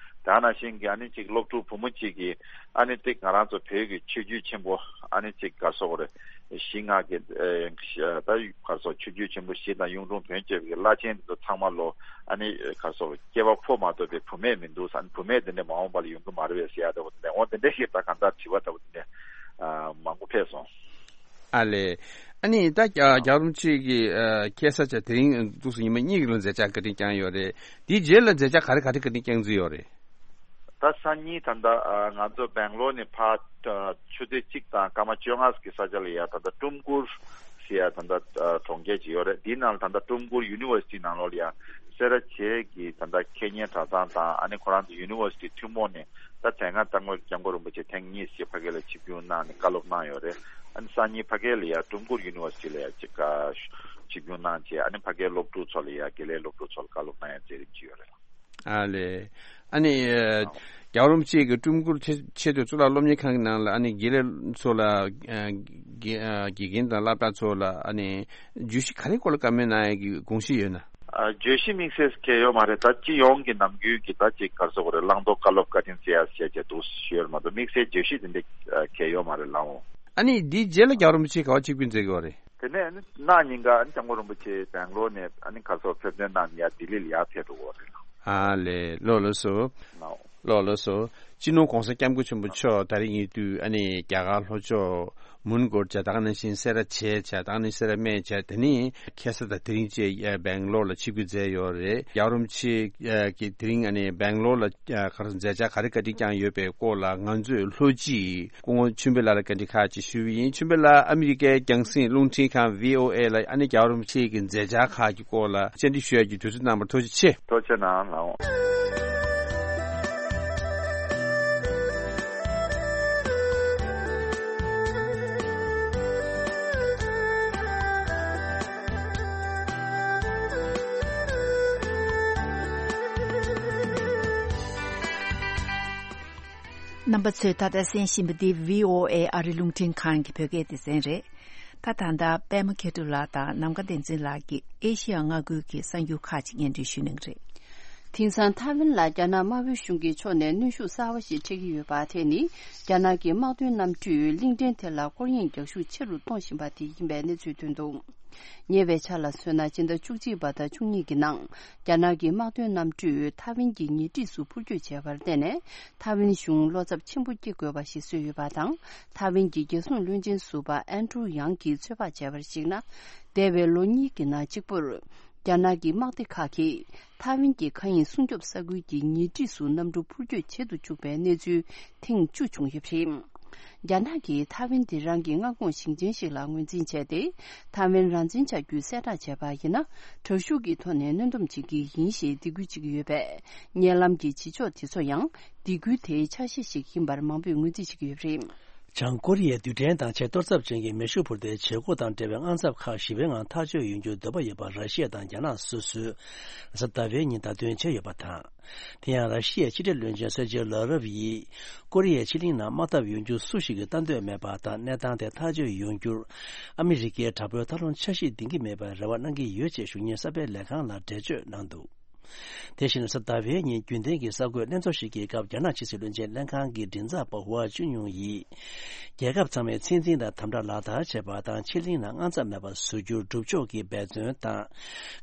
དེ་ནང་བཞིན་གྱི་ཨ་ནི་ཅིག་སློབ་ཕྲུག་བུ་མོ་གཅིག་གིས་ཨ་ནི་ཅིག་ང་རང་ཚོ་བོད་ཀྱི་ཆོས་བརྒྱུད་ཆེན་པོ་ཨ་ནི་ཅིག་ག་རེ་ཟེར་དགོས་རེད། ཞིང་ང་གི་ཨེ་ད་ག་རེ་ཟེར་ཆོས་བརྒྱུད་ཆེན་པོ་བཞི་དང་གཡུང་དྲུང་བོན་བཅས་ཀྱི་བླ་ཆེན་དེ་ཚོ་ཚང་མ་ལོ་ཨ་ནི་ག་རེ་ཟེར་སྐྱེས་པ་ཕོ་མ་གཏོགས་པའི་བུད་མེད་མི་འདུག་ཨ་ནི་བུད་མེད་དེ་འདྲ་མ་འོངས་པ་ལ་ཡོང་གི་མ་རེད་པས་ཟེར་ཡ་འདྲ་བོ་དེ་འདྲ་འོ་དེ་འདྲ་ཞིག་ད་གང་ལྟར་དྲི་བ་འདྲ་བོ་དེ་འདྲ་མང་པོ་ཕེབས་སོང་། ཨ་ལས། ཨ་ནི་ད་རྒྱལ་བ་རིན་པོ་ཆེ་གི་ཁ་སང་ཆ་དེ་རིང་འདུག་སེ་ཉི་མ་གཉིས་ཀྱི་ལ་མཛད་འཆར་བཀའ་དྲིན་བསྐྱངས་ཡོད་རེད། དེའི་རྗེས་ལ་མཛད་འཆར་ག་རེ་ག་རེ་བཀའ་དྲིན་བསྐྱངས་རྩིས་ཡོད་རེད། ད་སང་ཉིན་ད་ལྟ་ང་ཚོ་སྦེང་ལོར་ནས་ཕར་ཆུ་ཚོད་གཅིག་དང་སྐར་མ་བཅོ་ལྔ་གི་ས་ཆ་ལ་ཡ་ད་ལྟ་ཀྲུམ་གུར་ཟེར་ཡ་ད་ལྟ་གྲོང་ཁྱེར་ཅིག་ཡོད་རེད། འདིའི་ནང་ལ་ད་ལྟ་ཀྲུམ་གུར་ཡུ་ནི་ཝར་སི་ཊི་ནང་ལོགས་ལ་ཡ་སེ་ར་བྱེས་ཀྱི་ད་ལྟ་ཁེ་ཉེན་གྲྭ་ཚང་དང་ཨ་ནི་ཁོ་རང་ཚོ་ཡུ་ནི་ཝར་སི་ཊི་ཐུན་མོང་ནས་ད་དེ་སྔ་སྐྱབས་མགོན་སྐྱབས་མགོན་རིན་པོ་ཆེ་ཐེངས་གཉིས་ཤིག་ཕ་གི་ལ་ཆིབས་བསྒྱུར་གནང་ནས་བཀའ་སློབ་གནང་ཡོད་རེད། ཨ་ནི་སང་ཉིན་ཕ་གི་ལ་ཡ་ཀྲུམ་གུར་ཡུ་ནི་ཝར་སི་ཊི་ལ་ཡ་ཅིག་ཆིབས་བསྒྱུར་གནང་བྱས་ཨ་ནི་ཕ་གིའི་སློབ་ཕྲུག་ཚོ་ལ་ཡ་དགེ་ལས་སློབ་ཕྲུག་ཚོ་ལ་བཀའ་སློབ་གནང་ཡ་མཛད་རིམ་ཅིག་ཡོད་རེད། ཨ་ལས། ཨ་ནི་རྒྱལ་བ་རིན་པོ་ཆེ་གིས་ཀྲུམ་གུར་ཆེ་ཆེས་མཐོའི་གཙུག་ལག་སློབ་གཉེར་ཁང་གི་ནང་ལ་ཨ་ནི་དགེ་ལས་ཚོ་ལ་དགེ་དགེ་རྒན་དང་སློབ་གྲྭ་ཚོ་ལ་ཨ་ནི་བརྗོད་གཞི་ག་རེ་སྐོར་ལ་བཀའ་མོལ་གནང་ཡ་གི་དགོངས་གཞི་ཡོད་ན། ཨ་བརྗོད་གཞི་དམིགས་བསལ་གང་ཡང་ཡོད་མ་རེད། ད་སྤྱི་ཡོངས་ཀྱི་ནམ་རྒྱུན་གྱི་ད་ཅིག་ག་རེ་ཟེར་དགོས་རེད། བླང་དོར་བཀའ་སློབ་བཀའ་དྲིན་སྩལ་ཡ་ཟེར་བྱས་འདུག་ཞུ་ཡ་རེད་མ་གཏོགས་དམིགས་བསལ་བརྗོད་གཞི་དེ་འདྲ་གང་ཡང་ཡོད་མ་རེད་ལགས་འོང་། ཨ་ནི་འདིའི་རྗེས་ལ་རྒྱལ་བ་རིན་པོ་ཆེ་ག་པར་ཆིབས་བསྒྱུར་མཛད་ཀྱི་ཡོད་རེད། དེ་ནས་ཨ་ནི་གནངས་ཉིན་ཀ་ཨ་ནི་སྐྱབས་མགོན་རིན་པོ་ཆེ་སྦེང་ལོར་ནས་ཨ་ནི་ག་རེ་ཟེར་ཕེབས་ཐོན་གནང་ནས་ཡར་ལྡི་ལི་ལ་ཡར་ཕེབས་འགྲོ་གི་ཡོད་རེད་ལགས། ཨ་ལས། ལགས་ལགས་སོ། ལགས་འོང་། ལགས་ལགས་སོ། སྤྱི་ནོར་༸གོང་ས་༸སྐྱབས་མགོན་ཆེན་པོ་མཆོག་ད་རེས་ཉེ་དུས་ཨ་ནི་རྒྱ་གར་ལྷོ་ཕྱོགས་མོན་གྷོར་བྱས། ད་ག་ནང་བཞིན་སེ་ར་བྱེས་བྱས། ད་ག་ནང་བཞིན་སེ་ར་སྨད་བྱས། དེ་ནས་ཁ་སང་དང་དེ་རིང་བཅས་སྦེང་ལོར་ལ་ཆིབས་བསྒྱུར་མཛད་ཡོད་རེད། རྒྱལ་བ་རིན་པོ་ཆེ་གིས་དེ་རིང་ཨ་ནི་སྦེང་ལོར་ལ་ག་རེ་མཛད་འཆར་ག་རེ་བཀའ་དྲིན་བསྐྱངས་ཡོད་པའི་སྐོར་ལ་ང་ཚོས་ལྷོ་སྤྱི་སྐུ་ངོ་ཆོས་འཕེལ་ལགས་ལ་བཀའ་འདྲི་ཁག་ཅིག་ཞུས་པ་ཡིན། ཆོས་འཕེལ་ལགས་ཨ་མི་རི་ཀའི་རྒྱང་སྲིང་རླུང་འཕྲིན་ཁང་བྷི་ཨོ་ཨེ་ལ་ཨ་ནི་རྒྱལ་བ་རིན་པོ་ཆེ་གི་མཛད་འཆར་ཁག་གི་སྐོར་ལ་བཅར་འདྲི་ཞུ་ཡ་གི་དུས་ཚོད་གནང་བར་ཐུགས་རྗེ་ཆེ། ཐུགས་རྗེ་གནང་ལགས་འོང་། རྣམ་པ་ཚོས་ད་ལྟ་གསན་བཞིན་པ་འདི་བྷི་ཨོ་ཨེ་ཨ་རི་རླུང་འཕྲིན་ཁང་གི་བོད་སྐད་སྡེ་ཚན་རེད། ད་ད་ལྟ་པད་མ་མཁས་གྲུབ་ལགས་དང་ནམ་མཁའ་བསྟན་འཛིན་ལགས་ཀྱིས་ཨེ་ཤི་ཡ་མངའ་ཁུལ་གྱི་གསར་འགྱུར་ཁག་ཅིག་སྙན་སྒྲོན་ཞུ་གནང་གི་རེད། དེང་སང་ཐའེ་ཝན་ལ་རྒྱ་ནག་དམར་པོའི་གཞུང་གིས་ཕྱོགས་ནས་གནོན་ཤུགས་གསར་བ་ཞིག་འཕྲད་ཀྱི་ཡོད་པ་དེ་ནི། རྒྱ་ནག་གི་དམག་དོན་གནམ་གྲུས་གླིང་ཕྲན་དེ་ལ་སྐོར་གཡེང་རྒྱག་ཤུགས་ཆེ་རུ་གཏོང་བཞིན་པ་དེ་ཡིན་པའི་གནས་ཚུལ་ཐོན་འདུག། ཉེ་བའི་ཆར་ལ་མཚོན་ན། སྤྱི་ཟླ་བཅུ་གཅིག་པ་དང་བཅུ་གཉིས་ཀྱི་ནང་། རྒྱ་ནག་གི་དམག་དོན་གནམ་གྲུས་ཐའེ་ཝན་གྱི་ཉེ་འཁྲིས་སུ་འཕུར་སྐྱོད་བྱས་པར་བརྟེན་ནས། ཐའེ་ཝན་གཞུང་བློ་འཚབ་ཆེན་པོ་སྐྱེ་དགོས་པ་ཞིག་བཟོས་ཡོད་པ་དང་། ཐའེ་ཝན་གྱི་རྒྱལ་སྲུང་བློན་ཆེན་ཟུར་པ་ཨན་ཀྲུའུ་ཡང་གིས་ཚོད་དཔག་བྱས་པར་གཞིགས་ན། འདས་པའི་ལོ་གཉིས་ཀྱི་ནང་གཅིག་པུར། རྒྱ་ནག་གི་དམག་སྡེ་ཁག་གིས་ཐའེ་ཝན་གྱི་མཁའ་དབྱིངས་སྲུང་སྐྱོབ་ས་ཁུལ་གྱི་ཉེ་འཁྲིས་སུ་གནམ་གྲུ་འཕུར་སྐྱོད་བྱེད་དུ་བཅུག་པའི་གནས་ཚུལ་ཐེངས་བཅུ་བྱུང་ཡོད་པ་རེད། རྒྱ་ནག་གིས་ཐའེ་ཝན་དེ་རང་གི་མངའ་ཁོངས་ཞིང་ཆེན་ཞིག་ལ་ངོས་འཛིན་བྱས་ཏེ། ཐའེ་ཝན་རང་བཙན་ཆགས་རྒྱུའི་གསལ་བསྒྲགས་བྱས་པ་ཡིན་ན། དྲག་ཤུགས་ཀྱི་ཐོག་ནས་གནོན་སྡོམ་བྱེད་ཀྱི་ཡིན་ཞེས་སྡིགས་སྐུལ་བྱེད་ཀྱི་ཡོད་པས། ཉེ་ལམ་གྱི་བྱེད་ཕྱོགས་དེ་ཚོ་ཡང་སྡིགས་སྐུལ་དེའི་ཆ་ཤས་ཤིག་ཡིན་པར་མང་པོས་ངོས་འཛིན་བྱེད་ཀྱི་ཡོད་པ་རེད། བྱང་ཀོ་རི་ཡས་རྡུལ་ཕྲན་དང་ཆེས་གཏོར་ཚབས་ཅན་གྱི་མེ་ཤུགས་འཕུར་མདེལ་བྱེད་སྒོ་དང་འབྲེལ་བའི་དངངས་འཚབ་ཁག་ཞི་བའི་ངང་ཐག་གཅོད་ཡོང་རྒྱུར་འདོད་པ་ཡོད་པ་ར་ཤི་ཡ་དང་རྒྱ་ནག་སོ་སོས་གཟའ་ཟླ་བའི་ཉིན་བརྡ་སྟོན་བྱས་ཡོད་པ་དང་། དེ་ཡང་ར་ཤི་ཡའི་ཕྱི་འབྲེལ་བློན་ཆེན་སེར་ཇེ་ལ་རོབ་ཡིས། ཀོ་རི་ཡའི་ཕྱེད་གླིང་ནང་དམག་འཐབ་ཡོང་རྒྱུ་སུ་ཞིག་གིས་ལྟ་འདོད་མེད་པ་དང་། གནས་སྟངས་དེ་ཐག་གཅོད་ཡོང་རྒྱུར། ཨ་མི་རི་ཀའི་དྲག་པོའི་མཐའ་སློང་འཆར་གཞི་འདིང་གི་མེད་པའི་རེ་བ་གནང་གི་ཡོད་ཅེས་ཞུ་སྙན་གསར་སྤེལ་ལས་ཁང་ལ་འགྲེལ་བརྗོད་གནང་འདུག། དེ་བཞིན་གཟའ་ཟླ་བའི་ཉིན་རྒྱུན་ལྡན་གྱི་གསར་འགོད་ལྷན་ཚོགས་ཤིག་གི་སྐབས། རྒྱ་ནག་ཕྱི་སྲིད་བློན་ཆེན་ལྷན་ཁང་གི་མགྲིན་ཚབ་པ་ཧུའ་ཅུན་ཡུང་ཡིས། རྒྱལ་ཁབ་ཚང་མས་ཚད་འཛིན་དང་དམ་དྲག་ལག་བསྟར་བྱེད་པ་དང་། ཕྱེད་གླིང་ནང་དངངས་འཚབ་མེད་པ་བཟོ་རྒྱུར་སྒྲུབ་ཕྱོགས་ཀྱི་འབད་བརྩོན་དང་།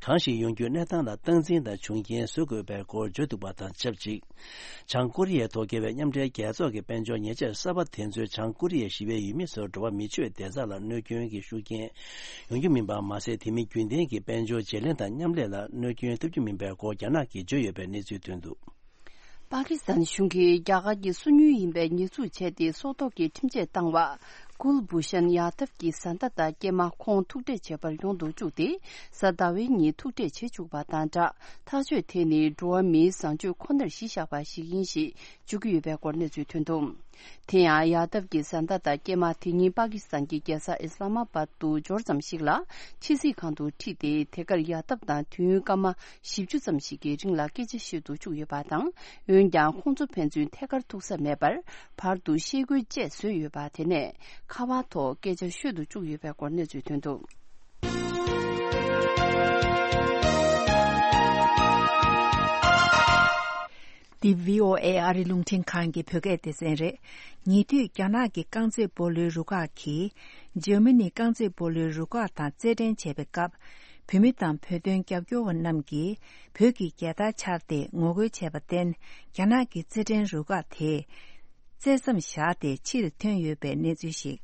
གང་ཞིག་ཡོང་རྒྱུའི་གནས་སྟངས་ལ་སྟངས་འཛིན་དང་བྱུང་རྐྱེན་བཟོ་དགོས་པའི་སྐོར་བརྗོད་འདུག་པ་དང་ཆབས་ཅིག། བྱང་ཀོ་རི་ཡའི་ཐོག་འགེལ་བའི་མཉམ་འབྲེལ་རྒྱལ་ཚོགས་ཀྱི་དཔལ་འབྱོར་ཉེས་ཆད་གསར་པ་དེ་ཚོས་བྱང་ཀོ་རི་ཡའི་ཞི་བའི་ཡུལ་མི་ཚོར་འགྲོ་བ་མི་ཆོད་བདེ་རྩ་ལ་གནོད་སྐྱོན་གྱི་ཤུགས་རྐྱེན་ཡོང་རྒྱུ་མིན་པ་མ་ཟད། དེ་མིན་རྒྱུན་ལྡན་གྱི་དཔལ་འབྱོར་བརྗེ་ལེན་དང་མཉམ་ལས་ལ་གནོད་སྐྱོན་ཐེབས་རྒྱུ་མིན་པའི་སྐོར་རྒྱ་ནག་གིས་བརྗོད་ཡོད་པའི་གནས་ཚུལ་ཐོན་འདུག། པ་ཀི་སི་ཐན་གཞུང་གིས་རྒྱ་གར་གྱི་སོ་ཉུལ་ཡིན་པའི་ཉེས་འཛུགས་བྱས་ཏེ། སྲོག་ཐོག་གི་ཁྲིམས་ཆད་བཏང་བ་ཀུལ་བྷུ་ཤན་ཡ་དབ་ཀྱི་བཟའ་ཟླ་དང་སྐྱེས་མ་ཁོང་ཐུག་འཕྲད་བྱེད་པར་ཡོང་དུ་བཅུག་སྟེ། གཟའ་ཟླ་བའི་ཉིན་ཐུག་འཕྲད་བྱེད་བཅུག་པ་དང་སྦྲགས། ཐག་གཅོད་དེ་ནི་འགྲོ་བ་མིའི་བཟང་སྤྱོད་ཁོ་ནར་གཞི་བཞག་པ་ཞིག་ཡིན་ཞེས་བརྗོད་ཀྱི་ཡོད་པའི་སྐོར་གནས་ཚུལ་ཐོན་འདུག། དེ་ཡང་ཡ་དབ་ཀྱི་བཟའ་ཟླ་དང་སྐྱེས་མ་དེ་ཉིད་པ་ཀི་སི་ཐན་གྱི་རྒྱལ་ས་ཨི་སི་ལ་མ་པད་དུ་འབྱོར་ཙམ་ཞིག་ལ། ཕྱི་སྲིད་ཁང་དུ་ཁྲིད་དེ། དེ་གར་ཡ་དབ་དང་དུས་ཡུན་སྐར་མ་བཞི་བཅུ་ཙམ་ཞིག་གི་རིང་ལ་སྐད་ཆ་བཤད་དུ་བཅུག་ཡོད་པ་དང་། འོན་ཀྱང་ཁོང་ཚོ་ཕན་ཚུན་ཐད་ཀར་ཐུག་ས་མེད་པར། བར་དུ་ཤེལ་སྒོའི་བཅད་བཟོས་ཡོད་པ་དེ་ནས་ཁ་པར་ཐོག་སྐད་ཆ་ཤོད་དུ་བཅུག་ཡོད་པའི་སྐོར་གནས་ཚུལ་ཐོན་འདུག། འདི་བྷི་ཨོ་ཨེ་ཨ་རི་རླུང་འཕྲིན་ཁང་གི་བོད་སྐད་སྡེ་ཚན་རེད། ཉེ་དུས་རྒྱ་ནག་གི་རྐང་རྩེད་སྤོ་ལོའི་རུ་ཁག་གིས། འཇར་མ་ནི་རྐང་རྩེད་སྤོ་ལོའི་རུ་ཁག་དང་རྩེད་འགྲན་བྱས་པའི་སྐབས། བོད་མི་དང་བོད་དོན་རྒྱབ་སྐྱོར་བ་རྣམས་ཀྱིས། བོད་ཀྱི་རྒྱལ་དར་འཕྱར་ཏེ་ངོ་རྒོལ་བྱས་པར་བརྟེན། རྒྱ་ནག་གི་རྩེད་འགྲན་རུ་ཁག་དེས། རྩེ་མཚམས་བཞག་སྟེ་ཕྱིར་ཐོན་ཡོད་པའི་གནས་ཚུལ་ཞིག།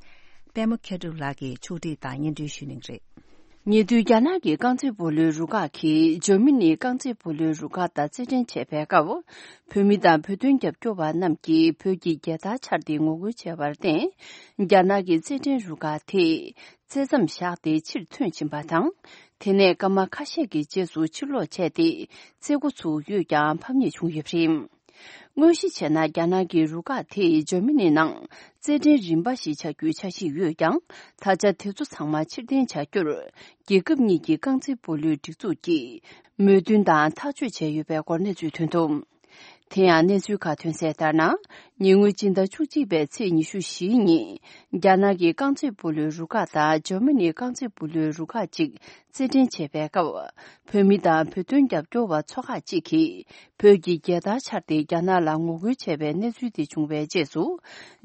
པད་མ་མཁས་གྲུབ་ལགས་ཀྱིས་ཕྱོགས་སྒྲིག་དང་སྙན་སྒྲོན་ཞུ་གནང་གི་རེད། ཉེ་དུས་རྒྱ་ནག་གི་རྐང་རྩེད་སྤོ་ལོའི་རུ་ཁག་གིས་འཇར་མ་ནིའི་རྐང་རྩེད་སྤོ་ལོའི་རུ་ཁག་དང་རྩེད་འགྲན་བྱས་པའི་སྐབས། བོད་མི་དང་བོད་དོན་རྒྱབ་སྐྱོར་བ་རྣམས་ཀྱིས་བོད་ཀྱི་རྒྱལ་དར་འཕྱར་ཏེ་ངོ་རྒོལ་བྱས་པར་བརྟེན། རྒྱ་ནག་གི་རྩེད་འགྲན་རུ་ཁག་དེས་རྩེ་མཚམས་བཞག་སྟེ་ཕྱིར་ཐོན་ཕྱིན་པ་དང་། དེ་ནས་སྐར་མ་ཁ་ཤས་ཀྱི་རྗེས་སུ་ཕྱིར་ལོག་བྱས་ཏེ། རྩེད་འགོ་ཚུགས་ཡོད་ཀྱང་ཕམ་ཉེས་བྱུང་ཡོད་པ་རེད། དངོས་གཞི་བྱས་ན། རྒྱ་ནག་གི་རུ་ཁག་དེས་འཇར་མ་ནི་ནང་རྩེད་འགྲན་རིམ་པ་ཞིག་བྱ་རྒྱུའི་འཆར་གཞི་ཡོད་ཀྱང་། ད་ཆ་དེ་ཚོ་ཚང་མ་ཕྱིར་འཐེན་བྱ་རྒྱུར། རྒྱལ་ཁབ་གཉིས་ཀྱི་རྐང་རྩེད་སྤོ་ལོའི་སྒྲིག་འཛུགས་ཀྱིས་མོས་མཐུན་དང་ཐག་གཅོད་བྱས་ཡོད་པའི་སྐོར་གནས་ཚུལ་ཐོན་འདུག། དེ་ཡང་གནས་ཚུལ་ཁག་ཐོན་གསལ་ལྟར་ན། ཉེ་སྔོན་སྤྱི་ཟླ་བཅུ་གཅིག་པའི་ཚེས་ཉི་ཤུ་བཞི་ཉིན། རྒྱ་ནག་གི་རྐང་རྩེད་སྤོ་ལོའི་རུ་ཁག་དང་འཇར་མ་ནིའི་རྐང་རྩེད་སྤོ་ལོའི་རུ་ཁག་ཅིག་རྩེད་འགྲན་བྱས་པའི་སྐབས། བོད་མི་དང་བོད་དོན་རྒྱབ་སྐྱོར་བ་ཚོ་ཁག་ཅིག་གིས། བོད་ཀྱི་རྒྱལ་དར་འཕྱར་ཏེ་རྒྱ་ནག་ལ་ངོ་རྒོལ་བྱས་པའི་གནས་ཚུལ་དེ་བྱུང་བའི་རྗེས་སུ།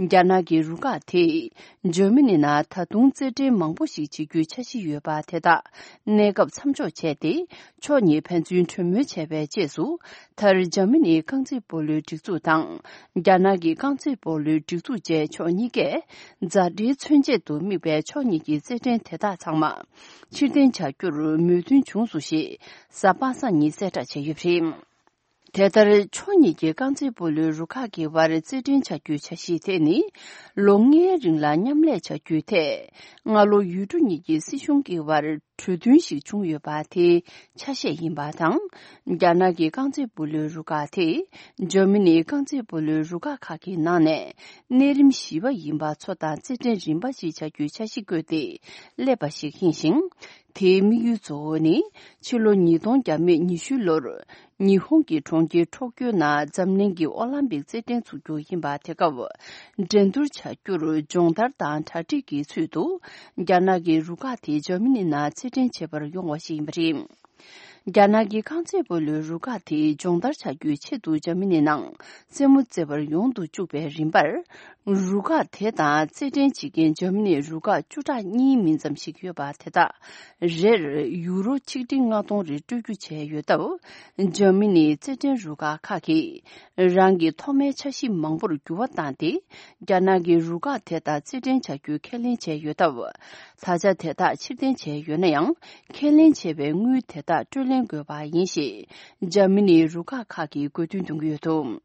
རྒྱ་ནག་གི་རུ་ཁག་དེས་འཇར་མ་ནི་ནང་ད་དུང་རྩེད་འགྲན་མང་པོ་ཞིག་བྱེད་རྒྱུའི་འཆར་གཞི་ཡོད་པ་དེ་དག་གནས་སྐབས་མཚམས་འཇོག་བྱས་ཏེ། ཕྱོགས་གཉིས་ཕན་ཚུན་གྲོས་མོལ་བྱས་པའི་རྗེས་སུ། མཐར་འཇར་མ་ནིའི་རྐང་རྩེད་སྤོ་ལོའི་སྒྲིག་འཛུགས་དང་། རྒྱ་ནག་གི་རྐང་རྩེད་སྤོ་ལོའི་སྒྲིག་འཛུགས་བཅས་ཕྱོགས་གཉིས་ཀས། མཛའ་འབྲེལ་མཚོན་ཆེད་དུ་དམིགས་པའི་ཕྱོགས་གཉིས་ཀྱི་རྩེད་འགྲན་དེ་དག་ཚང་མ། ཕྱིར་འཐེན་བྱ་རྒྱུར་མོས་མཐུན་བྱུང་སོང་ཞེས། གཟའ་པ་སངས་ཉིན་གསལ་བསྒྲགས་བྱས་ཡོད་པ་རེད། དེ་ལྟར་ཕྱོགས་གཉིས་ཀྱི་རྐང་རྩེད་སྤོ་ལོའི་རུ་ཁག་གི་བར་རྩེད་འགྲན་བྱ་རྒྱུའི་འཆར་གཞི་དེ་ནི། ལོ་ལྔའི་རིང་ལ་མཉམ་ལས་བྱ་རྒྱུའི་ཐད། སྔ་ལོ་ཡུལ་གྲུ་གཉིས་ཀྱི་སྲིད་གཞུང་གི་བར། གྲོས་མཐུན་ཞིག་བྱུང་ཡོད་པ་དེའི་ཆ་ཤས་ཡིན་པ་དང་། རྒྱ་ནག་གི་རྐང་རྩེད་སྤོ་ལོའི་རུ་ཁག་དེ་འཇར་མ་ནིའི་རྐང་རྩེད་སྤོ་ལོའི་རུ་ཁག་ཁག་གི་ནང་ནས་གནས་རིམ་བཞི་པ་ཡིན་པ་ཚོ་དང་རྩེད་འགྲན་རིམ་པ་ཞིག་བྱ་རྒྱུའི་འཆར་གཞི་བཀོད་དེ་སླེབས་པ་ཞིག་ཡིན་ཞིང་། དེའི་དམིགས་ཡུལ་གཙོ་བོ་ནི་ཕྱི་ལོ་ཉིས་སྟོང་བརྒྱ་མེད་ཉི་ཤུ་ལོར་ཉི་ཧོང་གི་གྲོང་ཁྱེར་ཊོ་ཀྱོ་ནང་འཛམ་གླིང་གི་ཨོ་ལམ་པིག་རྩེད་འགྲན་འཛུགས་རྒྱུ་ཡིན་པ། དེ་སྐབས་འགྲན་བསྡུར་བྱ་རྒྱུར་སྦྱོང་བརྡར་དང་གྲ་སྒྲིག་གི་ཚུལ་དུ་རྒྱ་ནག་གི་རུ་ཁག་དེ་འཇར་མ་ནི་ནང་རྩེད་འགྲན་བྱེད་པར་ཡོང་བ་ཞིག་ཡིན་པ་རེད། རྒྱ་ནག་གི་རྐང་རྩེད་སྤོ་ལོའི་རུ་ཁག་དེས་སྦྱོང་བརྡར་བྱ་རྒྱུའི་ཆེད་དུ་འཇར་མ་ནི་ནང་རྩེད་མོ་རྩེ་བར་ཡོང་དུ་བཅུག་པའི་རིམ་པར། རུ་ཁག་དེ་དང་རྩེད་འགྲན་བྱེད་མཁན་འཇར་མ་ནིའི་རུ་ཁག་བཅུ་ཕྲག་གཉིས་མིན་ཙམ་ཞིག་ཡོད་པ། དེ་དག་རེར་ཡུ་རོ་ཆིག་ཁྲི་ལྔ་སྟོང་རེ་སྤྲོད་རྒྱུ་བྱས་ཡོད་སྟབས། འཇར་མ་ནིའི་རྩེད་འགྲན་རུ་ཁག་ཁག་གིས་རང་གི་ཐོག་མའི་འཆར་གཞི་མང་པོར་འགྱུར་བ་བཏང་སྟེ། རྒྱ་ནག་གི་རུ་ཁག་དེ་དག་རྩེད་འགྲན་བྱ་རྒྱུའི་ཁས་ལེན་བྱས་ཡོད་སྟབས། ད་ཆ་དེ་དག་ཕྱིར་འཐེན་བྱས་ཡོད་ན་ཡང་། ཁས་ལེན་བྱས་པའི་དངུལ་དེ་དག་སྤྲོད་ལེན་དགོས་པ་ཡིན་ཞེས། འཇར་མ་ནིའི་རུ་ཁག་ཁག་གིས་དགོས་འདུན་འདོན་གྱི་ཡོད་འདུག་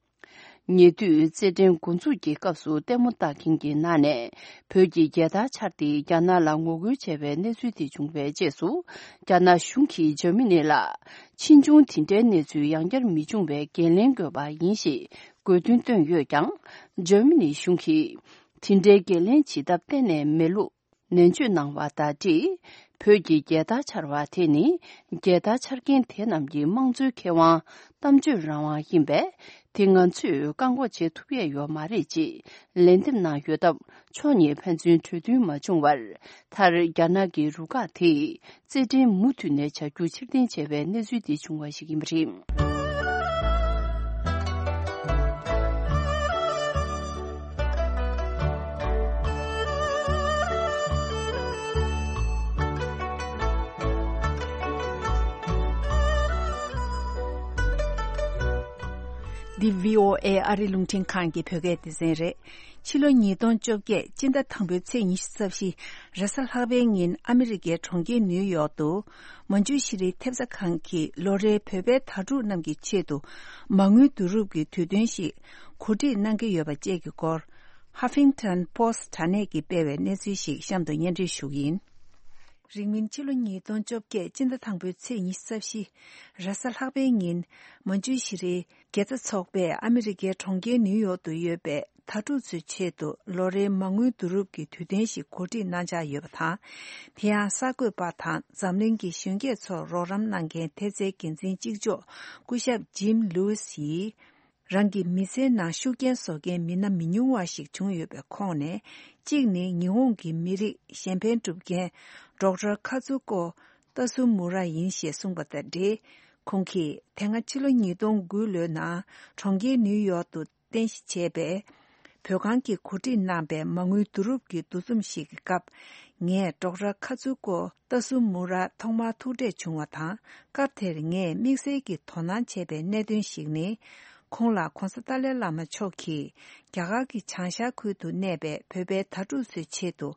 ཉེ་དུས་རྩེད་འགྲན་འགོ་འཛུགས་ཀྱི་སྐབས་སུ་ལྟད་མོ་ལྟ་མཁན་གྱི་ནང་ནས་བོད་ཀྱི་རྒྱལ་དར་འཕྱར་ཏེ་རྒྱ་ནག་ལ་ངོ་རྒོལ་བྱས་པའི་གནས་ཚུལ་དེ་བྱུང་བའི་རྗེས་སུ། རྒྱ་ནག་གཞུང་གིས་འཇར་མ་ནི་ལ་ཕྱིས་འབྱུང་དེ་འདྲའི་གནས་ཚུལ་ཡང་བསྐྱར་མི་འབྱུང་བའི་འགན་ལེན་དགོས་པ་ཡིན་ཞེས་དགོས་འདུན་བཏོན་ཡོད་ཀྱང་། འཇར་མ་ནི་གཞུང་གིས་དེ་འདྲའི་འགན་ལེན་བྱེད་ཐབས་གཏན་ནས་མེད་ལུགས། ནན་བརྗོད་གནང་བ་དང་འབྲེལ། བོད་ཀྱི་རྒྱལ་དར་འཕྱར་བ་དེ་ནི། རྒྱལ་དར་འཕྱར་མཁན་དེ་རྣམས་ཀྱི་དམངས་གཙོའི་ཁེ་དབང་། གཏམ་བརྗོད་རང་དབང་ཡིན་པས། དེ་ང་ཚོས་བཀག་འགོག་བྱེད་ཐུབ་ཡས་ཡོད་མ་རེད་ཅེས་ལན་འདེབས་གནང་ཡོད་སྟབས། ཕྱོགས་གཉིས་ཕན་ཚུན་གྲོས་མཐུན་མ་བྱུང་བར། མཐར་རྒྱ་ནག་གི་རུ་ཁག་དེས་རྩེད་འགྲན་མུ་མཐུད་ནས་བྱ་རྒྱུ་ཕྱིར་འཐེན་བྱས་པའི་གནས་ཚུལ་དེ་བྱུང་བ་ཞིག་ཡིན་པ་རེད། འདི་བྷི་ཨོ་ཨེ་ཨ་རི་རླུང་འཕྲིན་ཁང་གི་བོད་སྐད་སྡེ་ཚན་རེད། ཕྱི་ལོ་ཉིས་སྟོང་བཅོ་བརྒྱད་སྤྱི་ཟླ་དང་པོའི་ཚེས་ཉི་ཤུ་རྩ་བཞི་རེས་གཟའ་ལྷག་པའི་ཉིན་ཨ་མི་རི་ཀའི་གྲོང་ཁྱེར་ནིའུ་ཡོག་ཏུ། མ་འཇུ་ཤི་རིའི་ཐེབས་རྩ་ཁང་གིས་ལོ་རེའི་བོད་པའི་དྭ་ཕྲུག་རྣམས་ཀྱི་ཆེད་དུ་མ་དངུལ་བསྡུ་རུབ་ཀྱི་དུས་སྟོན་ཞིག་གོ་སྒྲིག་གནང་གི་ཡོད་པ་བཅས་ཀྱི་སྐོར། ཧ་ཕིང་ཐོན་པོ་སི་དྲ་གནས་ཀྱིས་སྤེལ་བའི་གནས་ཚུལ་ཞིག་གཤམ་དུ་སྙན་སྒྲོན་ཞུ་གི་ཡིན། རིང་མིན་ཕྱི་ལོ་ཉིས་སྟོང་བཅོ་བརྒྱད་སྤྱི་ཟླ་དང་པོའི་ཚེས་ཉི་ཤུ་རྩ་བཞི་རེས་གཟའ་ལྷག་པའི་ཉིན། མ་འཇུ་ཤི་རིའི་དགེ་རྩ་ཚོགས་པས་ཨ་མི་རི་ཀའི་གྲོང་ཁྱེར་ནིའུ་ཡོག་ཏུ་ཡོད་པའི་དྭ་ཕྲུག་ཚོའི་ཆེད་དུ་ལོ་རེའི་མ་དངུལ་བསྡུ་རུབ་ཀྱི་དུས་སྟོན་ཞིག་གོ་སྒྲིག་གནང་འཆར་ཡོད་པ་དང་། དེ་ཡང་གསར་འགོད་པ་དང་འཛམ་གླིང་གི་གཞོན་སྐྱེས་ཚོར་རོགས་རམ་གནང་མཁན་ཐེབས་རྩའི་འགན་འཛིན་གཅིག་ལྕོགས་སྐུ་ཞབས་ཇིམ་ལུའུ་སི་ཡིས། རང་གི་མི་ཚེའི་ནང་ཤུགས་རྐྱེན་བཟོ་མཁན་མི་སྣ་མི་ཉུང་བ་ཞིག་བྱུང་ཡོད་པའི་ཁོངས་ནས། གཅིག་ནི་ཉི་ཧོང་གི་མི་རིགས་གཞན་ཕན་སྒྲུབ་མཁན་ཌོག་ཊར་ཁ་ཙུ་ཀོ་ཏ་སུ་མུ་ར་ཡིན་ཞེས་གསུངས་པ་དང་འབྲེལ། ཁོང་གིས་དེ་སྔ་ཕྱི་ལོ་ཉིས་སྟོང་དགུ་ལོའི་ནང་གྲོང་ཁྱེར་ནིའུ་ཡོག་ཏུ་རྟེན་གཞི་བྱས་པའི་བོད་ཁང་གིས་གོ་སྒྲིག་གནང་པའི་མ་དངུལ་བསྡུ་རུབ་ཀྱི་འདུ་འཛོམས་ཤིག་གི་སྐབས། ངས་ཌོག་ཊར་ཁ་ཙུ་ཀོ་ཏ་སུ་མུ་ར་ཐོག་མར་ཐུག་འཕྲད་བྱུང་བ་དང་། སྐབས་དེར་ངས་དམིགས་བསལ་གྱིས་དོ་སྣང་བྱས་པའི་གནད་དོན་ཞིག་ནི། ཁོང་ལ་༧གོང་ས་ཏཱ་ལའི་བླ་མ་མཆོག་གིས་རྒྱ་གར་གྱི་བྱང་ཤར་ཁུལ་དུ་གནས་པའི་བོད་པའི་དྭ་ཕྲུག་ཚོའི་ཆེད་དུ་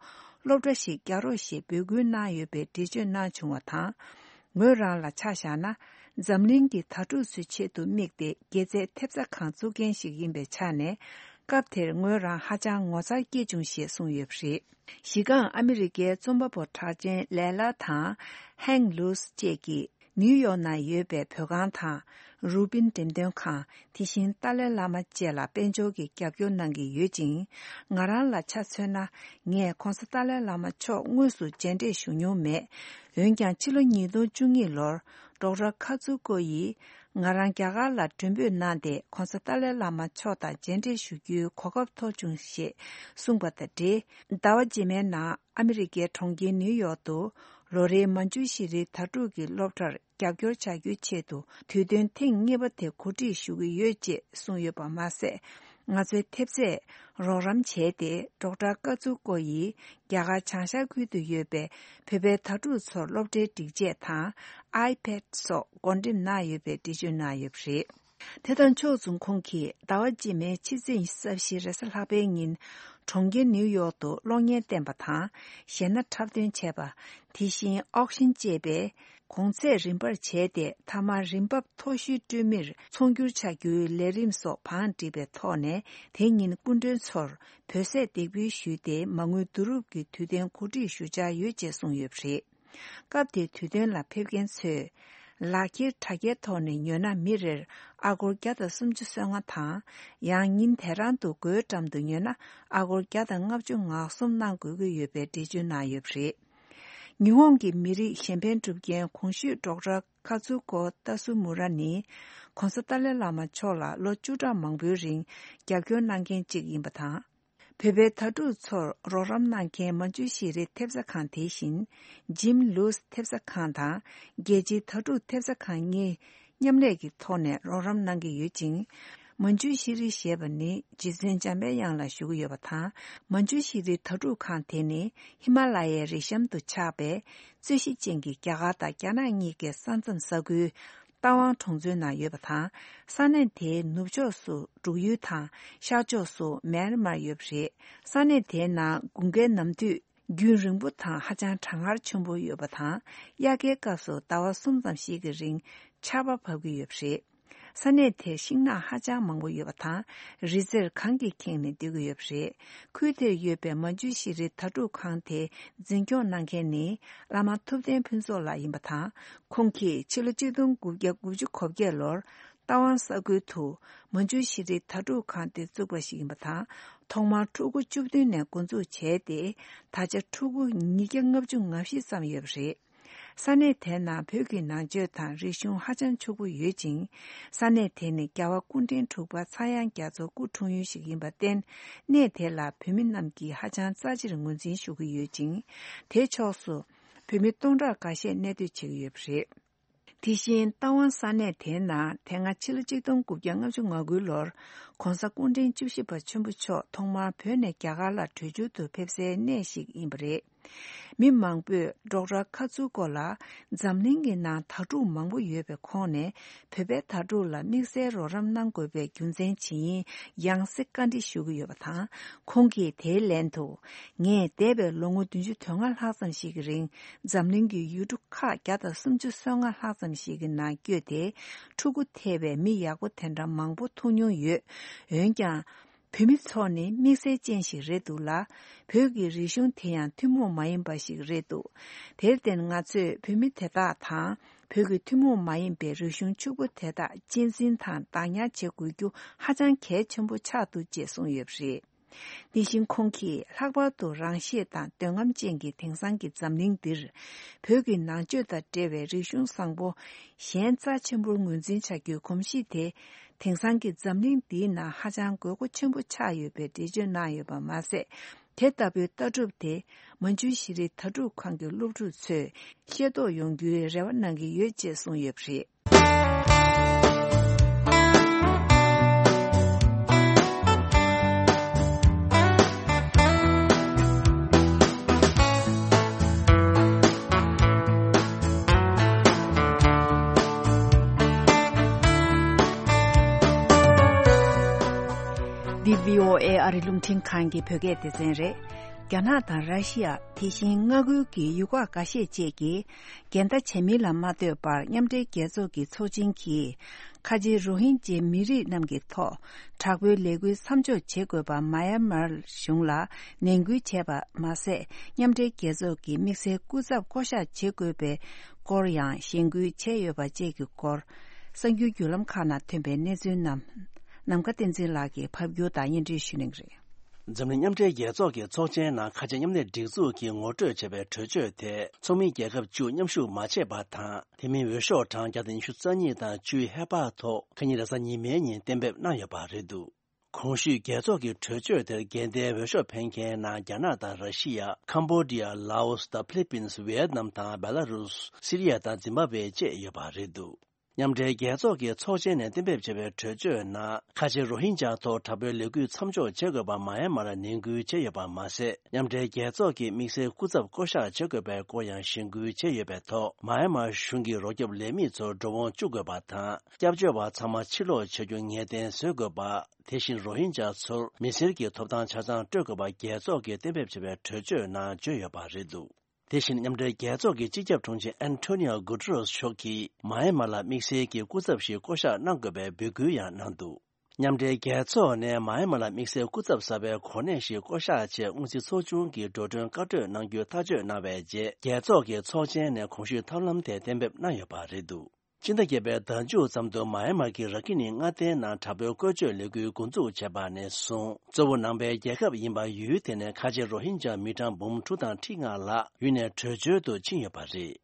སློབ་གྲྭ་ཞིག་རྒྱག་རོགས་ཞེས་འབོད་སྐུལ་གནང་ཡོད་པའི་འགྲེལ་བརྗོད་གནང་བྱུང་བ་དང་། ངོས་རང་ལ་ཆ་བཞག་ན། འཛམ་གླིང་གི་དྭ་ཕྲུག་ཚོའི་ཆེད་དུ་དམིགས་ཏེ་དགེ་རྩའི་ཐེབས་རྩ་ཁང་བཙུགས་མཁན་ཞིག་ཡིན་པའི་ཆ་ནས། སྐབས་དེར་ངོས་རང་ཧ་ཅང་ངོ་མཚར་སྐྱེས་བྱུང་ཞེས་གསུངས་ཡོད་པ་རེད། གཞི་རྐང་ཨ་མི་རི་ཀའི་རྩོམ་པ་པོ་གྲགས་ཅན་ལེ་ལ་དང་ཧེང་ལུས་བཅས་ཀྱིས་ནིའུ་ཡོག་ནང་ཡོད་པའི་བོད་ཁང་དང་རུ་པིན་འགྲེམས་སྟོན་ཁང་། དེ་བཞིན་ཏཱ་ལའི་བླ་མ་བཅས་ལ་དཔལ་འབྱོར་གྱི་རྒྱབ་སྐྱོར་གནང་གི་ཡོད་ཅིང་། ང་རང་ལ་ཆ་མཚོན་ན། ངས་༧གོང་ས་ཏཱ་ལའི་བླ་མ་མཆོག་དངོས་སུ་མཇལ་འཕྲད་ཞུ་མྱོང་མེད། འོན་ཀྱང་ཕྱི་ལོ་ཉིས་སྟོང་བཅུ་གཉིས་ལོར་ཌོག་ཊར་ཁ་ཙུ་ཀོ་ཡིས་ང་རང་རྒྱ་གར་ལ་མགྲོན་འབོད་གནང་སྟེ། ༧གོང་ས་ཏཱ་ལའི་བླ་མ་མཆོག་དང་མཇལ་འཕྲད་ཞུ་རྒྱུའི་གོ་སྐབས་ཐོབ་བྱུང་ཞེས་གསུངས་པ་དང་འབྲེལ། ཟླ་བ་རྗེས་མའི་ནང་ཨ་མི་རི་ཀའི་གྲོང་ཁྱེར་ནིའུ་ཡོག་ཏུ་ལོ་རེའི་མ་འཇུ་ཤི་རིའི་དྭ་ཕྲུག་གི་སློབ་གྲྭར་རྒྱབ་སྐྱོར་བྱ་རྒྱུའི་ཆེད་དུ་དུས་སྟོན་ཐེངས་གཉིས་པ་དེ་གོ་སྒྲིག་ཞུ་གི་ཡོད་ཅེས་གསུངས་ཡོད་པ་མ་ཟད། ང་ཚོའི་ཐེབས་རྩས་རོགས་རམ་བྱས་ཏེ། ཌོག་ཊར་ཀ་ཙུ་ཀོ་ཡིས་རྒྱ་གར་བྱང་ཤར་ཁུལ་དུ་ཡོད་པའི་བོད་པའི་དྭ་ཕྲུག་ཚོར་སློབ་གྲྭའི་སྒྲིག་ཆས་དང་ཨའི་པེཌ་སོགས་བགོ་འགྲེམས་གནང་ཡོད་པའི་འགྲེལ་བརྗོད་གནང་ཡོད་པ་རེད། དེ་དང་ཕྱོགས་མཚུངས། ཁོང་གིས་ཟླ་བ་རྗེས་མའི་ཕྱི་ཚེས་ཉི་ཤུ་རྩ་བཞི་རེས་གཟའ་ལྷག་པའི་ཉིན་གྲོང་ཁྱེར་ནིའུ་ཡོག་ཏུ་གློག་བརྙན་བསྟན་པ་དང་གཞས་སྣ་འཁྲབ་སྟོན་བྱས་པ། དེ་བཞིན་ཨོག་ཤིན་ཅེས་པའི་གོང་ཚད་རིམ་པར་བྱས་ཏེ། མཐའ་མར་རིན་འབབ་མཐོ་ཤོས་སྤྲོད་མིར་ཚོང་སྒྱུར་བྱ་རྒྱུའི་ལས་རིམ་སོགས་བང་བསྒྲིགས་པའི་ཐོག་ནས། དེ་ཉིན་སྐུ་མགྲོན་ཚོར་བོད་ཟས་འདེགས་འབུལ་ཞུས་ཏེ། མ་དངུལ་བསྡུ་རུབ་ཀྱི་དུས་སྟོན་གོ་སྒྲིག་ཞུ་འཆར་ཡོད་ཅེས་གསུངས་ཡོད་པ་རེད། སྐབས་དེའི་དུས་སྟོན་ལ་ཕེབས་མཁན་ཚོས། ལག་འཁྱེར་དྲ་རྒྱའི་ཐོག་ནས་ཉོས་ན་མི་རེར་ཨ་སྒོར་བརྒྱ་དང་སུམ་ཅུ་སོ་ལྔ་དང་། ཡང་ཉིན་དེ་རང་དུ་སྒོའི་འགྲམ་དུ་ཉོས་ན་ཨ་སྒོར་བརྒྱ་དང་ལྔ་བཅུ་ང་གསུམ་གནང་དགོས་ཀྱི་ཡོད་པའི་འགྲེལ་བརྗོད་གནང་ཡོད་པ་རེད། ཉི་ཧོང་གི་མི་རིགས་གཞན་ཕན་སྒྲུབ་མཁན་གོང་ཞུས་ཌོག་ཊར་ཁ་ཚུ་ཀོ་ཏ་སུ་མུ་ར་ནི། ༸གོང་ས་ཏཱ་ལའི་བླ་མ་མཆོག་ལ་ལོ་བཅུ་ཕྲག་མང་པོའི་རིང་རྒྱབ་སྐྱོར་གནང་མཁན་གཅིག་ཡིན་པ་དང་། བོད་པའི་དྭ་ཕྲུག་ཚོར་རོགས་རམ་གནང་མཁན་མན་ཇུ་ཤེས་རིག་ཐེབས་རྩ་ཁང་དེ་བཞིན། ཇིམ་ལུས་ཐེབས་རྩ་ཁང་དང་རྒྱལ་སྤྱིའི་དྭ་ཕྲུག་ཐེབས་རྩ་ཁང་གཉིས་མཉམ་ལས་ཀྱི་ཐོག་ནས་རོགས་རམ་གནང་གི་ཡོད་ཅིང་། མན་ཇུ་ཤེས་རིག་ཞེས་པ་ནི་རྗེ་བཙུན་འཇམ་པའི་དབྱངས་ལ་ཞུ་གི་ཡོད་པ་དང་། མན་ཇུ་ཤེས་རིག་དྭ་ཕྲུག་ཁང་དེ་ནི་ཧི་མ་ལ་ཡའི་རི་གཤམ་དུ་ཆགས་པའི་རྩོད་གཞི་ཅན་གྱི་རྒྱ་གར་དང་རྒྱ་ནག་གཉིས་ཀའི་ས་མཚམས་ས་ཁུལ། རྟ་དབང་གྲོང་ཚོའི་ནང་ཡོད་པ་དང་། ས་གནས་དེའི་ནུབ་ཕྱོགས་སུ་འབྲུག་ཡུལ་དང་ཤར་ཕྱོགས་སུ་མེན་མར་ཡོད་པ་རེད། ས་གནས་དེའི་ནང་དགུན་ཁའི་ནམ་དུས་རྒྱུན་རིང་པོ་དང་ཧ་ཅང་གྲང་ངར་ཆེན་པོ་ཡོད་པ་དང་། དབྱར་ཁའི་སྐབས་སུ་ཟླ་བ་གསུམ་ཙམ་ཞིག་གི་རིང་ཆར་པ་བབས་ཀྱི་ཡོད་པ་རེད། ས་གནས་དེར་ཤིང་ནགས་ཧ་ཅང་མང་པོ་ཡོད་པ་དང་། རི་རྩེར་གངས་ཀྱིས་ཁེངས་ནས་སྡོད་ཀྱི་ཡོད་པ་རེད། ཁུལ་དེར་ཡོད་པའི་མན་ཇུ་ཤེས་རིག་དྭ་ཕྲུག་ཁང་དེ་འཛིན་སྐྱོང་གནང་མཁན་ནི་བླ་མ་ཐུབ་བསྟན་ཕུན་ཚོགས་ལགས་ཡིན་པ་དང་། ཁོང་གིས་ཕྱི་ལོ་ཆིག་སྟོང་དགུ་བརྒྱ་དགུ་བཅུ་གོ་བརྒྱད་ལོར་རྟ་དབང་ས་ཁུལ་དུ་མན་ཇུ་ཤེས་རིག་དྭ་ཕྲུག་ཁང་དེ་བཙུགས་པ་ཞིག་ཡིན་པ་དང་། ཐོག་མར་ཕྲུ་གུ་བཅུ་བདུན་ནས་འགོ་འཛུགས་བྱས་ཏེ། ད་ཆ་ཕྲུ་གུ་ཉིས་བརྒྱ་ལྔ་བཅུ་ང་བཞི་ཙམ་ཡོད་པ་རེད། ས་གནས་དེའི་ནང་བོད་ཀྱི་ནང་ཆོས་དང་རིག་གཞུང་ཧ་ཅང་ཕྱུག་པོ་ཡོད་ཅིང་། ས་གནས་དེ་ནི་རྒྱལ་བ་སྐུ་ཕྲེང་དྲུག་པ་ཚངས་དབྱངས་རྒྱ་མཚོ་སྐུ་འཁྲུངས་ཡུལ་ཞིག་ཡིན་པར་བརྟེན། གནས་དེ་ལ་བོད་མི་རྣམས་ཀྱིས་ཧ་ཅང་རྩ་ཆེར་ངོས་འཛིན་ཞུ་གི་ཡོད་ཅིང་། དེའི་ཕྱོགས་སུ་བོད་མི་སྟོང་ཕྲག་འགའ་ཤས་གནས་སྡོད་བྱེད་ཀྱི་ཡོད་པ་རེད། དེ་བཞིན་རྟ་དབང་ས་གནས་དེའི་ནང་དེ་སྔ་ཕྱི་ལོ་ཆིག་སྟོང་དགུ་བརྒྱ་ལྔ་བཅུ་ང་དགུ་ལོར་༸གོང་ས་སྐུ་ཕྲེང་བཅུ་བཞི་པ་ཆེན་པོ་མཆོག་ཐོག་མར་བོད་ནས་རྒྱ་གར་ལ་བྲོས་བྱོལ་དུ་ཕེབས་སའི་གནས་ཤིག་ཡིན་པ་རེད། མི་མང་པོས་ཌོག་ཊར་ཁ་ཚུ་ཀོ་ལ་འཛམ་གླིང་གི་ནང་དྭ་ཕྲུག་མང་པོ་ཡོད་པའི་ཁོངས་ནས་བོད་པའི་དྭ་ཕྲུག་ལ་དམིགས་བསལ་རོགས་རམ་གནང་དགོས་པའི་རྒྱུ་མཚན་ཇི་ཡིན་ཡང་སེ་བཀའ་འདྲི་ཞུ་གི་ཡོད་པ་དང་། ཁོང་གིས་དེའི་ལན་དུ། ངས་འདས་པའི་ལོ་ངོ་བདུན་ཅུ་དོན་ལྔ་ལྷག་ཙམ་ཞིག་གི་རིང་འཛམ་གླིང་གི་ཡུལ་གྲུ་ཁག་བརྒྱ་དང་སུམ་ཅུ་སོ་ལྔ་ལྷག་ཙམ་ཞིག་གི་ནང་བསྐྱོད་དེ་ཕྲུ་གུ་ཐེ་བའི་མི་ཡག་པོ་དེ་འདྲ་མང་པོ་ཐུག་མྱོང་ཡོད། འོན་ཀྱང་། བོད་མི་ཚོ་ནི་དམིགས་བསལ་ཅན་ཞིག་རེད་འདུག་ལ། བོད་ཀྱི་རིག་གཞུང་དེ་ཡང་ཐུན་མོང་མ་ཡིན་པ་ཞིག་རེད་འདུག་དེར་བརྟེན་ང་ཚོས་བོད་མི་དེ་དག་དང་བོད་ཀྱི་ཐུན་མོང་མ་ཡིན་པའི་རིག་གཞུང་ཕྱུག་པོ་དེ་དག་གཅེས་འཛིན་དང་བདག་ཉར་བྱེད་དགོས་རྒྱུ་ཧ་ཅང་གལ་ཆེན་པོ་ཆགས་འདུག་ཅེས་གསུངས་ཡོད་པ་རེད། དེ་བཞིན་ཁོང་གིས་ལྷག་པར་དུ་རང་ཤེད་དང་འདོད་རྔམ་ཅན་གྱི་དེང་སང་གི་འཛམ་གླིང་འདིར་བོད་ཀྱི་ནང་ཆོས་དང་འབྲེལ་བའི་རིག་གཞུང་བཟང་པོ་གཞན་རྩ་ཆེན་པོར་ངོས་འཛིན་བྱ་རྒྱུའི་གོམས་གཤིས་དེ་དེང་སང་གི་འཛམ་གླིང་འདིའི་ནང་ཧ་ཅང་དགོས་མཁོ་ཆེན་པོ་ཆགས་ཡོད་པའི་འགྲེལ་བརྗོད་གནང་ཡོད་པ་མ་ཟད། དེ་ལྟ་བུའི་ལྟ་གྲུབ་དེ་མན་ཇུ་ཤེས་རིག་དྭ་ཕྲུག་ཁང་གི་སློབ་ཕྲུག་ཚོས་ཤེས་རྟོགས་ཡོང་རྒྱུའི་རེ་བ་གནང་གི་ཡོད་ཅེས་གསུངས་ཡོད་པ་རེད། འདི་བྷི་ཨོ་ཨེ་ཨ་རི་རླུང་འཕྲིན་ཁང་གི་བོད་སྐད་སྡེ་ཚན་རེད། རྒྱ་ནག་དང་ར་ཤི་ཡ། དེ་བཞིན་མངའ་ཁུལ་གྱི་ཡུལ་ཁག་འགའ་ཤས་བཅས་ཀྱིས་འགལ་ཟླ་བྱས་མིན་ལ་མ་ལྟོས་པར། མཉམ་འབྲེལ་རྒྱལ་ཚོགས་ཀྱི་ཚོགས་ཆེན་གྱིས་ཁ་ཆེ་རོ་ཧིན་ཇའི་མི་རིགས་རྣམས་ཀྱི་ཐོག་དྲག་པོའི་ལས་འགུལ་མཚམས་འཇོག་བྱེད་དགོས་པ་མ་ཡན་མར་གཞུང་ལ་ནན་སྐུལ་བྱས་པ་མ་ཟད། མཉམ་འབྲེལ་རྒྱལ་ཚོགས་ཀྱི་དམིགས་བསལ་སྐུ་ཚབ་བསྐོ་གཞག་བྱེད་དགོས་པའི་སྐོར་ཡང་གཞེན་སྐུལ་བྱས་ཡོད་པ་བཅས་ཀྱི་སྐོར། གསར་འགྱུར་བརྒྱུད་ལམ་ཁག་ནང་ཐོན་པའི་གནས་ཚུལ་རྣམས་ནམ་མཁའ་བསྟན་འཛིན་ལགས་ཀྱིས་ཕབ་སྒྱུར་དང་སྙན་སྒྲོན་ཞུ་གནང་གི་རེད། འཛམ་གླིང་མཉམ་འབྲེལ་རྒྱལ་ཚོགས་ཀྱི་ཚོགས་ཆེན་ནང་ཁ་ཆེ་མཉམ་གནས་སྒྲིག་འཛུགས་ཀྱིས་ངོ་སྤྲོད་བྱས་པའི་གྲོས་ཆོད་དེ་ཚོགས་མི་རྒྱལ་ཁབ་བཅུ་མཉམ་ཞུགས་མ་བྱས་པ་དང་། དེ་མིན་འོས་ཤོག་གྲངས་བརྒྱ་དང་ཉི་ཤུ་རྩ་གཉིས་དང་བཅུའི་ཧེ་བག་ཐོག་ཁ་ཉིན་རེས་གཟའ་ཉི་མའི་ཉིན་གཏན་འབེབས་གནང་ཡོད་པ་རེད་འདུག་གོང་ཞུས་རྒྱལ་ཚོགས་ཀྱི་གྲོས་ཆོད་དེར་འགལ་ཟླའི་འོས་ཤོག་འཕེན་མཁན་ནང་རྒྱ་ནག་དང་ར་ཤི་ཡ། ཁམ་བྷོ་ཌི་ཡ། ལའོ་སི། ད་ཕི་ལི་པིན། ཝི་ཡེད་ནམ་དང་། བེ་ལ་རུས། སི་རི་ཡ་དང་ཛིམ་བྷ་ཝེ་བཅས་ཡོད་པ་རེད་འདུག་མཉམ་འབྲེལ་རྒྱལ་ཚོགས་ཀྱི་ཚོགས་ཆེན་ནས་གཏན་འབེབས་བྱས་པའི་གྲོས་ཆོད་ནང་། ཁ་ཆེ་རོ་ཧིན་ཇཱ་ཐོག་དྲག་པོའི་ལས་འགུལ་མཚམས་འཇོག་བྱེད་དགོས་པ་མ་ཡན་མར་ནན་སྐུལ་བྱས་ཡོད་པ་མ་ཟད། མཉམ་འབྲེལ་རྒྱལ་ཚོགས་ཀྱི་དམིགས་བསལ་སྐུ་ཚབ་བསྐོ་གཞག་བྱེད་དགོས་པའི་སྐོར་ཡང་གཞེན་སྐུལ་བྱས་ཡོད་པའི་ཐོག་མ་ཡན་མར་གཞུང་གིས་རོགས་སྐྱོབ་ལས་མི་ཚོར་འགྲོ་འོང་བཅུག་དགོས་པ་དང་། སྐྱབས་བཅོལ་བ་ཚང་མ་ཕྱིར་ལོག་བྱ་རྒྱུ་ངེས་གཏན་བཟོ་དགོས་པ། དེ་བཞིན་རོ་ཧིན་ཇཱ་ཚོར་མི་སེར་གྱི་ཐོབ་ཐང་ཆ་ཚང་སྤྲོད་དགོས་པ་རྒྱལ་ཚོགས་ཀྱིས་གཏན་འབེབས་བྱས་པའི་གྲོས་ཆོད་ནང་བརྗོད་ཡོད་པ་རེད་འདུག་དེ་བཞིན་མཉམ་འབྲེལ་རྒྱལ་ཚོགས་ཀྱི་སྤྱི་ཁྱབ་དྲུང་ཆེ་ཨན་ཐོ་ནི་ཡོ་གུ་ཏེ་རེས་མཆོག་གིས་མ་ཡན་མར་ལ་དམིགས་བསལ་གྱི་སྐུ་ཚབ་ཞིག་བསྐོ་གཞག་གནང་དགོས་པའི་འབོད་སྐུལ་ཡང་གནང་འདུག་མཉམ་འབྲེལ་རྒྱལ་ཚོགས་ནས་མཱ་ཡན་མར་ལ་དམིགས་བསལ་སྐུ་ཚབ་གསར་པའི་གོ་གནས་ཤིག་བསྐོ་གཞག་ཆེད། དངུལ་རྩིས་ཚོགས་ཆུང་གིས་འགྲོ་གྲོན་བཀའ་གྲོས་གནང་རྒྱུ་ཐག་གཅོད་གནང་བའི་རྗེས། རྒྱལ་ཚོགས་ཀྱི་ཚོགས་ཆེན་ནས་གོང་ཞུས་ཐབས་ལམ་དེ་གཏན་འབེབས་གནང་ཡོད་པ་རེད་འདུག་སྤྱི་ཟླ་བརྒྱད་པའི་ཟླ་མཇུག་ཙམ་དུ་མཱ་ཡན་མར་གྱི་ར་ཁི་ནི་མངའ་སྡེའི་ནང་དྲག་པོའི་བཀོལ་སྤྱོད་ལས་འགུལ་འགོ་འཛུགས་བྱས་པ་ནས་བཟུང་། གཙོ་བོ་ནང་པའི་རྒྱལ་ཁབ་ཡིན་པ་ཡུལ་དེ་ནས་ཁ་ཆེ་རོ་ཧིན་ཇཱ་མི་གྲངས་འབུམ་དྲུག་དང་ཁྲི་ལྔ་ལྷག་ཡུལ་ནས་བྲོས་བྱོལ་དུ་ཕྱིན་ཡོད་པ་རེད།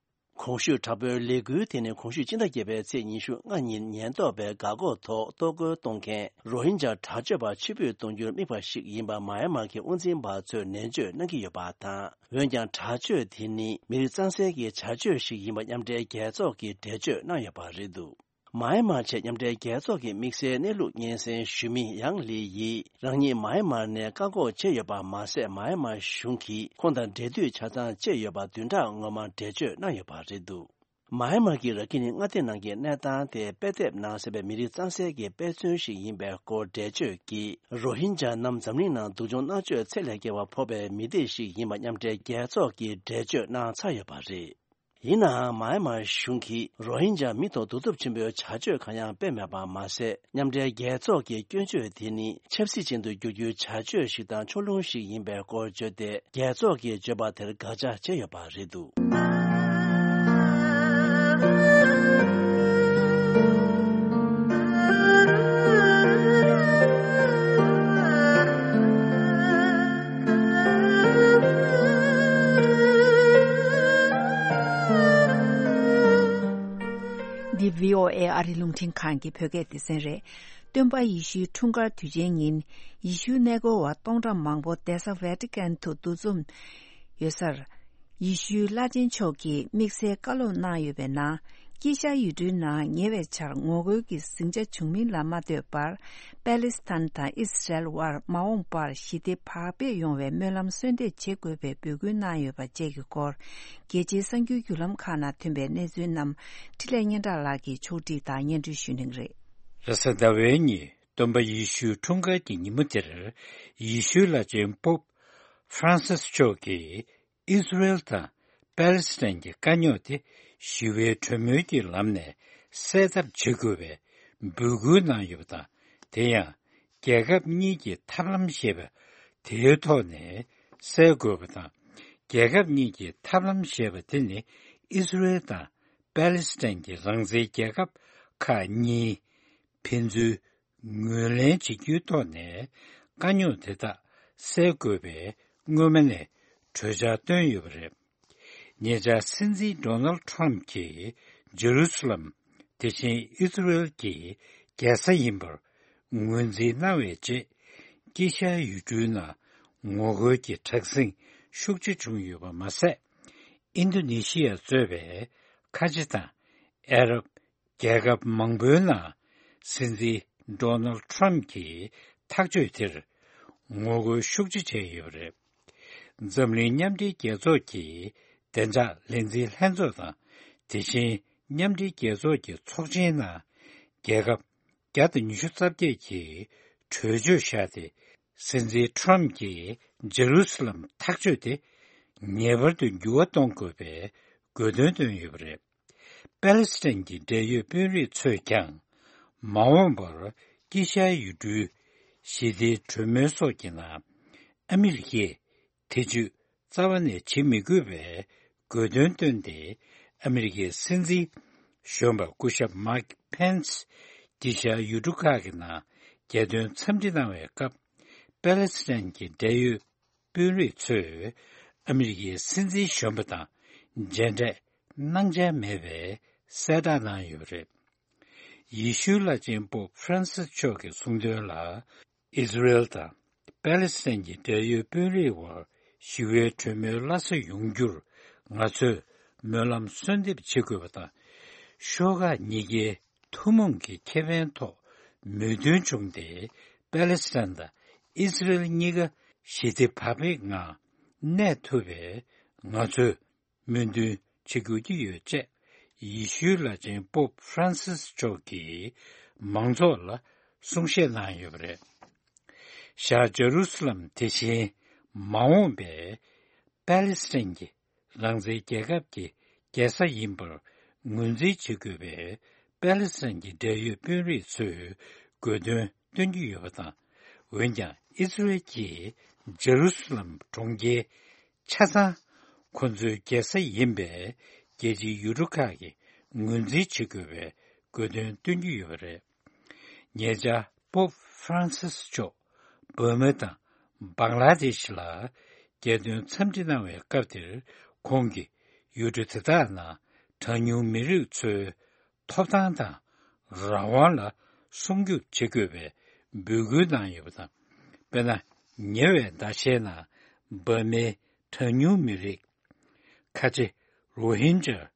གོང་ཞུས་དྲག་པོའི་ལས་འགུལ་དེ་ནི་གོང་ཞུས་སྤྱི་ཟླ་བརྒྱད་པའི་ཚེས་ཉི་ཤུ་ལྔ་ཉིན་ཉེན་རྟོག་པས་འགག་སྒོ་ཐོག་གཏོར་རྒོལ་གཏོང་མཁན་རོ་ཧིན་ཇཱ་དྲག་སྤྱོད་པ་ཕྱིར་འབུད་གཏོང་རྒྱུར་དམིགས་པ་ཞིག་ཡིན་པ་མཱ་ཡན་མར་གྱི་དབང་འཛིན་པ་ཚོས་ནན་བརྗོད་གནང་གི་ཡོད་པ་དང་། འོན་ཀྱང་། དྲག་སྤྱོད་དེ་ནི་མི་རིགས་གཙང་སེལ་གྱི་བྱ་སྤྱོད་ཞིག་ཡིན་པ་མཉམ་འབྲེལ་རྒྱལ་ཚོགས་ཀྱིས་འགྲེལ་བརྗོད་གནང་ཡོད་པ་རེད་འདུག་མཱ་ཡན་མར་ཆེད་མཉམ་འབྲེལ་རྒྱལ་ཚོགས་ཀྱི་དམིགས་བསལ་གནས་ལུགས་སྙན་སེང་ཞུ་མི་ཡང་ལི་ཡིས། རང་ཉིད་མཱ་ཡན་མར་ནས་བཀག་འགོག་བྱས་ཡོད་པ་མ་ཟད། མཱ་ཡན་མར་གཞུང་གིས་ཁོང་དང་འབྲེལ་མཐུད་ཆ་ཚང་བྱས་ཡོད་པ་བདུན་ཕྲག་སྔོན་མ་འགྲེལ་བརྗོད་གནང་ཡོད་པ་རེད་འདུག་མཱ་ཡན་མར་གྱི་ར་ཁི་ནི་མངའ་སྡེ་ནང་གི་གནས་སྟངས་དེ་དཔེ་དེབ་ནང་གསལ་བའི་མི་རིགས་གཙང་སེལ་གྱི་དཔེ་མཚོན་ཞིག་ཡིན་པའི་སྐོར་འགྲེལ་བརྗོད་ཀྱིས། རོ་ཧིན་ཇཱ་རྣམས་འཛམ་གླིང་ནང་སྡུག་སྦྱོང་མནར་གཅོད་ཚད་ལས་བརྒལ་བ་ཕོག་པའི་མི་སྡེ་ཞིག་ཡིན་པ་མཉམ་འབྲེལ་རྒྱལ་ཚོགས་ཀྱིས་འགྲེལ་བརྗོད་གནང་ཚར་ཡོད་པ་རེད། ཡིན་ནའང་། མཱ་ཡན་མར་གཞུང་གིས་རོ་ཧིན་ཇཱ་མི་ཐོག་གདུག་རྩུབ་ཆེན་པོའི་བྱ་སྤྱོད་གང་ཡང་སྤེལ་མེད་པ་མ་ཟད། མཉམ་འབྲེལ་རྒྱལ་ཚོགས་ཀྱི་སྐྱོན་བརྗོད་དེ་ནི་ཆབ་སྲིད་ཅན་དུ་བསྒྱུར་རྒྱུའི་བྱ་སྤྱོད་ཞིག་དང་ཕྱོགས་ལྷུང་ཞིག་ཡིན་པའི་སྐོར་བརྗོད་དེ། རྒྱལ་ཚོགས་ཀྱིས་བརྗོད་པ་དེར་དགག་བྱ་བྱས་ཡོད་པ་རེད་འདུག་འདི་བྷི་ཨོ་ཨེ་ཨ་རི་རླུང་འཕྲིན་ཁང་གི་བོད་སྐད་སྡེ་ཚན་རེད། སྟོན་པ་ཡེ་ཤུའི་འཁྲུངས་སྐར་དུས་ཆེན་ཉིན། ཡེ་ཤུའི་གནས་སྐོར་བ་སྟོང་ཕྲག་མང་པོ་གདན་ས་ཝེ་ཏི་ཀན་དུ་འདུ་འཛོམས་ཡོད་སར། ཡེ་ཤུའི་བླ་ཆེན་མཆོག་གིས་དམིགས་བསལ་བཀའ་སློབ་གནང་ཡོད་པའི་ནང་། དཀྱིལ་ཤར་ཡུལ་གྲུའི་ནང་ཉེ་བའི་ཆར་ངོ་རྒོལ་གྱི་ཟིང་ཆ་བྱུང་མིན་ལ་མ་ལྟོས་པར། པེ་ལི་སི་ཐན་དང་ཨི་སི་རལ་དབར་མ་འོངས་པར་ཞི་བདེ་བག་ཕེབས་ཡོང་བའི་སྨོན་ལམ་གསོལ་འདེབས་བྱེད་དགོས་པའི་འབོད་སྐུལ་གནང་ཡོད་པ་བཅས་ཀྱི་སྐོར། རྒྱལ་སྤྱིའི་གསར་འགྱུར་བརྒྱུད་ལམ་ཁག་ནང་ཐོན་པའི་གནས་ཚུལ་རྣམས་འཕྲིན་ལས་སྙན་གྲགས་ལགས་ཀྱིས་ཕྱོགས་སྒྲིག་དང་སྙན་སྒྲོན་ཞུ་གནང་གི་རེད། རེས་གཟའ་ཟླ་བའི་ཉིན་སྟོན་པ་ཡེ་ཤུའི་འཁྲུངས་སྐར་གྱི་ཉིན་མོ་དེར། ཡེ་ཤུའི་བླ་ཆེན་པོབ་ཧྥ་རན་སིས་མཆོག་གིས་ཨི་སི་རེལ་དང་པེ་ལི་སི་ཐན་གྱི་དཀའ་རྙོག་དེ་ཞི་བའི་གྲོས་མོལ་གྱི་ལམ་ནས་སེལ་ཐབས་བྱེད་དགོས་པའི་འབོད་སྐུལ་གནང་ཡོད་པ་དང་། དེ་ཡང་རྒྱལ་ཁབ་གཉིས་ཀྱི་ཐབས་ལམ་ཞེས་པ་དེའི་ཐོག་ནས་སེལ་དགོས་པ་དང་། རྒྱལ་ཁབ་གཉིས་ཀྱི་ཐབས་ལམ་ཞེས་པ་དེ་ནི་ཨི་སི་རེལ་དང་པེ་ལི་སི་ཐན་གྱི་རང་བཙན་རྒྱལ་ཁབ་ཁག་གཉིས་ཕན་ཚུན་ངོས་ལེན་བྱེད་རྒྱུའི་ཐོག་ནས་དཀའ་རྙོག་དེ་དག་སེལ་དགོས་པའི་སྔོན་མ་ནས་གྲོས་འཆར་བཏོན་ཡོད་པ་རེད། ཉེ་ཆར་སྲིད་འཛིན་ཌོ་ནལ་ཁྲམ་གྱིས་ཇེ་རུ་སི་ལམ། དེ་བཞིན་ཨི་སི་རེལ་གྱི་རྒྱལ་ས་ཡིན་པར་ངོས་འཛིན་གནང་བའི་རྗེས། དཀྱིལ་ཤར་ཡུལ་གྲུའི་ནང་ངོ་རྒོལ་གྱི་དྲག་ཟིང་ཤུགས་ཆེ་བྱུང་ཡོད་པ་མ་ཟད། ཨིན་རྡོ་ནེ་ཤི་ཡ་གཙོས་པའི་ཁ་ཆེ་དང་ཨ་རབ་རྒྱལ་ཁབ་མང་པོའི་ནང་སྲིད་འཛིན་ཌོ་ནལ་ཁྲམ་གྱི་ཐག་གཅོད་དེར་ངོ་རྒོལ་ཤུགས་ཆེ་བྱས་ཡོད་པ་རེད། འཛམ་གླིང་མཉམ་འབྲེལ་རྒྱལ་ཚོགས་ཀྱི་བདེ་འཇགས་ལས་འཛིན་ལྷན་ཚོགས་དང་། དེ་བཞིན་མཉམ་འབྲེལ་རྒྱལ་ཚོགས་ཀྱི་ཚོགས་ཆེན་ནང་རྒྱལ་ཁབ་བརྒྱ་དང་ཉི་ཤུ་རྩ་བརྒྱད་ཀྱིས་གྲོས་ཆོད་བཞག་སྟེ། སྲིད་འཛིན་ཁྲམ་གྱིས་ཇེ་རུ་སི་ལམ་ཐག་གཅོད་དེ་ངེས་པར་དུ་འགྱུར་བ་གཏོང་དགོས་པའི་དགོས་འདུན་བཏོན་ཡོད་པ་རེད། པེ་ལི་སི་ཐན་གྱི་འབྲེལ་ཡོད་དཔོན་རིགས་ཚོས་ཀྱང་། མ་འོངས་པར་དཀྱིལ་ཤར་ཡུལ་གྲུའི་ཞི་བདེའི་གྲོས་མོལ་སོགས་ཀྱི་ནང་ཨ་མི་རི་ཀས་ཐེ་ཇུས་རྩ་བ་ནས་བྱེད་མི་དགོས་པའི་དགོས་འདུན་བཏོན་ཏེ། ཨ་མི་རི་ཀའི་སྲིད་འཛིན་གཞོན་པ་སྐུ་ཞབས་མཱིག་ཕེན་སི་དཀྱིལ་ཤར་ཡུལ་གྲུ་ཁག་གི་ནང་རྒྱལ་དོན་འཚམས་འདྲི་གནང་བའི་སྐབས། པེ་ལི་སི་ཐན་གྱི་འབྲེལ་ཡོད་དཔོན་རིགས་ཚོས་ཨ་མི་རི་ཀའི་སྲིད་འཛིན་གཞོན་པ་དང་མཇལ་འཕྲད་གནང་འཆར་མེད་པའི་གསལ་བསྒྲགས་གནང་ཡོད་པ་རེད། ཡེ་ཤུའི་བླ་ཆེན་པོབ་ཧྥ་རན་སིས་མཆོག་གིས་གསུངས་དོན་ལ། ཨི་སི་རེལ་དང་པེ་ལི་སི་ཐན་གྱི་འབྲེལ་ཡོད་དཔོན་རིགས་དབར་ཞི་བའི་གྲོས་མོལ་སླར་གསོ་ཡོང་རྒྱུར་ང་ཚོས་སྨོན་ལམ་གསོལ་འདེབས་བྱེད་དགོས་པ་དང་། ཤོག་ཁག་གཉིས་ཀའི་ཐུན་མོང་གི་ཁེ་ཕན་ཐོག་མོས་མཐུན་བྱུང་སྟེ། པེ་ལི་སི་ཐན་དང་ཨི་སི་རེལ་གཉིས་ཀ་ཞི་བདེ་བག་ཕེབས་ངང་གནས་ཐུབ་པའི་ང་ཚོས་སྨོན་འདུན་བྱེད་དགོས་ཀྱི་ཡོད་ཅེས་ཡེ་ཤུའི་བླ་ཆེན་པོབ་ཧྥ་རན་སིས་མཆོག་གིས་མང་ཚོགས་ལ་གསུང་བཤད་གནང་ཡོད་པ་རེད། ཤར་ཇེ་རུ་སི་ལམ་དེ་བཞིན་མ་འོངས་པའི་པེ་ལི་སི་ཐན་གྱི་རང་བཙན་རྒྱལ་ཁབ་ཀྱི་རྒྱལ་ས་ཡིན་པར་ངོས་འཛིན་བྱེད་དགོས་པའི་པེ་ལི་སི་ཐན་གྱི་འབྲེལ་ཡོད་དཔོན་རིགས་ཚོས་དགོས་འདུན་ སྟོན་གྱི་ཡོད་པ་དང་། འོན་ཀྱང་ཨི་སི་རེལ་གྱིས་ཇེ་རུ་སི་ལམ་གྲོང་ཁྱེར་ཆ་ཚང་ཁོ་ཚོའི་རྒྱལ་ས་ཡིན་པས་རྒྱལ་སྤྱིའི་ཡུལ་གྲུ་ཁག་གིས་ངོས་འཛིན་བྱེད་དགོས་པའི་དགོས་དོན་སྟོན་གྱི་ཡོད་པ་རེད། ཉེ་ཆར་པོབ་ཧྥ་རན་སིས་མཆོག་བོད་མི་དང་བང་ལ་དེ་ཤི་ལ་རྒྱལ་དོན་འཚམས་འདྲི་གནང་བའི་སྐབས་དེར། ཁོང་གིས་ཡུལ་གྲུ་དེ་དག་ནང་གྲངས་ཉུང་མི་རིགས་ཚོའི་ཐོབ་ཐང་དང་རང་དབང་ལ་སྲུང་སྐྱོབ་བྱེད་དགོས་པའི་འབོད་སྐུལ་གནང་ཡོད་པ་དང་། དཔེར་ན། ཉེ་བའི་ཟླ་ཤས་ནང་འབར་མའི་གྲངས་ཉུང་མི་རིགས་ཁ་ཆེ་རོ་ཧིན་ཇཱ་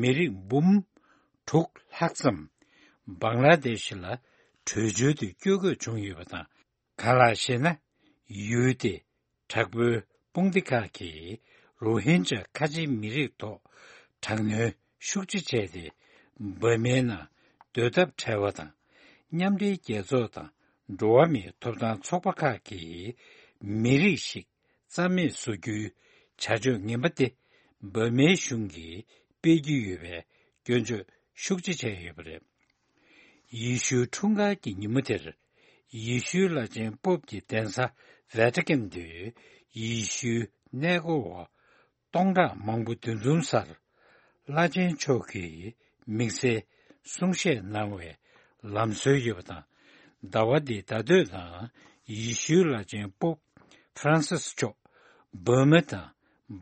མི་རིགས་འབུམ་དྲུག་ལྷག་ཙམ་བང་ལ་དེ་ཤི་ལ་བྲོས་བྱོལ་དུ་བསྐྱོད་དགོས་བྱུང་ཡོད་པ་དང་། གང་ལགས་ཤེ་ན། ཡུལ་དེ་དྲག་པོའི་དཔུང་སྡེ་ཁག་གིས་རོ་ཧིན་ཇཱ་ཁ་ཆེའི་མི་རིགས་ཐོག་དྲག་གནོན་ཤུགས་ཆེ་བྱས་ཏེ། འབར་མའི་ནང་སྡོད་ཐབས་བྲལ་བ་དང་། མཉམ་འབྲེལ་རྒྱལ་ཚོགས་དང་འགྲོ་བ་མིའི་ཐོབ་ཐང་ཚོགས་པ་ཁག་གིས་མི་རིགས་ཤིག་རྩ་མེད་བཟོ་རྒྱུའི་བྱ་སྤྱོད་ངན་པ་དེ་འབར་མའི་གཞུང་གིས་སྤེལ་གྱི་ཡོད་པའི་སྐྱོན་བརྗོད་ཤུགས་ཆེ་བྱས་ཡོད་པ་རེད། ཡེ་ཤུའི་འཁྲུངས་སྐར་གྱི་ཉིན་མོ་དེར། ཡེ་ཤུའི་བླ་ཆེན་པོབ་ཀྱི་གདན་ས་ཝེ་ཏི་ཀན་དུ། ཡེ་ཤུའི་གནས་སྐོར་བ་སྟོང་ཕྲག་མང་པོ་འདུ་འཛོམས་སར། བླ་ཆེན་མཆོག་གིས་དམིགས་བསལ་གསུང་བཤད་གནང་བའི་ལམ་སྲོལ་ཡོད་པ་དང་། ཟླ་བ་འདིའི་ཟླ་སྟོད་ནང་ཡེ་ཤུའི་བླ་ཆེན་པོབ་ཧྥ་རན་སིས་མཆོག་བོད་མི་དང་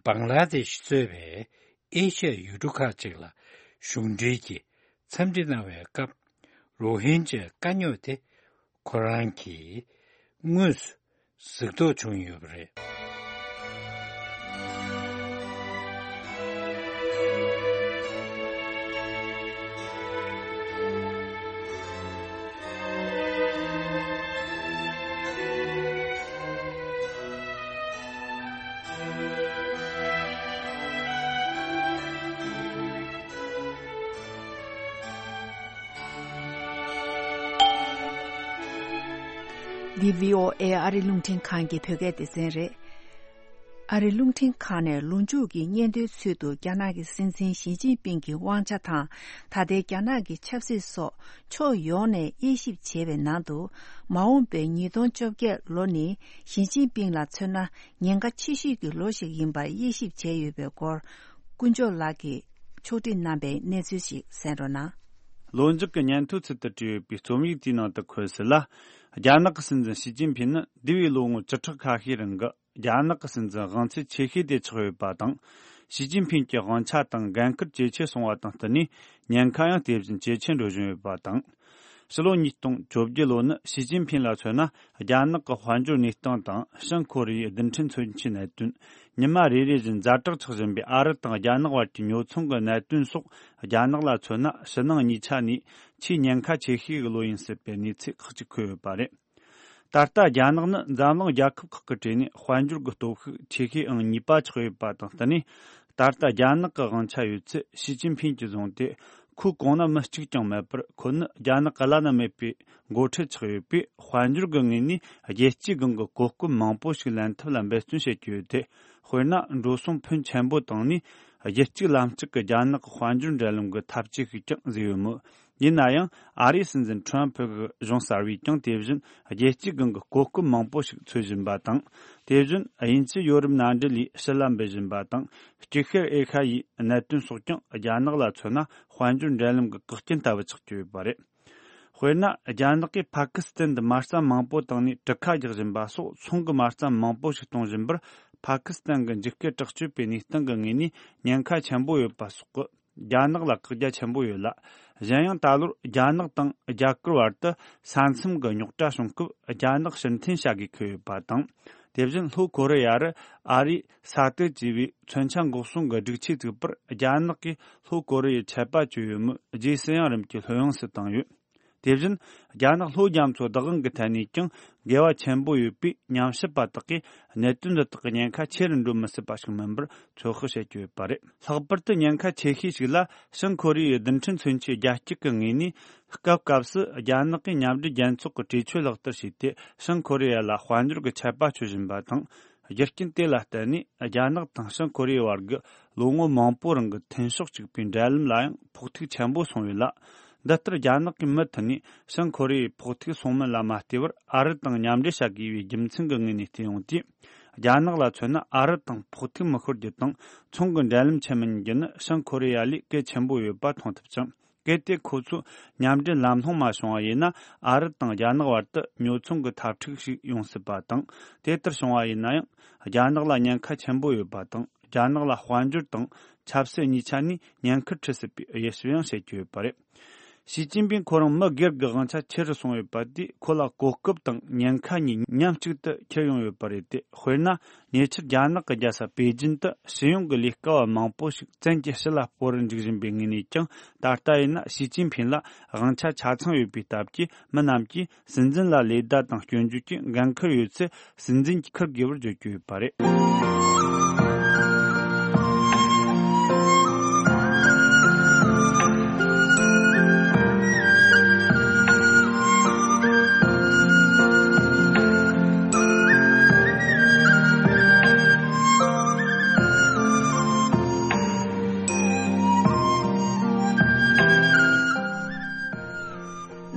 བང་ལ་དེ་ཤི་གཙོས་པའི་ཨེ་ཤ་ཡའི་ཡུལ་གྲུ་ཁག་ཅིག་ལ་གཞུང་འབྲེལ་གྱི་འཚམས་འདྲི་གནང་བའི་སྐབས། རོ་ཧིན་ཇའི་དཀའ་རྙོག་དེ་ཁོ་རང་གིས་དངོས་སུ་གཟིགས་རྟོག་བྱུང་ཡོད་པ་རེད། འདི་བྷི་ཨོ་ཨེ་ཨ་རི་རླུང་འཕྲིན་ཁང་གི་བོད་སྐད་སྡེ་ཚན་རེད། ཨ་རི་རླུང་འཕྲིན་ཁང་ནས་ལོ་མཇུག་གི་སྙན་ཐོའི་ཚུལ་དུ། རྒྱ་ནག་གི་སྲིད་འཛིན་ཞི་ཅིན་ཕིང་གི་དབང་ཆ་དང་། ད་ལྟའི་རྒྱ་ནག་གི་ཆབ་སྲིད་སོགས་ཕྱོགས་ཡོངས་ནས་དབྱེ་ཞིབ་བྱས་པའི་ནང་དུ། མ་འོངས་པའི་ཉིས་སྟོང་བཅོ་བརྒྱད་ལོ་ནི་ཞི་ཅིན་ཕིང་ལ་མཚོན་ན་ཉེན་ཁ་ཆེ་ཤོས་ཀྱི་ལོ་ཞིག་ཡིན་པར་དབྱེ་ཞིབ་བྱས་ཡོད་པའི་སྐོར། དཀོན་མཆོག་ལགས་ཀྱིས་ཕྱོགས་སྒྲིག་གནང་བའི་གནས་ཚུལ་ཞིག་གསན་རོགས་གནང་། ལོ་མཇུག་གི་སྙན་ཐོའི་ཚུལ་དུ་བྲིས་ཡོད་པའི་རྩོམ་ཡིག་དེའི་ནང་དུ་འཁོད་གསལ་ལ། རྒྱ་ནག་གི་སྲིད་འཛིན་ཞི་ཅིན་ཕིང་ནི་འདས་པའི་ལོ་ངོ་བཅུ་ཕྲག་ཁ་ཤས་རིང་གི་རྒྱ་ནག་གི་སྲིད་འཛིན་དབང་ཚད་ཆེ་ཤོས་དེ་ཆགས་ཡོད་པ་དང་། ཞི་ཅིན་ཕིང་གི་དབང་ཆ་དང་འགན་ཁུར་ཇེ་ཆེ་སོང་བ་དང་བསྟུན་ནས། ཉེན་ཁ་ཡང་དེ་བཞིན་ཇེ་ཆེར་འགྲོ་བཞིན་ཡོད་པ་དང་། ཕྱི་ལོ་ཉིས་སྟོང་བཅོ་བརྒྱད་ལོ་ནི་ཞི་ཅིན་ཕིང་ལ་མཚོན་ན། རྒྱ་ནག་གི་དཔལ་འབྱོར་གནས་སྟངས་དང་། བྱང་ཁོ་རེ་ཡའི་རྡུལ་ཕྲན་མཚོན་ཆའི་གནད་དོན། ཉི་མ་རེ་རེ་བཞིན་ཛ་དྲག་ཆགས་བཞིན་པའི་ཨ་རི་དང་རྒྱ་ནག་བར་གྱི་ཉོ་ཚོང་གི་གནད་དོན་སོགས། རྒྱ་ནག་ལ་མཚོན་ན་ཕྱི་ནང་གཉིས་ཆ་ནས་ཆེས་ཉེན་ཁ་ཆེ་ཤོས་ཀྱི་ལོ་ཡིན་སྲིད་པའི་གནས་ཚུལ་ཁག་ཅིག་འཁོད་ཡོད་པ་རེད། ད་ལྟ་རྒྱ་ནག་ནི་འཛམ་གླིང་རྒྱལ་ཁབ་ཁག་གི་གྲས་ནས་དཔལ་འབྱོར་གྱི་སྟོབས་ཤུགས་ཆེ་ཤོས་ཨང་གཉིས་པ་ཆགས་ཡོད་པ་དང་བསྟུན་ནས། ད་ལྟ་རྒྱ་ནག་གི་དབང་ཆ་ཡོད་ཚད་ཞི་ཅིན་ཕིང་གྱིས་བཟུང་སྟེ། ཁོའི་གོང་ན་མི་གཅིག་ཀྱང་མེད་པར། ཁོ་ནི་རྒྱ་ནག་བླ་ན་མེད་པའི་འགོ་ཁྲིད་ཆགས་ཡོད་པས། དཔལ་འབྱོར་གྱི་ངོས་ནས་རྒྱལ་སྤྱིའི་སྒང་གི་གོ་སྐབས་མང་པོ་ཞིག་ལེན་ཐབས་ལ་འབད་བརྩོན་བྱེད་ཀྱི་ཡོད་དེ། དཔེར་ན། འགྲོ་སོང་ཕོན་ཆེན་པོ་བཏང་ནས། རྒྱལ་གཅིག་ལམ་གཅིག་གི་རྒྱ་ནག་གི་དཔལ་འབྱོར་འབྲེལ་ལམ་གྱི་འཐབ་ཇུས་ཤིག་ཀྱང་བཟོས་ཡོད་མོད། ཡིན་ན་ཡང་། ཨ་རིའི་སྲིད་འཛིན་ཁྲོམ་ཕུ་གི་གཞུང་གསར་བས་ཀྱང་དེ་བཞིན་རྒྱལ་སྤྱིའི་སྒང་གི་གོ་སྐབས་མང་པོ་ཞིག་འཚོལ་བཞིན་པ་དང་། དེ་བཞིན་དབྱིན་ཇི་ཡོ་རོབ་མནའ་འབྲེལ་ལས་ཕྱི་ལ་འབུད་བཞིན་པ་དང་། ལྕི་ཤར་ཨེ་ཤ་ཡའི་གནད་དོན་སོགས་ཀྱང་རྒྱ་ནག་ལ་མཚོན་ན་དཔལ་འབྱོར་འབྲེལ་ལམ་གྱི་བཀག་རྐྱེན་ལྟ་བུ་ཆགས་ཀྱི་ཡོད་པ་རེད། དཔེར་ན། རྒྱ་ནག་གིས་ཕ་ཀི་སི་ཐན་དུ་མ་རྩ་མང་པོ་བཏང་ནས་གྲུ་ཁ་རྒྱག་བཞིན་པ་སོགས། ཚོང་གི་མ་རྩ་མང་པོ་ཞིག་གཏོང་བཞིན་པར། ཕ་ཀི་སི་ཐན་གྱི་འཇིགས་སྐུལ་དྲག་སྤྱོད་པའི་གནས་སྟངས་ཀྱི་ངོས་ནས་ཉེན་ཁ་ཆེན་པོ་ཡོད་པ་སོགས་ཀྱིས། རྒྱ་ནག་ལ་བཀག་རྒྱ་ཆེན་པོ་ཡོད་ལ། གཞན་ཡང་། ད་ལོར་རྒྱ་ནག་དང་རྒྱ་གར་བར་དུ་ས་མཚམས་ཀྱི་རྙོག་དྲ་བྱུང་སྐབས། རྒྱ་ནག་ཕྱིར་འཐེན་བྱ་དགོས་འཁེལ་ཡོད་པ་དང་། དེ་བཞིན་ལྷོ་ཀོ་རི་ཡ་རུ་ཨ་རིས་ས་དེ་ཅེས་པའི་མཚོན་ཆ་འགོག་སྲུང་གི་སྒྲིག་ཆས་བཙུགས་པར། རྒྱ་ནག་གིས་ལྷོ་ཀོ་རི་ཡའི་ཆད་པ་གཅོད་ཡོད་མོད། རྗེས་སུ་ཡང་རིམ་གྱིས་ལྷོད་ཡངས་སུ་བཏང་ཡོད། དེ་བཞིན། རྒྱ་ནག་ལྷོ་རྒྱ་མཚོ་བདག་དབང་གི་ཐད་ནས་ཀྱང་འགལ་བ་ཆེན་པོ་ཡོད་པས། ཉམས་ཞིབ་པ་དག་གིས་གནད་དོན་འདི་དག་གི་ཉེན་ཁ་ཆེ་རུ་འགྲོ་མི་སྲིད་པ་ཞིག་མིན་པར་ཚོད་དཔག་བྱེད་ཀྱི་ཡོད་པ་རེད། ལྷག་པར་དུ་ཉེན་ཁ་ཆེ་ཤོས་ཤིག་ལ། བྱང་ཁོ་རེ་ཡའི་རྡུལ་ཕྲན་མཚོན་ཆའི་རྒྱ་སྐྱེད་ཀྱི་ངོས་ནས། སྐབས་སྐབས་སུ་རྒྱ་ནག་གིས་མཉམ་འབྲེལ་རྒྱལ་ཚོགས་ཀྱི་གྲོས་ཆོད་ལག་བསྟར་བྱས་ཏེ། བྱང་ཁོ་རེ་ཡ་ལ་དཔལ་འབྱོར་གྱི་ཆད་པ་གཅོད་བཞིན་པ་དང་། རྒྱུ་རྐྱེན་དེ་ལ་བརྟེན་ནས། རྒྱ་ནག་དང་བྱང་ཁོ་རེ་ཡའི་བར་གྱི་ལོ་ངོ་མང་པོ་རིང་གི་མཐུན་ཕྱོགས་གཅིག་པའི་འབྲེལ་ལམ་ལ་ཡང་ཕོག་ཐུག་ཆེན་པོ་སོང་ཡོད་ལ། འདི་ལྟར་རྒྱ་ནག་གིས་མུ་མཐུད་ནས་བྱང་ཁོ་རེ་ཡའི་ཕོག་ཐུག་སོང་མིན་ལ་མ་ལྟོས་པར་ཨ་རི་དང་མཉམ་འབྲེལ་བྱ་དགོས་པའི་རྒྱུ་མཚན་གྱི་ངོས་ནས་བལྟས་ཡོང་དུས། རྒྱ་ནག་ལ་མཚོན་ན་ཨ་རི་དང་ཕོག་ཐུག་མི་ཤོར་རྒྱུ་དང་ཚོང་གི་འབྲེལ་ལམ་ཆད་མི་ཉན་རྒྱུ་ནི་བྱང་ཁོ་རེ་ཡ་ལས་གལ་ཆེན་པོ་ཡོད་པ་མཐོང་ཐུབ་ཅིང་། གལ་ཏེ་ཁོ་ཚོས་མཉམ་འབྲེལ་ལམ་ལྷོང་མ་བྱུང་བ་ཡིན་ན། ཨ་རི་དང་རྒྱ་ནག་བར་དུ་ཉོ་ཚོང་གི་འཐབ་འཁྲུག་ཞིག་ཡོང་སྲིད་པ་དང་། དེ་ལྟར་བྱུང་བ་ཡིན་ན་ཡང་། རྒྱ་ནག་ལ་ཉེན་ཁ་ཆེན་པོ་ཡོད་པ་དང་། རྒྱ་ནག་ལ་དཔལ་འབྱོར་དང་ཆབ་སྲིད་གཉིས་ཆ་ནས་ཉེན་ཁར་འཁྲིད་སྲིད་པའི་དབྱེ་ཞིབ་ཡང་བྱེད་ཀྱི་ཡོད་པ་རེད། ཞི་ཅིན་ཕིང་ཁོ་རང་མི་སྒེར་གྱི་དབང་ཆ་ཆེ་རུ་སོང་ཡོད་པ་དེས་ཁོ་ལ་གོ་སྐབས་དང་ཉེན་ཁ་གཉིས་མཉམ་གཅིག་ཏུ་འཁྱེར་ཡོང་ཡོད་པ་རེད་དེ། དཔེར་ན། ཉེ་ཆར་རྒྱ་ནག་གི་རྒྱལ་ས་པེ་ཅིན་དུ་སྤྱི་ཡོངས་ཀྱི་ལས་ཀ་བ་མང་པོ་ཞིག་བཙན་གྱིས་ཕྱི་ལ་སྤོ་རུ་འཇུག་བཞིན་པའི་ངོས་ནས་ཀྱང་། ད་ལྟ་ཡིན་ན་ཞི་ཅིན་ཕིང་ལ་དབང་ཆ་ཆ་ཚང་ཡོད་པའི་སྟབས་ཀྱིས། མི་རྣམས་ཀྱིས་སྲིད་འཛིན་ལ་ལེ་བདའ་དང་སྐྱོན་བརྗོད་ཀྱི་འགན་ཁུར་ཡོད་ཚེ། སྲིད་འཛིན་གྱིས་འཁུར་དགོས་པར་བརྗོད་ཀྱི་ཡོད་པ་རེད།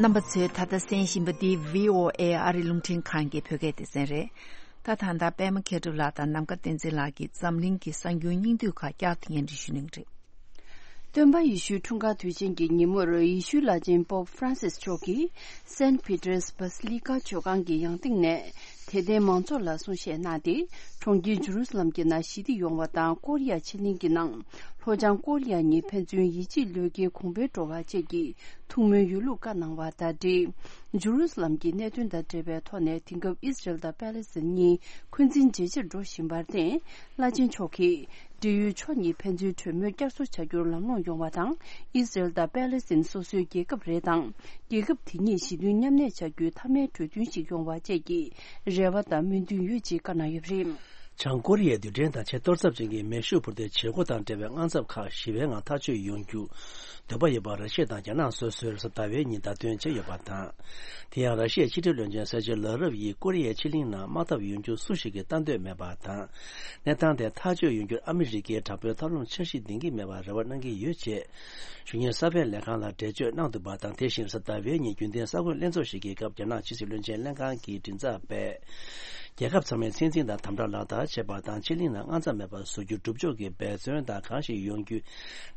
རྣམ་པ་ཚོས་ད་ལྟ་གསན་བཞིན་པ་འདི་བྷི་ཨོ་ཨེ་ཨ་རི་རླུང་འཕྲིན་ཁང་གི་བོད་སྐད་སྡེ་ཚན་རེད། ད་ད་ལྟ་པད་མ་མཁས་གྲུབ་ལགས་དང་ནམ་མཁའ་བསྟན་འཛིན་ལགས་ཀྱིས་འཛམ་གླིང་གི་གསར་འགྱུར་སྙིང་བསྡུས་ཁག་བསྐྱར་དུ་སྙན་སྒྲོན་ཞུ་གནང་གི་རེད། སྟོན་པ་ཡེ་ཤུའི་འཁྲུངས་སྐར་དུས་ཆེན་གྱི་ཉིན་མོར་ཡེ་ཤུའི་བླ་ཆེན་པོབ་ཧྥ་རན་སིས་མཆོག་གིས་སེན་ཕི་ཏྲེས་བྷ་སི་ལི་ཀ་མཆོད་ཁང་གི་ཡང་སྟེང་ནས་དད་ལྡན་མང་ཚོགས་ལ་གསུང་བཤད་གནང་སྟེ། གྲོང་ཁྱེར་ཇུ་རུ་སི་ལམ་གྱི་ནང་ཞི་བདེ་ཡོང་བ་དང་ཀོ་རི་ཡ་ཕྱེད་གླིང་གི་ནང་ལྷོ་བྱང་ཀོ་རི་ཡ་གཉིས་ཕན་ཚུན་ཡིད་ཆེས་བློས་འགེལ་གོང་འཕེལ་འགྲོ་བ་བཅས་ཀྱི་ཐུགས་སྨོན་ཡོད་ལུགས་བཀའ་གནང་བ་དང་འབྲེལ། ཇུ་རུ་སི་ལམ་གྱི་གནད་དོན་དང་འབྲེལ་བའི་ཐོག་ནས་དེང་སྐབས་ཨི་སི་རེལ་དང་པེ་ལེ་སི་ཐན་གཉིས་འཁོན་འཛིན་ཇེ་ཆེར་འགྲོ་བཞིན་པར་བརྟེན། བླ་ཆེན་མཆོག་གིས་འབྲེལ་ཡོད་ཕྱོགས་གཉིས་ཕན་ཚུན་གྲོས་མོལ་བསྐྱར་གསོ་བྱ་རྒྱུར་ལམ་ལྷོང་ཡོང་བ་དང་། ཨི་སི་རེལ་དང་པེ་ལེ་སི་ཐན་སོ་སོའི་རྒྱལ་ཁབ་རེད་དང་། རྒྱལ་ཁབ་དེ་གཉིས་ཞི་མཐུན་མཉམ་གནས་བྱ་རྒྱུའི་མཐའ་མའི་གྲོས་མཐུན་ཞིག་ཡོང་བ་བཅས་ཀྱི་རེ་བ་དང་སྨོན་འདུན་ཡོད་ཅེས་བཀའ་གནང་ཡོད་པ་རེད། བྱང་ཀོ་རི་ཡའི་རྡུལ་ཕྲན་དང་ཆེས་གཏོར་ཚབས་ཅན་གྱི་མེ་ཤུགས་འཕུར་མདེལ་བྱེད་སྒོ་དང་འབྲེལ་བའི་དངངས་འཚབ་ཁག་ཞི་བའི་ངང་ཐག་གཅོད་ཡོང་རྒྱུ་འདོད་པ་ཡོད་པ་ར་ཤི་ཡ་དང་རྒྱ་ནག་སོ་སོས་གཟའ་ཟླ་བའི་ཉིན་བརྡ་སྟོན་བྱས་ཡོད་པ་དང་། དེ་ཡང་ར་ཤི་ཡའི་ཕྱི་འབྲེལ་བློན་ཆེན་སེར་ཇེ་ལ་རོབ་ཡིས་ཀོ་རི་ཡའི་ཕྱེད་གླིང་ནང་དམག་འཐབ་ཡོང་རྒྱུ་སུ་ཞིག་གིས་ལྟ་འདོད་མེད་པ་དང་། གནས་སྟངས་དེ་ཐག་གཅོད་ཡོང་རྒྱུར་ཨ་མི་རི་ཀས་དྲག་པོའི་ཐབས་ལམ་འཆར་གཞི་འདིང་གི་མེད་པར་རེ་བ་གནང་གི་ཡོད་ཅེས། གཞུང་གཉེར་གསར་སྤེལ་ལས་ཁང་ལ་འགྲེལ་བརྗོད་གནང་འདུག་པ་དང་། དེ་བཞིན་གཟའ་ཟླ་བའི་ཉིན་རྒྱུན་ལྡན་གསར་འགོད་ལྷན་ཚོགས་ཤིག་གི་སྐབས་རྒྱ་ནག་ཕྱི་སྲིད་བློན་ཆེན་ལྷན་ཁང་གི་མགྲིན་ཚབ་པས། རྒྱལ་ཁབ་ཚང་མས་ཚད་འཛིན་དང་དམ་དྲག་ལག་བསྟར་བྱེད་པ་དང་། ཕྱེད་གླིང་ནང་དངངས་འཚབ་མེད་པར་བཟོ་རྒྱུ་སྒྲུབ་ཕྱོགས་ཀྱི་འབད་བརྩོན་དང་། གང་ཞིག་ཡོང་རྒྱུའི་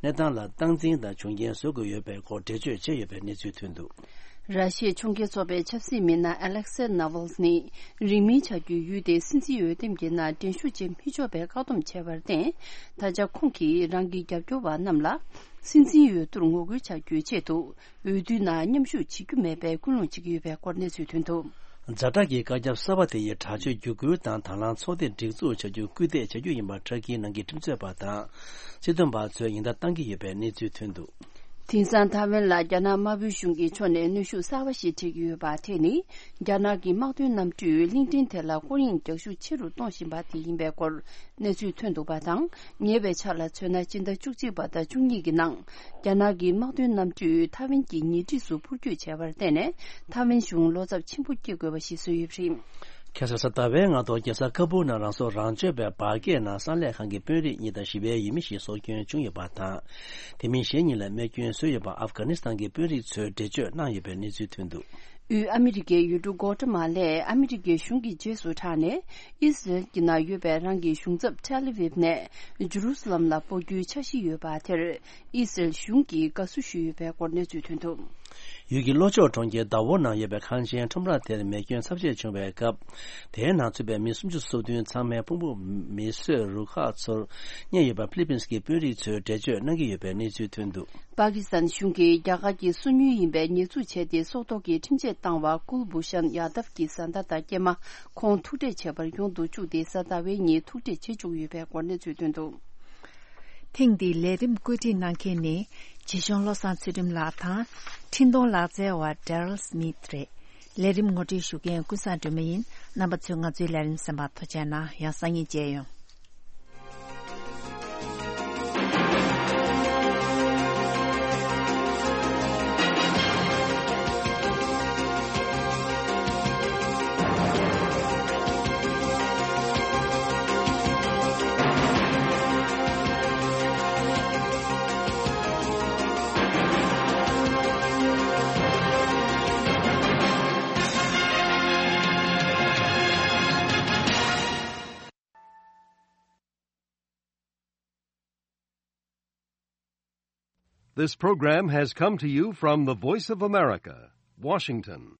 གནས་སྟངས་ལ་སྟངས་འཛིན་དང་བྱུང་རྐྱེན་བཟོ་དགོས་ཡོད་པའི་སྐོར་འགྲེལ་བརྗོད་བྱས་ཡོད་པའི་གནས་ཚུལ་ཐོན་འདུག། ར་ཤི་ཡའི་ཕྱོགས་འགལ་ཚོགས་པའི་ཆབ་སྲིད་མི་སྣ་ཨ་ལེག་སེ་ནཱ་ཝལ་ནི་རིང་མིན་བྱ་རྒྱུའི་ཡུལ་དེའི་སྲིད་འཛིན་འོས་འདེམས་ཀྱི་ནང་འགྲན་ཞུགས་བྱེད་མི་ཆོག་པའི་བཀག་སྡོམ་བྱས་པར་བརྟེན། ད་ཆ་ཁོང་གིས་རང་གི་རྒྱབ་སྐྱོར་བ་རྣམས་ལ་སྲིད་འཛིན་འོས་བསྡུར་ངོ་རྒོལ་བྱ་རྒྱུའི་ཆེད་དུ་འོས་བསྡུའི་ནང་མཉམ་ཞུགས་བྱེད་རྒྱུ་མེད་པའི་སྐུལ་སློང་བྱེད་ཀྱི་ཡོད་པའི་སྐོར་གནས་ཚུལ་ཐོན་འདུག། ཛ་དྲག་གི་བཀའ་ཁྱབ་གསར་པ་དེ་ཡིས་དྲག་སྤྱོད་བརྒྱུད་སྐུལ་དང་དང་བླངས་ཚོགས་སྡེ་སྒྲིག་འཛུགས་བྱ་རྒྱུར་སྐུལ་འདེད་བྱ་རྒྱུ་ཡིན་པ་ཕྲ་གིའི་ནང་གི་ཁྲིམས་རྩོད་པ་དང་། སྲིད་དོན་པ་ཚོས་ཉེན་བརྡ་བཏང་གི་ཡོད་པའི་གནས་ཚུལ་ཐོན་འདུག། དེང་སང་ཐའེ་ཝན་ལ་རྒྱ་ནག་དམར་པོའི་གཞུང་གི་ཕྱོགས་ནས་གནོན་ཤུགས་གསར་པ་ཞིག་སྤྲད་ཀྱི་ཡོད་པ་དེ་ནི། རྒྱ་ནག་གི་དམག་དོན་གནམ་གྲུས་གླིང་ཕྲན་དེ་ལ་སྐོར་གཡེང་རྒྱག་ཤུགས་ཆེ་རུ་གཏོང་བཞིན་པ་དེ་ཡིན་པའི་སྐོར་གནས་ཚུལ་ཐོན་འདུག་པ་དང་། ཉེ་བའི་ཆར་ལ་མཚོན་ན། སྤྱི་ཟླ་བཅུ་གཅིག་པ་དང་བཅུ་གཉིས་ཀྱི་ནང་། རྒྱ་ནག་གི་དམག་དོན་གནམ་གྲུས་ཐའེ་ཝན་གྱི་ཉེ་འཁྲིས་སུ་འཕུར་སྐྱོད་བྱས་པར་བརྟེན་ནས། ཐའེ་ཝན་གཞུང་བློ་འཚབ་ཆེན་པོ་སྐྱེ་དགོས་པ་ཞིག་བཟོས་ཡོད་པ་རེད། ཁ་སང་གཟའ་ཟླ་བའི་སྔ་དྲོ་རྒྱལ་ས་ཁ་པུར་ནང་རང་སྲོག་རང་གཅོད་པའི་འབར་གས་ནང་གསང་ལས་ཁང་གི་དཔོན་རིགས་གཉིས་དང་ཞི་བའི་ཡུལ་མི་ཞིག་སྲོག་སྐྱོན་བྱུང་ཡོད་པ་དང་། དེ་མིན་གཞན་གཉིས་ལ་རྨས་སྐྱོན་བཟོས་ཡོད་པ་ཨབ་གྷ་ནི་སི་ཐན་གྱི་དཔོན་རིགས་ཚོས་འགྲེལ་བརྗོད་གནང་ཡོད་པའི་གནས་ཚུལ་ཐོན་འདུག། དབུས་ཨ་མི་རི་ཀའི་ཡུལ་གྲུ་གོ་ཏ་མ་ལས་ཨ་མི་རི་ཀའི་གཞུང་གི་རྗེས་སུ་འབྲངས་ནས། ཨི་སི་རེལ་གྱི་ནང་ཡོད་པའི་རང་གི་གཞུང་ཚབ་ཏེལ་ཨ་ཝིབ་ནས་ཇུ་རུ་སི་ལམ་ལ་སྤོ་རྒྱུའི་འཆར་གཞི་ཡོད་པ་དེར། ཨི་སི་རེལ་གཞུང་གིས་དགའ་བསུ་ཞུས་ཡོད་པའི་སྐོར་གནས་ཚུལ་ཐོན་འདུག། ཡུལ་གྱི་ལྷོ་ཕྱོགས་གྲོང་ཁྱེར་དཱ་ཝོ་ནང་ཡོད་པའི་ཁང་ཆེན་ཁྲོམ་ར་དེར་མེ་སྐྱོན་ཚབས་ཆེ་བྱུང་བའི་སྐབས། དེའི་ནང་ཚུད་པའི་མི་སུམ་ཅུ་སོ་བདུན་ཚང་མའི་ཕུང་པོ་མེ་གསོད་རུ་ཁག་ཚོར་རྙེད་ཡོད་པ་ཕི་ལི་པིན་སི་གི་དཔོན་རིགས་ཚོས་འགྲེལ་བརྗོད་གནང་གི་ཡོད་པའི་གནས་ཚུལ་ཐོན་འདུག། པ་ཀི་སི་ཐན་གཞུང་གིས་རྒྱ་གར་གྱི་སོ་ཉུལ་ཡིན་པའི་ཉེས་འཛུགས་བྱས་ཏེ། སྲོག་ཐོག་གི་ཁྲིམས་ཆད་བཏང་བ་ཀུལ་བྷུ་ཤན་ཡ་དབ་ཀྱི་བཟའ་ཟླ་དང་སྐྱེས་མ་ཁོང་ཐུག་འཕྲད་བྱས་པར་ཡོང་དུ་བཅུག་སྟེ། གཟའ་ཟླ་བའི་ཉིན་ཐུག་འཕྲད་བྱེད་བཅུག་ཡོད་པའི་སྐོར་གནས་ཚུལ་ཐོན་འདུག། ཐེངས་འདིའི་ལས་རིམ་བཀོད་སྒྲིག་གནང་མཁན་ནི། བྱིས་གཞུང་བློ་བཟང་ཚུལ་ཁྲིམས་ལགས་དང་། འཕྲིན་གཏོང་ལག་རྩལ་བ་ཌེ་རལ་སི་མིད་རེད། ལས་རིམ་ངོ་སྤྲོད་ཞུ་མཁན་ཀུན་བཟང་སྒྲོལ་མ་ཡིན། རྣམ་པ་ཚོས་ང་ཚོའི་ལས་རིམ་གསན་པར་ཐུགས་རྗེ་གནང་། ཡང་སང་ཉིན་མཇལ་ཡོང་། This program has come to you from the Voice of America, Washington.